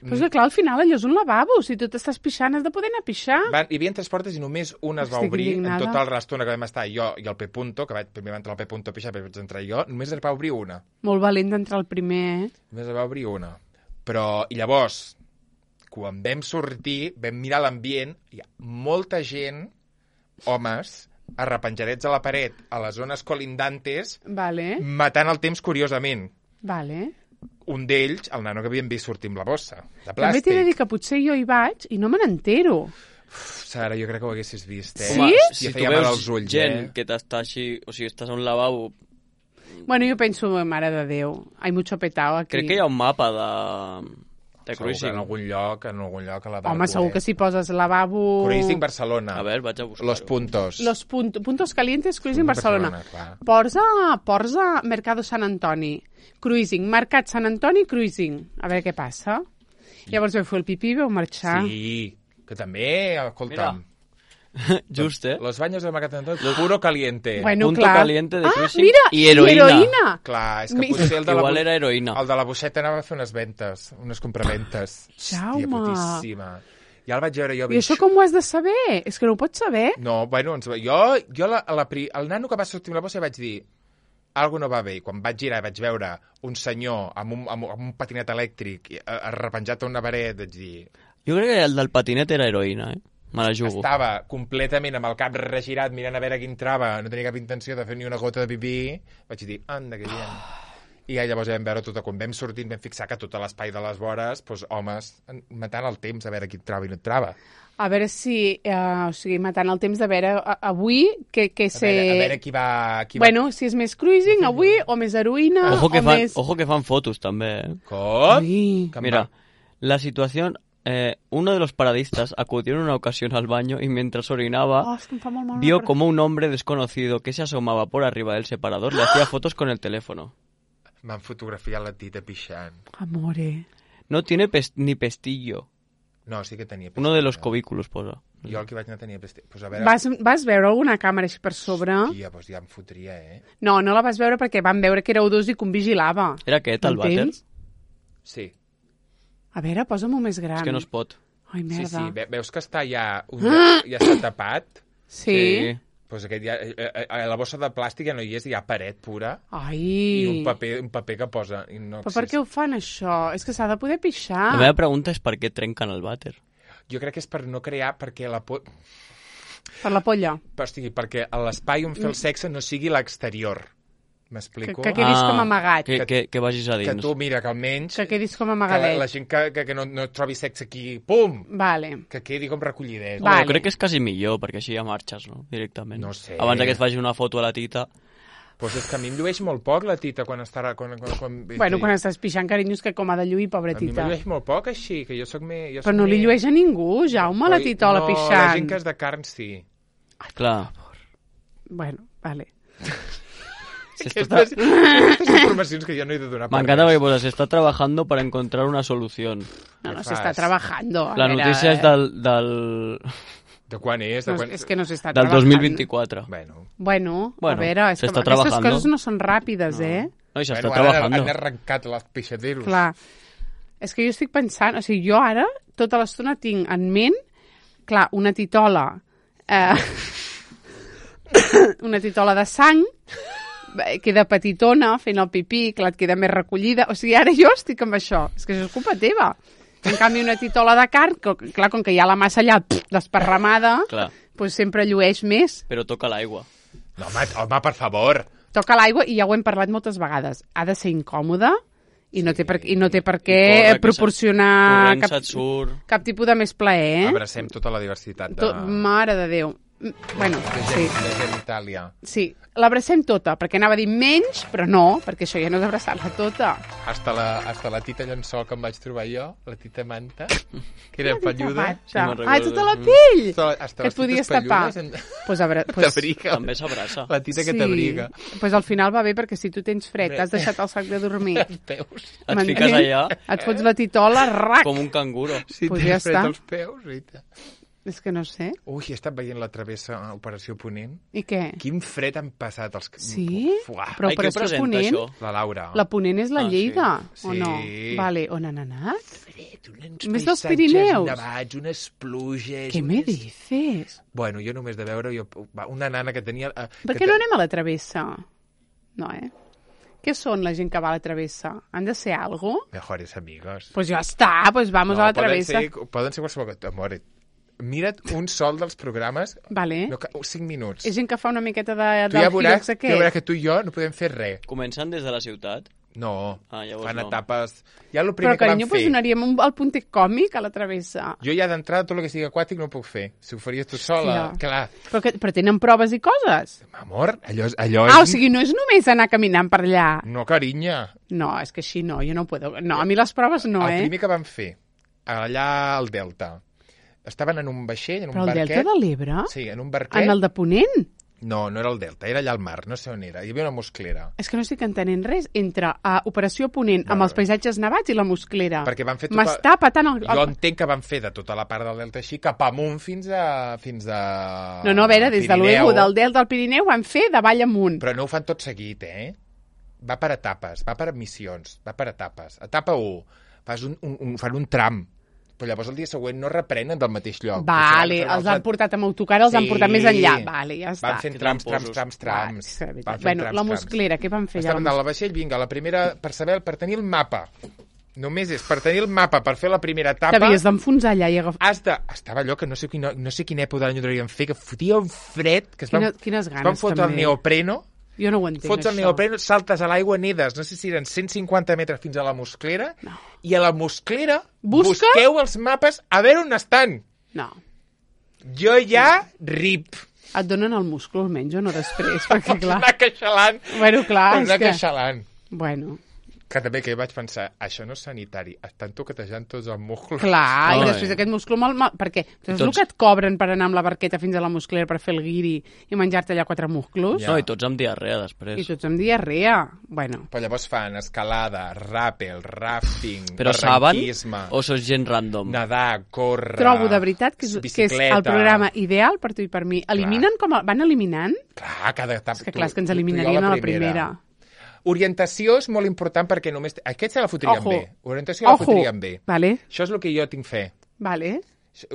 Però és que, clar, al final allò és un lavabo. Si tu t'estàs pixant, has de poder anar a pixar. Van, hi havia tres portes i només una es va Estic obrir indignada. en tota la estona que vam estar jo i el P. Punto, que vaig, primer va entrar el P. Punto a pixar, després vaig entrar jo, només es va obrir una. Molt valent d'entrar el primer, eh? Només es va obrir una. Però, i llavors, quan vam sortir, vam mirar l'ambient, hi ha molta gent, homes, arrepenjadets a la paret, a les zones colindantes, Vale, matant el temps curiosament. vale. Un d'ells, el nano que havíem vist sortir amb la bossa, de També t'he de plàstic. dir que potser jo hi vaig i no me n'entero. Sara, jo crec que ho haguessis vist, eh? Sí? Home, Ja si tu feia mal veus als ulls, gent eh? que t'està així... O sigui, estàs a un lavabo... Bueno, jo penso, mare de Déu, hay mucho petao aquí. Crec que hi ha un mapa de... De Segur que cruising. en algun lloc, en algun lloc a la Home, segur que si poses lavabo... Cruising Barcelona. A veure, vaig a buscar-ho. Los puntos. Los punto, puntos calientes, Cruising Barcelona. Barcelona, clar. Posa, posa Mercado Sant Antoni. Cruising. Mercat Sant Antoni, Cruising. A veure què passa. Llavors veu fer el pipí i veu marxar. Sí, que també, escolta'm, Just, eh? los baños del Mercat d'Antoni, puro caliente. Bueno, Punto clar. caliente de ah, cruising mira, i heroïna. heroïna. Clar, és que Mi- potser el de, la, Igual bu- era heroïna. el de la boixeta anava a fer unes ventes, unes compraventes. Jaume. Hòstia, putíssima. Ja el vaig veure jo. I això com ho has de saber? És que no ho pots saber. No, bueno, ens... jo, jo la, la, pri- el nano que va sortir amb la bossa vaig dir algo no va bé. I quan vaig girar i vaig veure un senyor amb un, amb, amb un patinet elèctric eh, arrepenjat a una paret, vaig dir... Jo crec que el del patinet era heroïna, eh? Me la jugo. Estava completament amb el cap regirat mirant a veure qui entrava, no tenia cap intenció de fer ni una gota de pipí, vaig dir, anda, que bien. I ja llavors ja vam veure tot, quan vam sortir vam fixar que tot l'espai de les vores, doncs, homes matant el temps a veure qui entrava i no entrava. A veure si... Eh, o sigui, matant el temps de veure a, avui que, que A se... veure, a veure qui va... Qui va... Bueno, si és més cruising avui o més heroïna Ojo que, o fan, més... ojo que fan fotos, també, eh? Com? Ai. Que em Mira, va- la situación Eh, uno de los paradistas acudió en una ocasión al baño y mientras orinaba Oh, es que em fa molt mal. vio como un hombre desconocido que se asomaba por arriba del separador le hacía fotos con el teléfono. M'han fotografiat la tita pixant. Amore. No tiene pes- ni pestillo. No, sí que tenia pestillo. Uno de los cubículos posa. Jo el que vaig anar tenia pestillo. Pues a veure... Vas, vas veure alguna càmera així per sobre? Hòstia, doncs ja em fotria, eh? No, no la vas veure perquè van veure que éreu dos i que un vigilava. Era aquest, el vàter? M'entens? Sí. A veure, posa-m'ho més gran. És que no es pot. Ai, Sí, merda. sí. Ve- Veus que està ja... Un... Ja està tapat? Sí? Pues aquest ja, eh, eh, la bossa de plàstic ja no hi és, hi ha paret pura Ai. i un paper, un paper que posa. I no Però per què ho fan, això? És que s'ha de poder pixar. La meva pregunta és per què trenquen el vàter. Jo crec que és per no crear, perquè la por... Per la polla. O sigui, perquè l'espai on fer el sexe no sigui l'exterior. Que, M'explico? que quedis com amagat. Que, que, que vagis a Que dins. tu, mira, que almenys... Que quedis com que la, amagadet. la gent que, que, que no, no trobi sexe aquí, pum! Vale. Que quedi com recollidet. Va. Bueno, crec que és quasi millor, perquè així ja marxes, no? Directament. No sé. Abans que et faci una foto a la tita. Pues és que a mi em llueix molt poc la tita quan està... Quan, quan, quan, Bueno, quan estàs pixant, carinyo, és que com ha de lluir, A mi pobretita. me llueix molt poc, així, que jo soc més... Jo Però soc no li més... llueix a ningú, Jaume, la Oi, titola no, la pixant. gent que és de carn, sí. Clar. Bueno, vale. Aquestes, aquestes informacions que jo no he de donar per M'encanta res. perquè posa, se está trabajando para encontrar una solución. No, no, Què se està fas? trabajando. A La veure, notícia és eh? del, del, De quan és? De No, quan... és que no s'està del trabajando. dos mil vint-quatre. Bueno, Bueno, Bueno, a veure, és se que està aquestes trabajando. coses no són ràpides, No. eh? No, i s'està bueno ara trabajando. han arrencat les pixaderos. Clar. És que jo estic pensant, o sigui, jo ara tota l'estona tinc en ment, clar, una titola, eh, una titola de sang, eh, queda petitona fent el pipí, clar, et queda més recollida. O sigui, ara jo estic amb això. És que això és culpa teva. En canvi, una titola de carn, que, clar, com que hi ha la massa allà pff, desparramada, Clar, doncs sempre llueix més. però toca l'aigua. No, home, home, per favor. Toca l'aigua, i ja ho hem parlat moltes vegades, ha de ser incòmode i no té per, i no té per què corre, que proporcionar Corrent cap, se't surt. cap tipus de més plaer, eh? Abracem tota la diversitat de, To, mare de Déu. Mm, Bueno, de, sí, gent, de genitàlia. sí. L'abracem tota, perquè anava a dir menys, però no, perquè això ja no és abraçar-la tota. Hasta la, hasta la tita llençol que em vaig trobar jo, la tita manta, que era pelluda. Sí, me'n Ai, recordo. tota la pell! Hasta, hasta Que et les podies tites tapar. pelludes en- Pues, abra, pues, T'abriga. També s'abraça. La tita que t'abriga. Pues al final va bé, perquè si tu tens fred, t'has deixat el sac de dormir, Els peus. Et m'entens? fiques allà Et fots la titola, rac! com un canguro. Si Pues tens ja fred està. als peus, Rita. És que no sé. Ui, he estat veient la travessa a Operació Ponent. I què? Quin fred han passat els... Sí? Fuà. Però Ai, qui ho Operació presenta, Ponent... això? La Laura. La Ponent és la Ah, sí. Lleida, sí. o no? Sí. Vale, on han anat? Fred, uns Més dels paisatges Pirineus. nevats, unes pluges... Què me dices? Bueno, jo només de veure jo, va, una nana que tenia... eh, Per que què no te- anem a la travessa? No, eh? Què són la gent que va a la travessa? Han de ser algo? Mejores amigos. Pues ja està, pues vamos a la travessa. Poden ser, poden ser qualsevol cosa. Amore, mira't un sol dels programes, Vale. no, ca- cinc minuts. És gent que fa una miqueta de, Tu del ja veuràs, Hirox ja veuràs aquest. que tu i jo no podem fer res. Comencen des de la ciutat. No, Ah, llavors fan no. etapes... Ja el Però, primer que carinyo, van pues fer... donaríem un, el puntet còmic a la travessa. Jo ja d'entrada tot el que sigui aquàtic no ho puc fer. Si ho faries tu sola, Hòstia. clar. Però, que, però tenen proves i coses. Amor, allò, és- allò Ah, o és... sigui, no és només anar caminant per allà. No, carinya. No, és que així no, jo no puedo. No, a mi les proves no, el eh? primer que van fer, allà al Delta, estaven en un vaixell, en Però un el barquet... Delta de l'Ebre? Sí, en un barquet... En el de Ponent? No, no era el Delta, era allà al mar, no sé on era. Hi havia una mosclera. És que no estic entenent res entre a Operació Ponent amb Vale. els paisatges nevats i la Mosclera. Perquè van fer tota- M'està patant el... Jo entenc que van fer de tota la part del Delta així cap amunt fins a... fins a... No, no, a veure, des de Pirineu. l'Uego, del Delta al Pirineu, van fer de vall amunt. Però no ho fan tot seguit, eh? Va per etapes, va per missions, va per etapes. Etapa u, fas un, un, un, fan un tram, però llavors el dia següent no reprenen del mateix lloc. Vale, Potser van fer un els han altre- portat amb autocar, els han Sí. portat més enllà. Vale, ja està. Van fent Que trams, trams, tramposos. trams, Va, trams. és que de veritat. Van fent Bueno, trams, la trams. Mosclera, què van fer Estaven allà? dalt del vaixell, vinga, la primera, per saber, per tenir el mapa. Només és per tenir el mapa, per fer la primera etapa... T'havies d'enfonsar allà i agafar... Has de... Estava allò que no sé, quina, no sé quina època de l'any ho devien fer, que fotia un fred, que es van, Quina, quines es van ganes, fotre el també. neopreno, Jo no ho entenc, fots el això. neopreno, saltes a l'aigua, nedes, no sé si eren cent cinquanta metres fins a la Mosclera, No. i a la Mosclera Busca? busqueu els mapes a veure on estan. No. Jo ja rip. Et donen el múscul, almenys, o no després, perquè, Pots clar... anar queixalant. Bueno, clar, Pots és anar que... queixalant. Bueno, Que també que vaig pensar, això no és sanitari, estan toquetejant tots els musclos. Clar, No, i eh. després aquest musclo mal... mal perquè és el tots- que et cobren per anar amb la barqueta fins a la musclera per fer el guiri i menjar-te allà quatre musclos. Ja. No, i tots amb diarrea I després. tots amb diarrea. Bueno, Però llavors fan escalada, rappel, rafting, Però saben barranquisme, o sos gent random? nedar, córrer... trobo de veritat que és, que és bicicleta. el programa ideal per tu i per mi. Eliminen com... A, van eliminant? Clar, cada etapa... És que clar, és que ens eliminarien a la primera. Orientació és molt important perquè només... Aquest se la fotrien Ojo. bé. Orientació la Ojo. fotrien bé. Vale, Això és el que jo tinc fe. vale.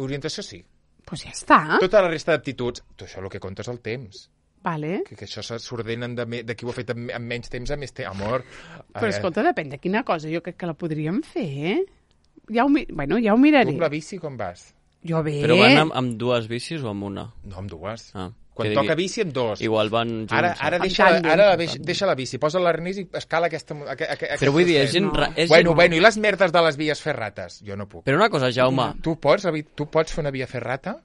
Orientació sí. Pues ja està. Tota la resta d'aptituds, tu això el que compta és el temps. Vale. Que, que això s'ordenen de, me- de qui ho ha fet amb, amb menys temps a més temps. Amor. Però eh, escolta, depèn de quina cosa. Jo crec que la podríem fer, eh? Ja ho, mi- bueno, ja ho Tu miraré. amb la bici com vas? Jo bé. Però van amb, amb dues bicis o amb una? No, amb dues. Ah, Quan que toca digui- bici, amb dos. Igual van junts. Ara, ara, Amb deixa, la, tàndem. ara la, deixa, deixa la bici, posa l'arnès i escala aquesta... Aqu, aqu, Però vull dir, és gent... No. ra- És Bueno, gent... bueno, i les merdes de les vies ferrates? Jo no puc. Però una cosa, Jaume, Tu pots, la vi- tu pots fer una via ferrata?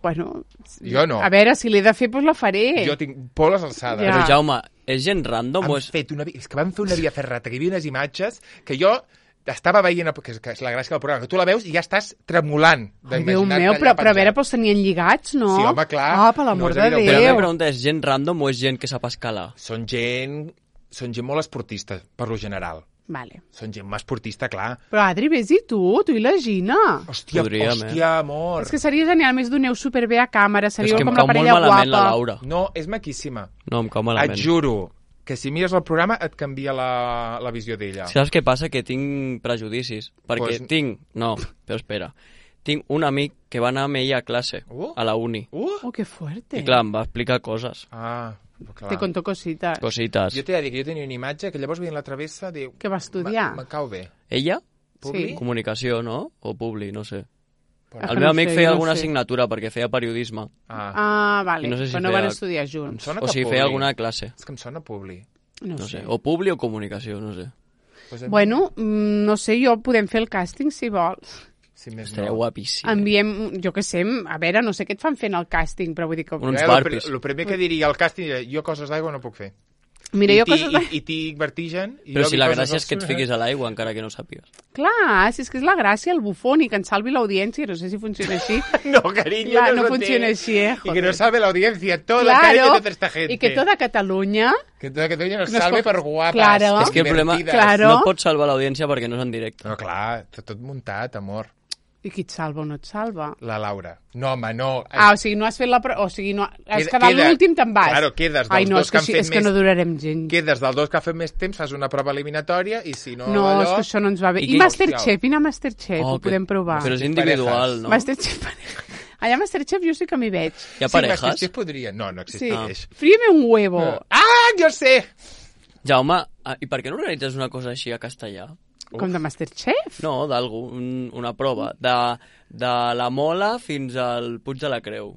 Bueno, Jo no. a veure, si l'he de fer, doncs la faré. Jo tinc por a les alçades. Ja. però Jaume, és gent random o Han és... fet una, vi- és que van fer una via ferrata, que hi havia unes imatges que jo estava veient, que és, que és la gràcia del programa, que tu la veus i ja estàs tremolant. Ai, Déu d'imaginar-te meu, allà però, però a veure, penjat. doncs tenien lligats, no? Sí, home, clar. Ah, per l'amor No, és de evident. Però la meva Déu. pregunta és, gent random o és gent que sap escalar? Són gent, són gent molt esportista, per lo general. Vale. Són gent esportista, clar. Però Adri, vés i tu, tu i la Gina. Hòstia, Podríem, eh? hòstia, amor. És que seria genial, més doneu superbé a càmera, És seríeu que em com la cau molt parella malament guapa. la Laura. No, és maquíssima. No, em cau Et malament. juro que si mires el programa et canvia la, la visió d'ella. Saps què passa? Que tinc prejudicis. Perquè Pues- tinc... No, però espera. Tinc un amic que va anar amb ella a classe, Uh. a la uni. Uh! Oh, que fuerte. I clar, em va explicar coses. Ah, clar. Te conto cositas. Cosites. Jo t'he de dir que jo tenia una imatge que llavors veient la travessa diu... Que va estudiar. Me, me cau bé. Ella? Publi? Sí. Comunicació, no? O publi, no sé. Ah, El que meu no amic sé, feia no alguna sé. assignatura perquè feia periodisme. Ah, Ah, vale. I no sé si però no feia- van estudiar em junts. sona O que sigui, publi. feia alguna classe. És que em sona publi. No, No sé. sé. O publi o comunicació, no sé. Pues a mi- Bueno, mm, no sé, jo podem fer el càsting si vols. si més Estaria no. guapíssim. Enviem, jo què sé, a veure, no sé què et fan fent el càsting, però vull dir que... Uns Eh, barpis. El primer que diria al càsting era jo coses d'aigua no puc fer. Mira, I jo ti- coses... I, i tinc vertigen. I Però jo si vi la coses gràcia és que et al- fiquis a l'aigua, encara que no sàpigues. Clar, si és que és la gràcia, el bufón, i que ens salvi l'audiència, no sé si funciona així. No, cariño, Clar, no, no lo funciona sé. així, eh, Y que joder. no sabe la audiencia, toda la cariño de toda esta gente. i que tota Catalunya... Que toda Catalunya nos Nos salve com- per guapes, Claro. És que el problema divertides. Claro. no pots salvar l'audiència perquè no és en directe. No, clar, tot, tot muntat, amor. I qui et salva o no et salva? La Laura. No, home, no. Ah, o sigui, no has fet la... Pro... O sigui, no... has Queda- quedat queda- l'últim, te'n vas. Claro, quedes dels Ai, no, dos és que que, han sí, fet és que més- no durarem gent. Quedes dels dos que ha fet més temps, fas una prova eliminatòria i si no... No, és allò... que això no ens va bé. I I, qui- Masterchef, vine a Masterchef, Oh, ho que- podem provar. Però és individual, no? Masterchef pareja. Allà a Masterchef jo sí que m'hi veig. Hi ha Sí, parejas? Masterchef podria. No, no Sí. existeix. Fríeme un huevo. Ah, jo sé! Jaume, ah, i per què no organitzes una cosa així a castellà? Com de Masterchef? No, d'algú, un, una prova. De, de la Mola fins al Puig de la Creu.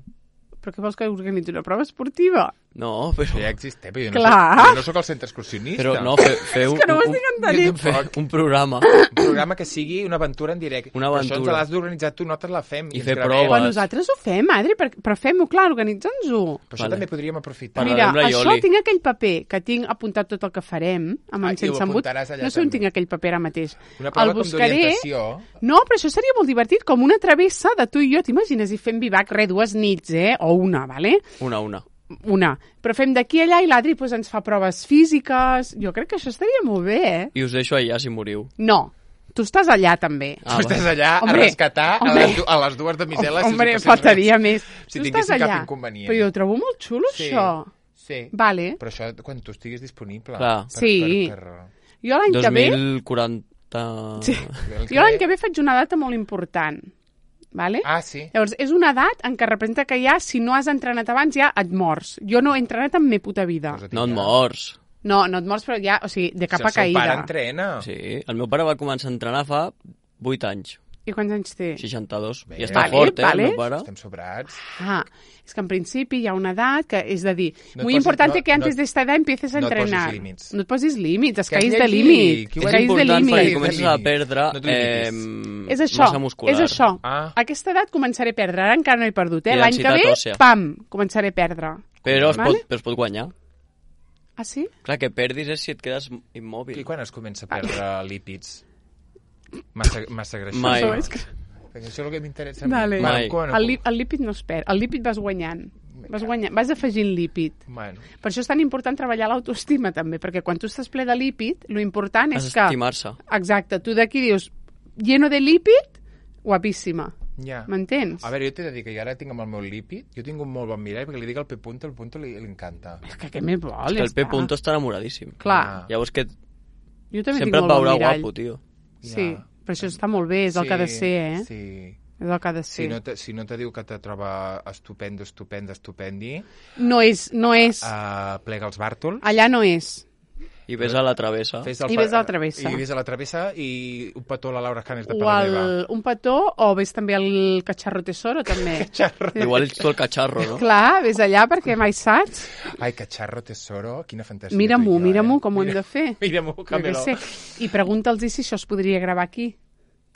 Però què vols que organitzi una prova esportiva? No, però... Això ja existeix, però jo no, Clar. soc, jo no soc el centre excursionista. Però no, fe, feu que no ho un, estic un, entenent. fe, un programa. Un programa que sigui una aventura en directe. Una Però Això ens aventura. l'has d'organitzar tu, nosaltres la fem. I ens fer gravem. proves. Però nosaltres ho fem, Adri, per, però fem-ho, clar, organitza'ns-ho. Però això Vale. també podríem aprofitar. Parlarem Mira, amb la això Ioli. tinc aquell paper que tinc apuntat tot el que farem, amb Ah, en i ho sense embut. apuntaràs allà No sé on també. tinc aquell paper ara mateix. Una prova el com buscaré. d'orientació. No, però això seria molt divertit, com una travessa de tu i jo, t'imagines? I fem vivac, re, dues nits, eh? O una, vale? Una, una. Una. Però fem d'aquí a allà i l'Adri pues, ens fa proves físiques. Jo crec que això estaria molt bé, eh? I us deixo allà si moriu. No, tu estàs allà també. Ah, Tu estàs allà Hombre, a rescatar a hombre. les, du- a les dues damisel·les. Hombre, si us hi passés faltaria res. més. Si tu tinguessin estàs cap allà. inconvenient. Però jo ho trobo molt xulo, Sí. això. Sí. Vale. Però això quan tu estiguis disponible. Clar. Per, Sí. Per, per... Jo l'any dos que ve... mil quaranta... Sí. Jo l'any que ve faig una data molt important. Vale? Ah, sí. Llavors, és una edat en què representa que ja, si no has entrenat abans, ja et mors. Jo no he entrenat en me puta vida. Pues a ti No et ja. mors. No, no et mors, però ja, o sigui, de Si capa el seu caïda. pare entrena. Sí, el meu pare va començar a entrenar fa vuit anys. I quants anys té? seixanta-dos. Bé. I està Vale, fort, eh, vale. el meu pare. Estem sobrats. Ah, es que en principi hi ha una edat que és de dir, No et muy posis- importante no- que antes no- de esta edad empieces a no et posis entrenar. límits. No et posis límits, es Que has caïs de llegit, límit. que ho Es has caïs de important límit. perquè límit. comences a perdre No t'ho eh, limitis. És això, massa muscular. és això. Ah. A aquesta edat començaré a perdre, ara encara no he perdut, eh? I L'any que densitat ve, òssea. pam, començaré a perdre. Però es, Vale? pot, però es pot guanyar. Ah, sí? Clar, que perdis és si et quedes immòbil. I quan es comença a perdre lípids? Massa, massa greixós. Mai. Això és que... Perquè això és el que m'interessa. Dale. Mai. Quan, El, lí- el lípid no es perd, el lípid vas guanyant. Vas, guanyant, vas afegint lípid. Bueno, Per això és tan important treballar l'autoestima, també, perquè quan tu estàs ple de lípid, lo important Has és que... d'estimar-se. Exacte, tu d'aquí dius, lleno de lípid, guapíssima. ja. M'entens? A veure, jo t'he de dir que jo ara tinc amb el meu lípid, jo tinc un molt bon mirall, perquè li dic al P. Punto, el Punto li, li encanta. És que què més vol? És que ja el P. està. Punto està enamoradíssim. Clar, Ah. Llavors que jo també sempre tinc et molt veurà bon mirall. guapo, tio. Sí, Ja. però això està molt bé, és el que ha de ser, eh? Sí. És el que ha de ser. Si no, te, si no te diu que te troba estupendo, estupendo, estupendi, No és, no és. uh, plega els bàrtols, Allà no és. I ves a la travessa. fes I ves a la travessa. I ves a la travessa i un petó a la Laura Canes de O Paladeva. el, un petó, o ves també el cacharro tesoro, també. Cacharro. Igual ets tu el catxarro, no? Clar, ves allà perquè mai saps. Ai, cacharro tesoro, quina fantasia. Mira-m'ho, tu i jo, mira-m'ho eh? com ho hem Mira- de fer. Mira-m'ho, Jo què Camelo. sé. I pregunta'ls si això es podria gravar aquí,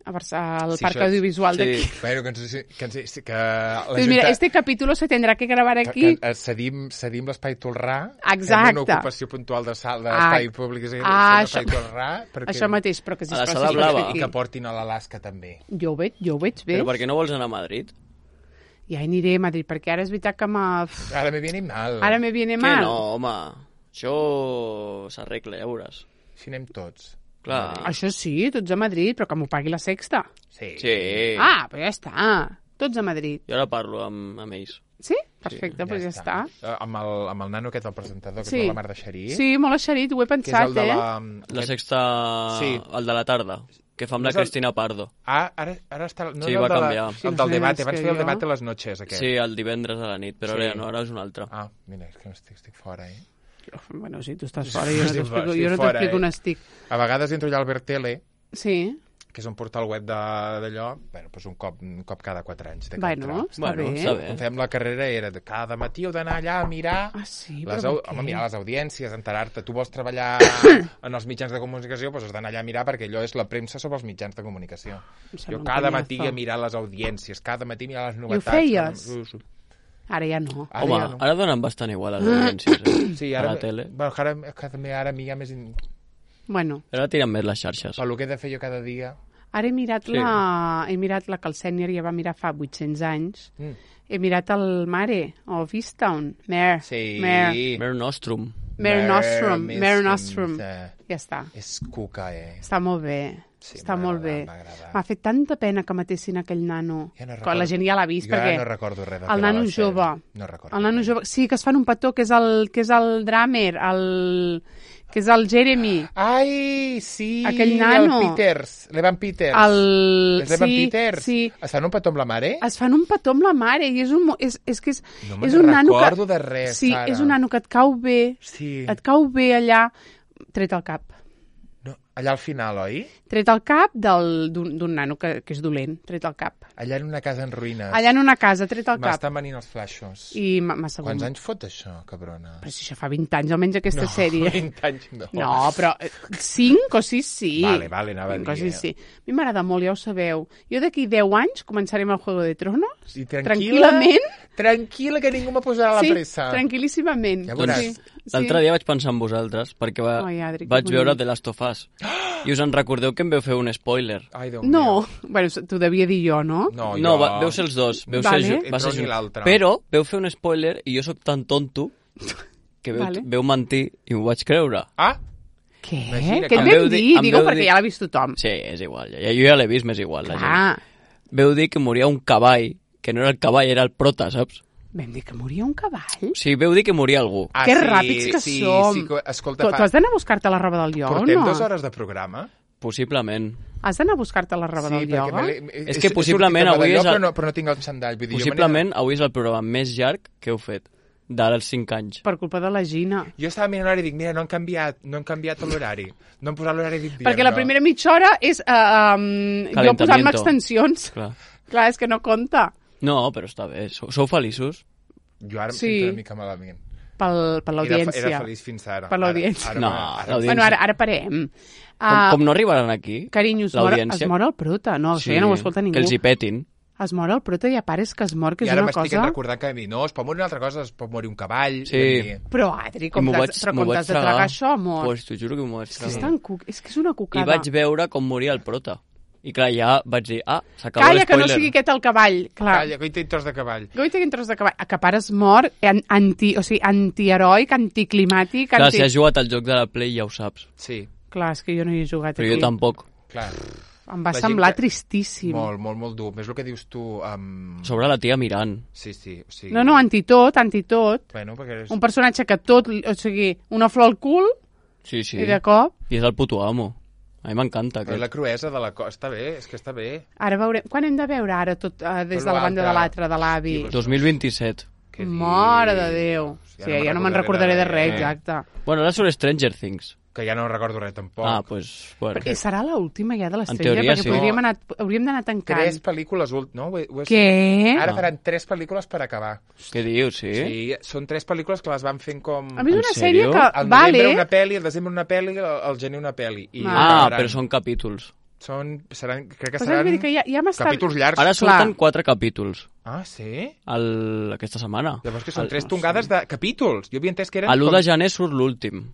a Barça, al Sí, Parc això- Audiovisual sí. d'aquí. Bueno, que, ens, que, ens, que la Pues mira, este capítulo se tendrá que gravar que, aquí. que cedim, cedim l'espai Tolrà, Exacte. fem una ocupació puntual de sal d'espai Ah, públic, és a dir, ah, fem l'espai això- Tolrà, perquè, Això mateix, però que si A la es sala faci blava. aquí. i que portin a l'Alaska també. Jo ho veig, jo ho veig bé. Però per què no vols anar a Madrid? Ja aniré a Madrid, perquè ara és veritat que m'ha... Ara me viene mal. Ara me viene Que mal. no, home. Això s'arregla, ja veuràs. Si anem tots. Clar. Això sí, tots a Madrid, però que m'ho pagui la Sexta. Sí. Sí. Ah, però ja està. Tots a Madrid. Jo ara parlo amb, amb ells. Sí? Perfecte, doncs ja està. Eh, Amb el, amb el nano aquest, el presentador, que Sí. és la mar de Xerí. Sí, molt eixerit, ho he Que és pensat, el de eh? la... La sexta... Sí. El de la tarda, que fa amb No la és el- Cristina Pardo. Ah, ara, ara està... No Sí, és el va de la- canviar. Sí, el no del sé debat, més abans que feia el jo. debat a les noches, aquest. Sí, el divendres a la nit, però Sí. ara ja no, ara és un altre. Ah, mira, és que no estic, estic fora, eh? Bueno, si tu estàs fora, jo no Sí, t'explico, sí, jo no fora, t'explico eh? on estic. A vegades entro allà al Bertele, Sí, que és un portal web de- d'allò, bueno, doncs un cop, un cop cada quatre anys. de bueno, entrar. està Bueno, bé. està bé. Quan fèiem la carrera era de cada matí heu d'anar allà a mirar... Ah, sí, les, però au... per què? Home, mirar les audiències, enterar-te. Tu vols treballar en els mitjans de comunicació, doncs has d'anar allà a mirar perquè allò és la premsa sobre els mitjans de comunicació. Em sembla Jo un cada conyazo. matí a mirar les audiències, cada matí mirar les I ho novetats. feies? Cada- Sí, sí. Ara ja no. Ara Home, ja no. ara donen bastant igual les audiències, eh? Sí, a ara, la tele. bueno, ara, que també ara a mi hi ha més... In... Bueno, Ara tiren més les xarxes. Pel que he de fer jo cada dia... ara he mirat, Sí. la... he mirat la que el sènior ja va mirar fa vuit-cents anys. Mm. He mirat el Mare, o Vistown. Mare. Sí. Mare. Mer Nostrum. Mare Nostrum. Més- Mare Nostrum. eh, Ja està. És cuca, eh? Està molt bé. Sí, Està m'ha molt bé. agradat, m'ha agradat. M'ha fet tanta pena que matessin aquell nano. Ja no Quan recordo. la gent ja l'ha vist, jo perquè... ara no recordo res de el què nano va ser. jove. No recordo. El nano jove... Sí, que es fan un petó, que és el, que és el drummer, el... que és el Jeremy. Ai, sí! Aquell nano. El Peters, l'Evan Peters. El... És l'Evan sí, Peters. sí. Es fan un petó amb la mare? Es fan un petó amb la mare i és un... mo- És, és que és, No és me'n un nano que... recordo de res, Sí, Sara. és un nano que et cau bé, Sí. et cau bé allà, tret al cap. No, allà al final, oi? Tret al cap del- d'un d'un nano que, que és dolent, tret al cap. Allà en una casa en ruïnes. Allà en una casa, tret al cap. M'estan venint els flaixos. I m'ha m'ha sabut... Quants anys fot això, cabrona? Però si això fa vint anys, almenys aquesta no, sèrie. vint anys no. No, però eh, cinc o sis sí. Vale, vale, anava a cinc o dir, sis eh. sí. A mi m'agrada molt, ja ho sabeu. Jo d'aquí deu anys començarem el Juego de Tronos. I tranquil·la, Tranquil·lament. Tranquil·la, que ningú me posarà Sí, la pressa. tranquil·líssimament. Ja Doncs veuràs. l'altre dia vaig pensar en vosaltres, perquè va, Ai, Adri, que vaig bonic. veure The Last of Us. I us en recordeu que em veu fer un spoiler. Ai, Déu No, meu. bueno, t'ho devia dir jo, no? No, No, jo... va, veu ser els dos. Veu Vale. ser, ju- va Entre ser un i junt. l'altre. Però veu fer un spoiler i jo sóc tan tonto que veu, Vale. veu mentir i m'ho vaig creure. Ah, Què? Imagina, Què et em vam veu dir- dir? em Digo veu perquè dir- ja l'ha vist tothom. Sí, és igual. Ja, jo ja l'he vist, m'és igual. La gent. Ah, Veu dir que moria un cavall, que no era el cavall, era el prota, saps? vam dir que moria un cavall? O sigui, veu dir que moria algú. ah Que sí, ràpids que sí, som. Sí, que- escolta, Tu, fa... tu has d'anar a buscar-te la roba del ioga o portem no? dues hores de programa? Possiblement. Has d'anar a buscar-te la roba del perquè ioga? me l'he- És he- que he possiblement sortit avui d'allò, és el- Però no, però no tinc el xandall. Vull dir, jo me n'he- Possiblement avui és el programa més llarg que heu fet, d'ara als cinc anys. Per culpa de la Gina. Jo estava mirant l'horari i dic, mira, no han canviat, no han canviat l'horari. No han posat l'horari d'invierno. Perquè la primera mitja hora és uh, um, jo Calentamiento. posant-me extensions. Clar. Clar, és que no compta. No, però està bé. Sou, sou feliços? Jo ara em Sí. sento una mica malament. Pel, per Era, l'audiència. era feliç fins ara. Per l'audiència. Ara, ara, No, ara, l'audiència. Bueno, ara, ara parem. Com, Uh, com no arribaran aquí, Carinyo, es mor, l'audiència... es mor el prota. No, això ja no ho escolta ningú. Que els hi petin. Es mor el prota i a part és que es mor, que I és ara una m'estic cosa... recordant que mi, no, es pot morir una altra cosa, es pot morir un cavall... Sí. i- Però, Adri, com I m'ho t'has vaig- però m'ho com vaig t'has de tragar això, amor? Pues t'ho juro que m'ho vaig És que és, tragar. tan cuc... és que és una I cucada. vaig veure com moria el prota. I clar, ja vaig dir, ah, s'acaba Calla, que no l'espoiler. sigui aquest el cavall. Clar. Calla, que hi té tros de cavall. Goita que tros de cavall. Que pare es mor an- anti, o sigui, antiheroic, anticlimàtic... Clar, anti... si has jugat al joc de la Play ja ho saps. Sí, Clar, és que jo no hi he jugat Però aquí. jo tampoc. clar. Em va La gent semblar que- tristíssim. Molt, molt, molt dur. És el que dius tu... Um... Sobre la tia mirant. Sí, sí. O sigui... No, no, antitot, antitot. Bueno, perquè és... Un personatge que tot, o sigui, una flor al cul Sí, sí. i de cop... I és el puto amo. A mi m'encanta Però aquest. la cruesa de la cosa... Està bé, és que està bé. Ara veurem... Quan hem de veure ara tot uh, des Però de la banda l'altre- de l'altre, de l'avi? Hosti, dos mil vint-set. Què Mare de dius? Déu. Ja Sí, no me'n ja no me'n recordaré recordaré de de res, res. exacte. Bueno, ara sobre Stranger Things. Que ja no recordo res, tampoc. Ah, pues, bueno. I serà l'última ja de l'estrella, teoria, perquè sí. podríem anar, hauríem d'anar tancant. Tres pel·lícules, ult- no? Ho he- ho he- Què? Ara faran tres pel·lícules per acabar. Què dius, sí? Sí, són tres pel·lícules que les van fent com... A mi és En una sèrie sèrio? que... Al novembre Vale. una pel·li, al desembre una pel·li, al al gener una pel·li. I Ah, Ah, acabaran. però són capítols. Són, seran, crec que Pues seran vull dir que ja, ja m'està... capítols llargs. Ara surten Clar. quatre capítols Ah, sí? el... aquesta setmana. Llavors que són El- tres tongades de capítols. Jo havia entès que eren... A l'u com... de gener surt l'últim.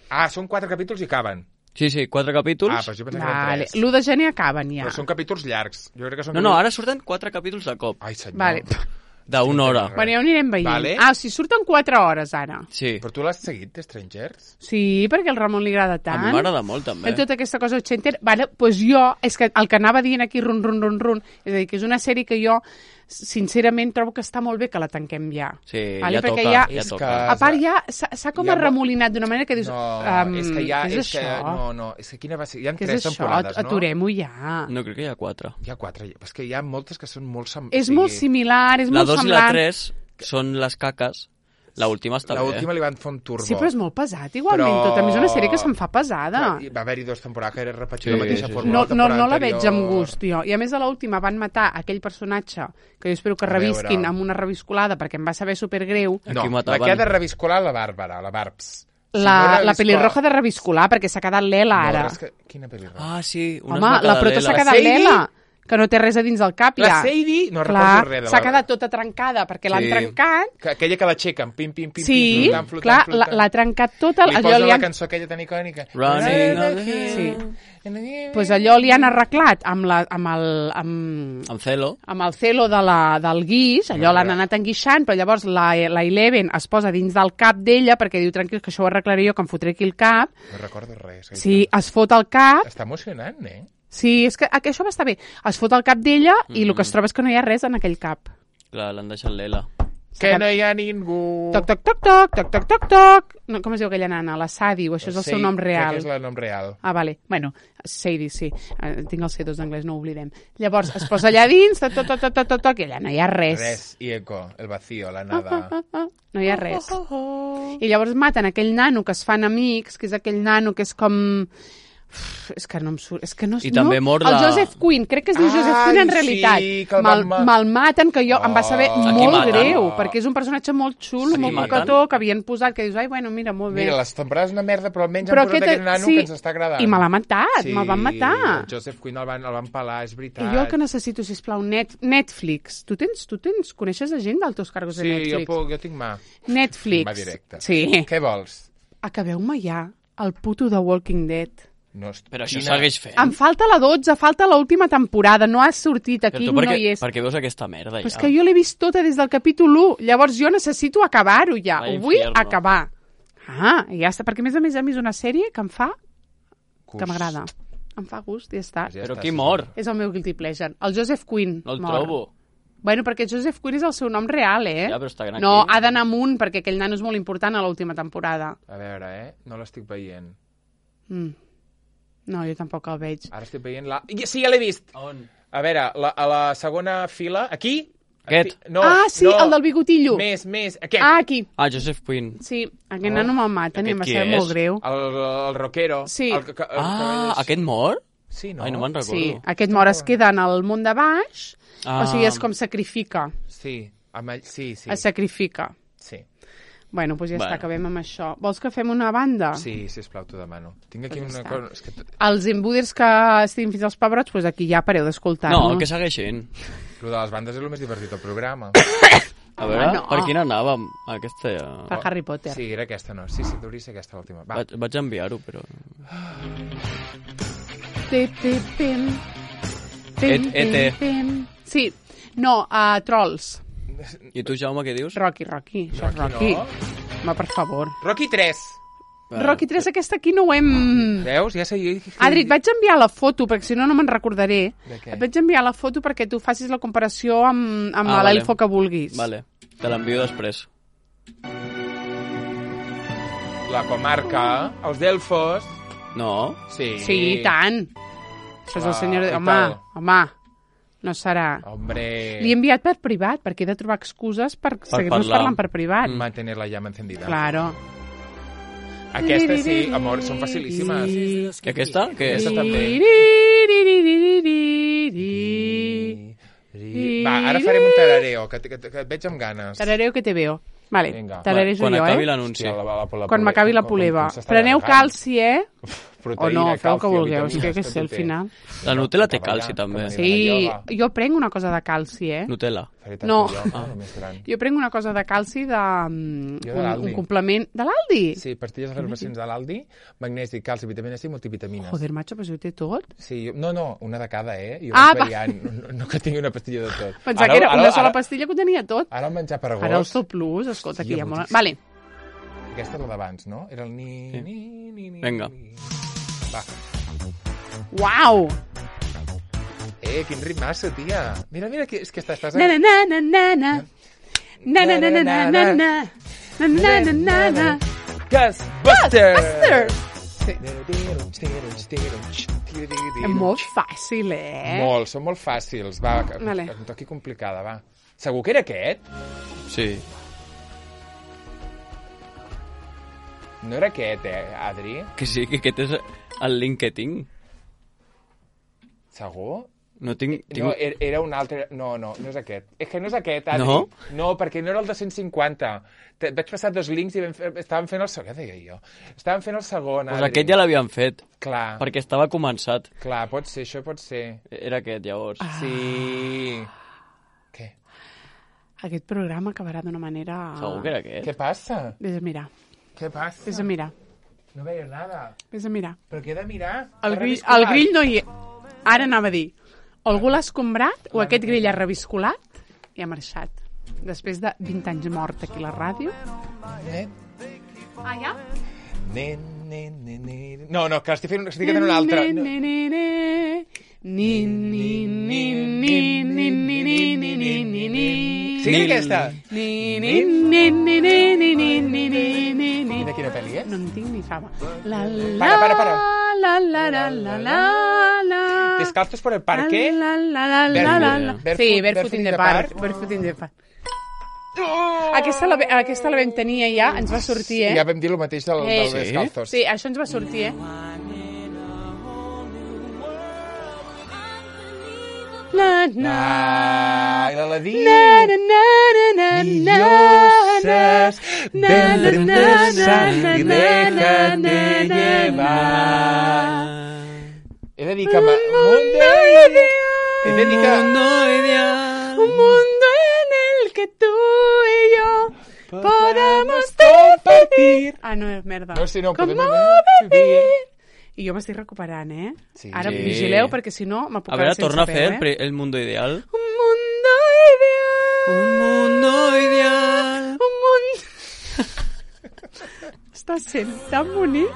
Ah, són quatre capítols i acaben. Sí, sí, quatre capítols. Ah, però jo pensava que Vale. eren tres. l'u de gener acaben ja. Però són capítols llargs. Jo crec que són No, no, capítols- ara surten quatre capítols de cop. Ai, senyor. Vale. D'una hora. Bueno, ja ho anirem veient. Vale. Ah, o sigui, surten quatre hores ara. Sí. Però tu l'has seguit, de Strangers? Sí, perquè al Ramon li agrada A tant. mi m'agrada molt, també. En tota aquesta cosa ochenter. Vale, pues jo, és que el que anava dient aquí, run, run, run, run, és a dir, que és una sèrie que jo, sincerament, trobo que està molt bé que la tanquem ja. Sí, Vale, ja perquè toca, ja- ja És toca. que- A part, ja s'ha s'ha com Hi ha mo- arremolinat d'una manera que dius... No, um, és que ja... Què és, és que, això? no, no, és que quina va ser? Hi ha Què és tres això? temporades, no? Aturem-ho ja. No, crec que hi ha quatre. Hi ha quatre. És que hi ha moltes que són molt... Sem... És o sigui, molt similar, és La molt dos i semblant. la tres són les caques. La última està La bé. última li van fer un turbo. Sí, però és molt pesat, igualment. Però- Tot. A més, és una sèrie que se'm fa pesada. Clar, hi va haver-hi dues temporades que era repetir Sí, la mateixa sí, sí. fórmula. No, la no, temporada no la veig anterior. amb gust, jo. I a més, a l'última van matar aquell personatge que jo espero que A veure. revisquin amb una reviscolada perquè em va saber supergreu. No, Aquí la mataven. que ha de reviscolar la Bàrbara, la Barbs. La, Si no la reviscola- pelirroja de reviscolar, perquè s'ha quedat l'Ela ara. No, és que... Quina pelirroja? Ah, sí. Una Home, la prota s'ha quedat Sadie? l'Ela, que no té res a dins del cap, La ja. Sadie? No Clar, recordo res de s'ha la- quedat tota trencada perquè l'han Sí. trencat. Que, aquella que l'aixequen, pim, pim, pim, Sí, pim, flotant, flotant, clar, flotant. la- l'ha trencat tota. Li Allò posa li la han... cançó aquella tan icònica. Running on the Sí. Sí. Pues allò li han arreglat amb, la, amb, el, amb, Amb celo. amb el celo de la, del guix, allò l'han anat enguixant, però llavors la, la Eleven es posa dins del cap d'ella perquè diu, tranquil, que això ho arreglaré jo, que em fotré aquí el cap. No recordo res. Sí, es fot el cap. Està emocionant, eh? Sí, és que que això va estar bé. Es fot el cap d'ella i el que es troba és que no hi ha res en aquell cap. Clar, l'han deixat l'Ela. Que no hi ha ningú... Toc, toc, toc, toc, toc, toc, toc, toc. No, com es diu aquella nana? La Sadie, o això és el seu nom Crec real? que és el nom real. Ah, vale. Bueno, Sadie, sí. Uh, tinc els C dos d'anglès, no ho oblidem. Llavors, es posa allà dins, toc, toc, toc, toc, toc, toc, toc, i allà no hi ha res. Res, i eco, el vacío, la Ah, nada. ah, ah, no hi ha res. I llavors maten aquell nano que es fan amics, que és aquell nano que és com... Uf, és que no em surt... És que no, I també no, mor el la- Joseph Quinn, crec que es diu Joseph Quinn en Ai, realitat. sí, que el Me'l van ma- me'l maten, que jo em va saber Oh. Aquí molt maten. greu, Oh. perquè és un personatge molt xulo, Sí. molt Maten? cocató, que havien posat, que dius, ai, bueno, mira, molt bé. Mira, les temporades una merda, però almenys Però han posat aquest- aquest nano sí, que ens està agradant. i me l'ha matat, sí, me'l van matar. el Joseph Quinn el van, el van pelar, és veritat. I jo el que necessito, sisplau, net, Netflix. Tu tens, tu tens, coneixes a gent dels teus cargos de Sí, jo, Netflix? puc, jo tinc mà. Netflix. Va directe. Sí. Què vols? Acabeu-me ja el puto de Walking Dead. No, est- Però això quina- segueix fent. Em falta la dotze, falta l'última temporada, no ha sortit aquí, Però tu no per què, hi és. per què veus aquesta merda, Però és ja? que jo l'he vist tota des del capítol u, llavors jo necessito acabar-ho ja, Va, ho vull infierno. acabar. Ah, i ja està, perquè a més a més a mi és una sèrie que em fa, que Gust. m'agrada. Em fa gust i ja està. Ja Però està, qui sí. mor? És el meu guilty pleasure. El Joseph Quinn No el mor. trobo. Bueno, perquè Joseph Quinn és el seu nom real, eh? Ja, però està gran No, aquí. ha d'anar amunt, perquè aquell nano és molt important a l'última temporada. A veure, eh? No l'estic veient. Mm. No, jo tampoc el veig. Ara estic veient la... I- Sí, ja l'he vist! On? A veure, la, a la segona fila... Aquí? Aquest. Aquí- No, ah, sí, no. el del bigotillo. Més, més. Aquest. Ah, aquí. Ah, Joseph Quinn. Sí, aquest Oh. nano me'l maten i em va Aquest ser qui és? molt greu. El, el rockero. Sí. El, que- el, Ah, que- aquest mor? Sí, no? Ai, no me'n recordo. Sí, aquest mort es queda en el món de baix, Ah. o sigui, és com sacrifica, Sí, amb ell, sí, sí. es sacrifica. Sí, Bueno, doncs ja Bueno. està, acabem amb això. Vols que fem una banda? sí, sisplau, t'ho demano. Tinc aquí Pues ja una està. cosa... És que... t- Els embuders que estiguin fins als pebrots, doncs aquí ja pareu d'escoltar-nos. No, que segueixin. Lo de les bandes és el més divertit del programa. A veure, no. per quina anàvem? Aquesta ja... Per Harry Potter. Sí, era aquesta, no. Sí, sí, hauria de ser aquesta l'última. Va. Vaig, vaig enviar-ho, però... Pim, pim, pim. Et- ete. pim. Sí, no, uh, Trolls. I tu, Jaume, què dius? Rocky, Rocky, això és Rocky. no. Home, per favor. Rocky tres. Rocky tres, aquesta aquí no ho hem... Veus? Ja sé... Adri, et vaig enviar la foto, perquè si no, no me'n recordaré. De què? Et vaig enviar la foto perquè tu facis la comparació amb, amb Ah, l'elfo vale. que vulguis. Vale, te l'envio després. La comarca, els delfos... No? Sí. Sí, i tant. Això és el Ah, senyor... i Home, tal. home, no serà... Hombre... Li he enviat per privat, perquè he de trobar excuses per, seguir-nos parlar. parlant per privat. Mantener la llama encendida. Claro. Aquesta sí, amor, són facilíssimes. I aquesta? Què és? Aquesta també. Va, ara farem un tarareo, que, que, que et veig amb ganes. Tarareo que te veo. Vale, Vinga. tararejo Quan jo, acabi eh? l'anunci. Hòstia, la- la- la- la- Quan m'acabi la com- com- poleva. com s'està Preneu allargant. calci, eh? O Proteïna, no, feu el que calci, vulgueu, és que vitamines, què sé, al tot ho té. final. La Nutella té Cap calci, allà, també. cap allà. Sí, ioga. jo prenc una cosa de calci, eh? Nutella. Faré No. tanta ioga, la més gran. Jo prenc una cosa de calci de... mm, Jo de un, l'Aldi. un complement... De l'Aldi? Sí, pastilles efervescents de l'Aldi, magnesi, calci, vitamina C i multivitamines. Joder, macho, però si ho té tot. Sí, jo- no, no, una de cada, eh? Jo Ah, vaig va. variant, no, no que tingui una pastilla de tot. Pensava que era una sola pastilla que ho tenia tot. Ara el menjar per Ara el gos, Sol Plus, escolta, Hòstia, que hi ha molt... boníssim. Vale, aquesta és la d'abans, no? Era el ni... Sí. ni, ni, ni Vinga. ni. Va. uau! Eh, quin ritmasso, tia. Mira, mira, que, és que estàs... estàs... Na na na na na na. Na na na na na na na. Na na na na na. Ghostbusters! Sí. És molt fàcil, eh? Molt, són molt fàcils. Va, que, Vale. que em toqui complicada, va. Segur que era aquest? Sí. No era aquest, eh, Adri? Que sí, que aquest és el link que tinc. Segur? No tinc... tinc... No, era era un altre... No, no, no és aquest. És que no és aquest, Adri. No? No, perquè no era el de cent cinquanta. Te, vaig passar dos links i vam fer, estàvem fent el segon. Què deia jo? Estàvem fent el segon, Pues Adri. aquest ja l'havien fet, Clar, perquè estava començat. clar, pot ser, això pot ser. Era aquest, llavors. Ah. Sí. Què? Aquest programa acabarà d'una manera... Segur que era aquest. Què passa? Vés a mirar, Què passa? vés a mirar, No veia nada. vés a mirar. Però què he de mirar? El T'ha grill, reviscolat? el grill no hi és. Ara anava a dir, algú l'ha escombrat o aquest grill ha reviscolat i ha marxat. Després de vint anys mort aquí a la ràdio. Eh? Ah, ja? Ne, ne, ne, ne. No, no, que estic fent, estic fent una altra. No. Ni, ni, ni, ni, ni, ni, ni, ni, ni, ni, ni, ni, ni, ni. Sí, que aquesta. Ni, ni, ni, ni, ni, ni, ni, ni, ni, ni, ni. I de quina pel·li és? No en tinc ni fama. La, la, Para, para, para. La, la, la, la, la, la. Descalzos por el parque. La, la, la, la, la, la. Barefoot- Sí, barefoot Barefoot in the Park. Barefoot in the Park. Aquesta la, aquesta la vam tenir ja, ens va sortir, eh? Ja vam dir el mateix del, Eh, del Descalzos. Sí, això ens va sortir, eh? Na, na, Ah, i l'Aladí. na, na, na, na, na, Dioses, na, ven, na, princesa, na, y na, déjate na, na, llevar. He de dir que... Un ma- mundo ideal. He de dir que... ideal. Un mundo en el que tú y yo podamos compartir. Ah, no, merda. No, si no, Com podem vivir. I jo m'estic recuperant, eh? Sí. Ara Sí. vigileu, perquè si no me puc A veure, quedar sense torna a fer peu, el, eh? pre- el mundo ideal. Un mundo ideal. Un mundo ideal. Un mundo... Està sent tan bonic.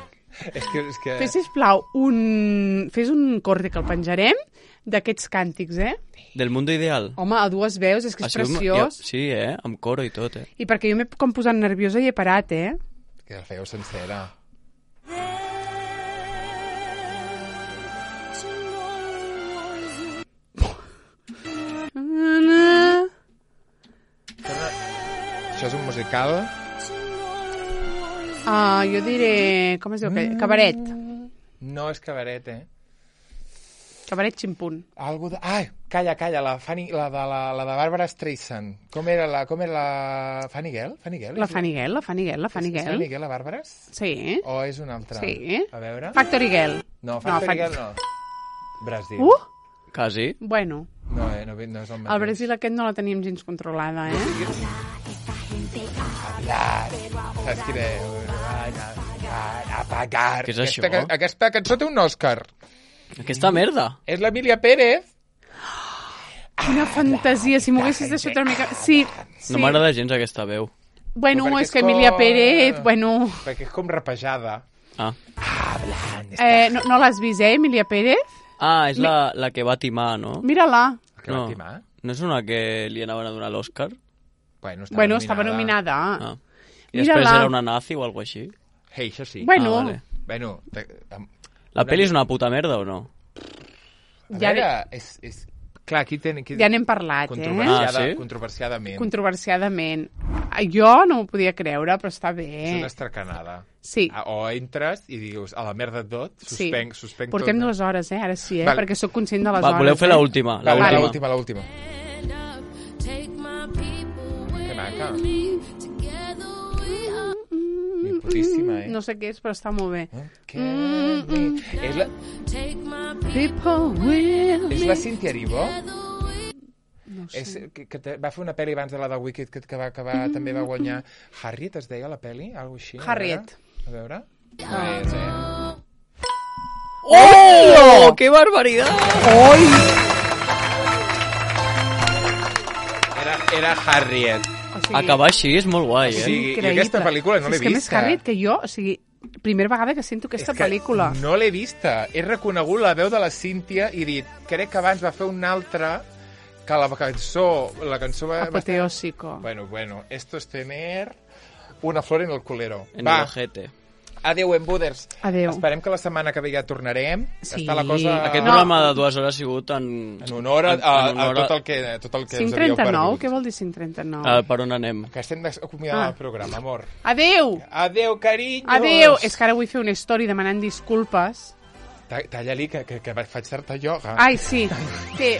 És que... És que... Fes, sisplau, un... Fes un corte que el penjarem d'aquests càntics, eh? Del mundo ideal. Home, a dues veus, és que és Ha sigut- preciós. Ja, sí, eh? Amb coro i tot, eh? I perquè jo m'he com posat nerviosa i he parat, eh? Que la fèieu sencera. Això és un musical? Ah, jo diré... Com es diu? Mm. Cabaret. No és cabaret, eh? Cabaret ximpun. Algo de... Ai, calla, calla, la, Fanny, la, de, la, la de Barbara Streisand. Com era la... Com era la... Fanny Gell? Fanny Gell? La Fanny Gell, la Fanny Gell, la Fanny És Gell. Fanny Gell, la Bàrbara? Sí. O és una altra? Sí. A veure... Factory Girl. No, Factory No, Gell no. Brasil. Uh! Quasi. Bueno. No, eh, no, no és el mateix. Al Brasil aquest no la tenim gens controlada, eh? Hablar. Saps quina és? Apagar. Què és això? Aquesta, aquesta cançó té un Òscar. Aquesta merda. És l'Emília Pérez. Quina fantasia, si m'ho haguessis deixat una mica... Sí, sí. No m'agrada gens aquesta veu. Bueno, Perquè és que és Emília com- Pérez, bueno... Perquè és com rapejada. Ah, Eh, no no l'has vist, eh, Emília Pérez? ah és la, la que va timar, no? Mira-la. Que No. va timar. No és una que li anaven a donar l'Òscar? Bueno, estava Bueno, nominada. estava nominada. Ah. I després Mira-la. era una nazi o alguna així? Hey, això sí. Bueno, Ah, vale. Bueno, te, a, La pel·li és una puta merda o no? a Ja veure, és, és... Clar, aquí, ten, aquí ja n'hem parlat, eh? controversiada, Ah, sí? controversiadament. Controversiadament. Jo no m'ho podia creure, però està És bé. una estracanada. Sí. Ah, O entres i dius, a la merda de tot, Sí. suspenc, suspenc Portem tot. dues hores, eh? Ara sí, eh? Vale. Perquè sóc conscient de les Va, hores. voleu fer eh? l'última? La Vale, última. l'última, l'última. Que maca. Ni putíssima, eh? No sé què és, però està molt bé. Que... És la, People will és la Cynthia Erivo? No És, sé. que, que te- va fer una pel·li abans de la de Wicked que, que, va, que va, també va guanyar... Harriet es deia la pel·li? Algo així? a Harriet. veure? A veure? No és, eh? ¡Oh! ¡Qué barbaridad! Oi! Era, era Harriet. O sigui, Acabar així és molt guai, eh? Sí, i increïble. aquesta pel·lícula no l'he És que més vista. Harriet que jo, o sigui, primera vegada que sento aquesta És que pel·lícula. no l'he vista. He reconegut la veu de la Cíntia i dit, crec que abans va fer una altra que la cançó... La cançó va... va estar- Apoteósico. Bueno, bueno, esto es tener una flor en el culero. En Va, el ojete. adeu, embuders. Adeu. Esperem que la setmana que ve ja tornarem. Sí. Està la cosa... Aquest No. programa de dues hores ha sigut en... En honor a, a, en a honor tot el que, tot el que cinc us havíeu trenta-nou? perdut. Què vol dir cinc trenta-nou? Uh, per on anem? Que estem acomiadant Ah. el programa, amor. Adeu! Adeu, carinyos! Adeu! És que ara vull fer una story demanant disculpes. Ta- Talla-li, que, que, que faig certa ioga. Ai, sí. Sí.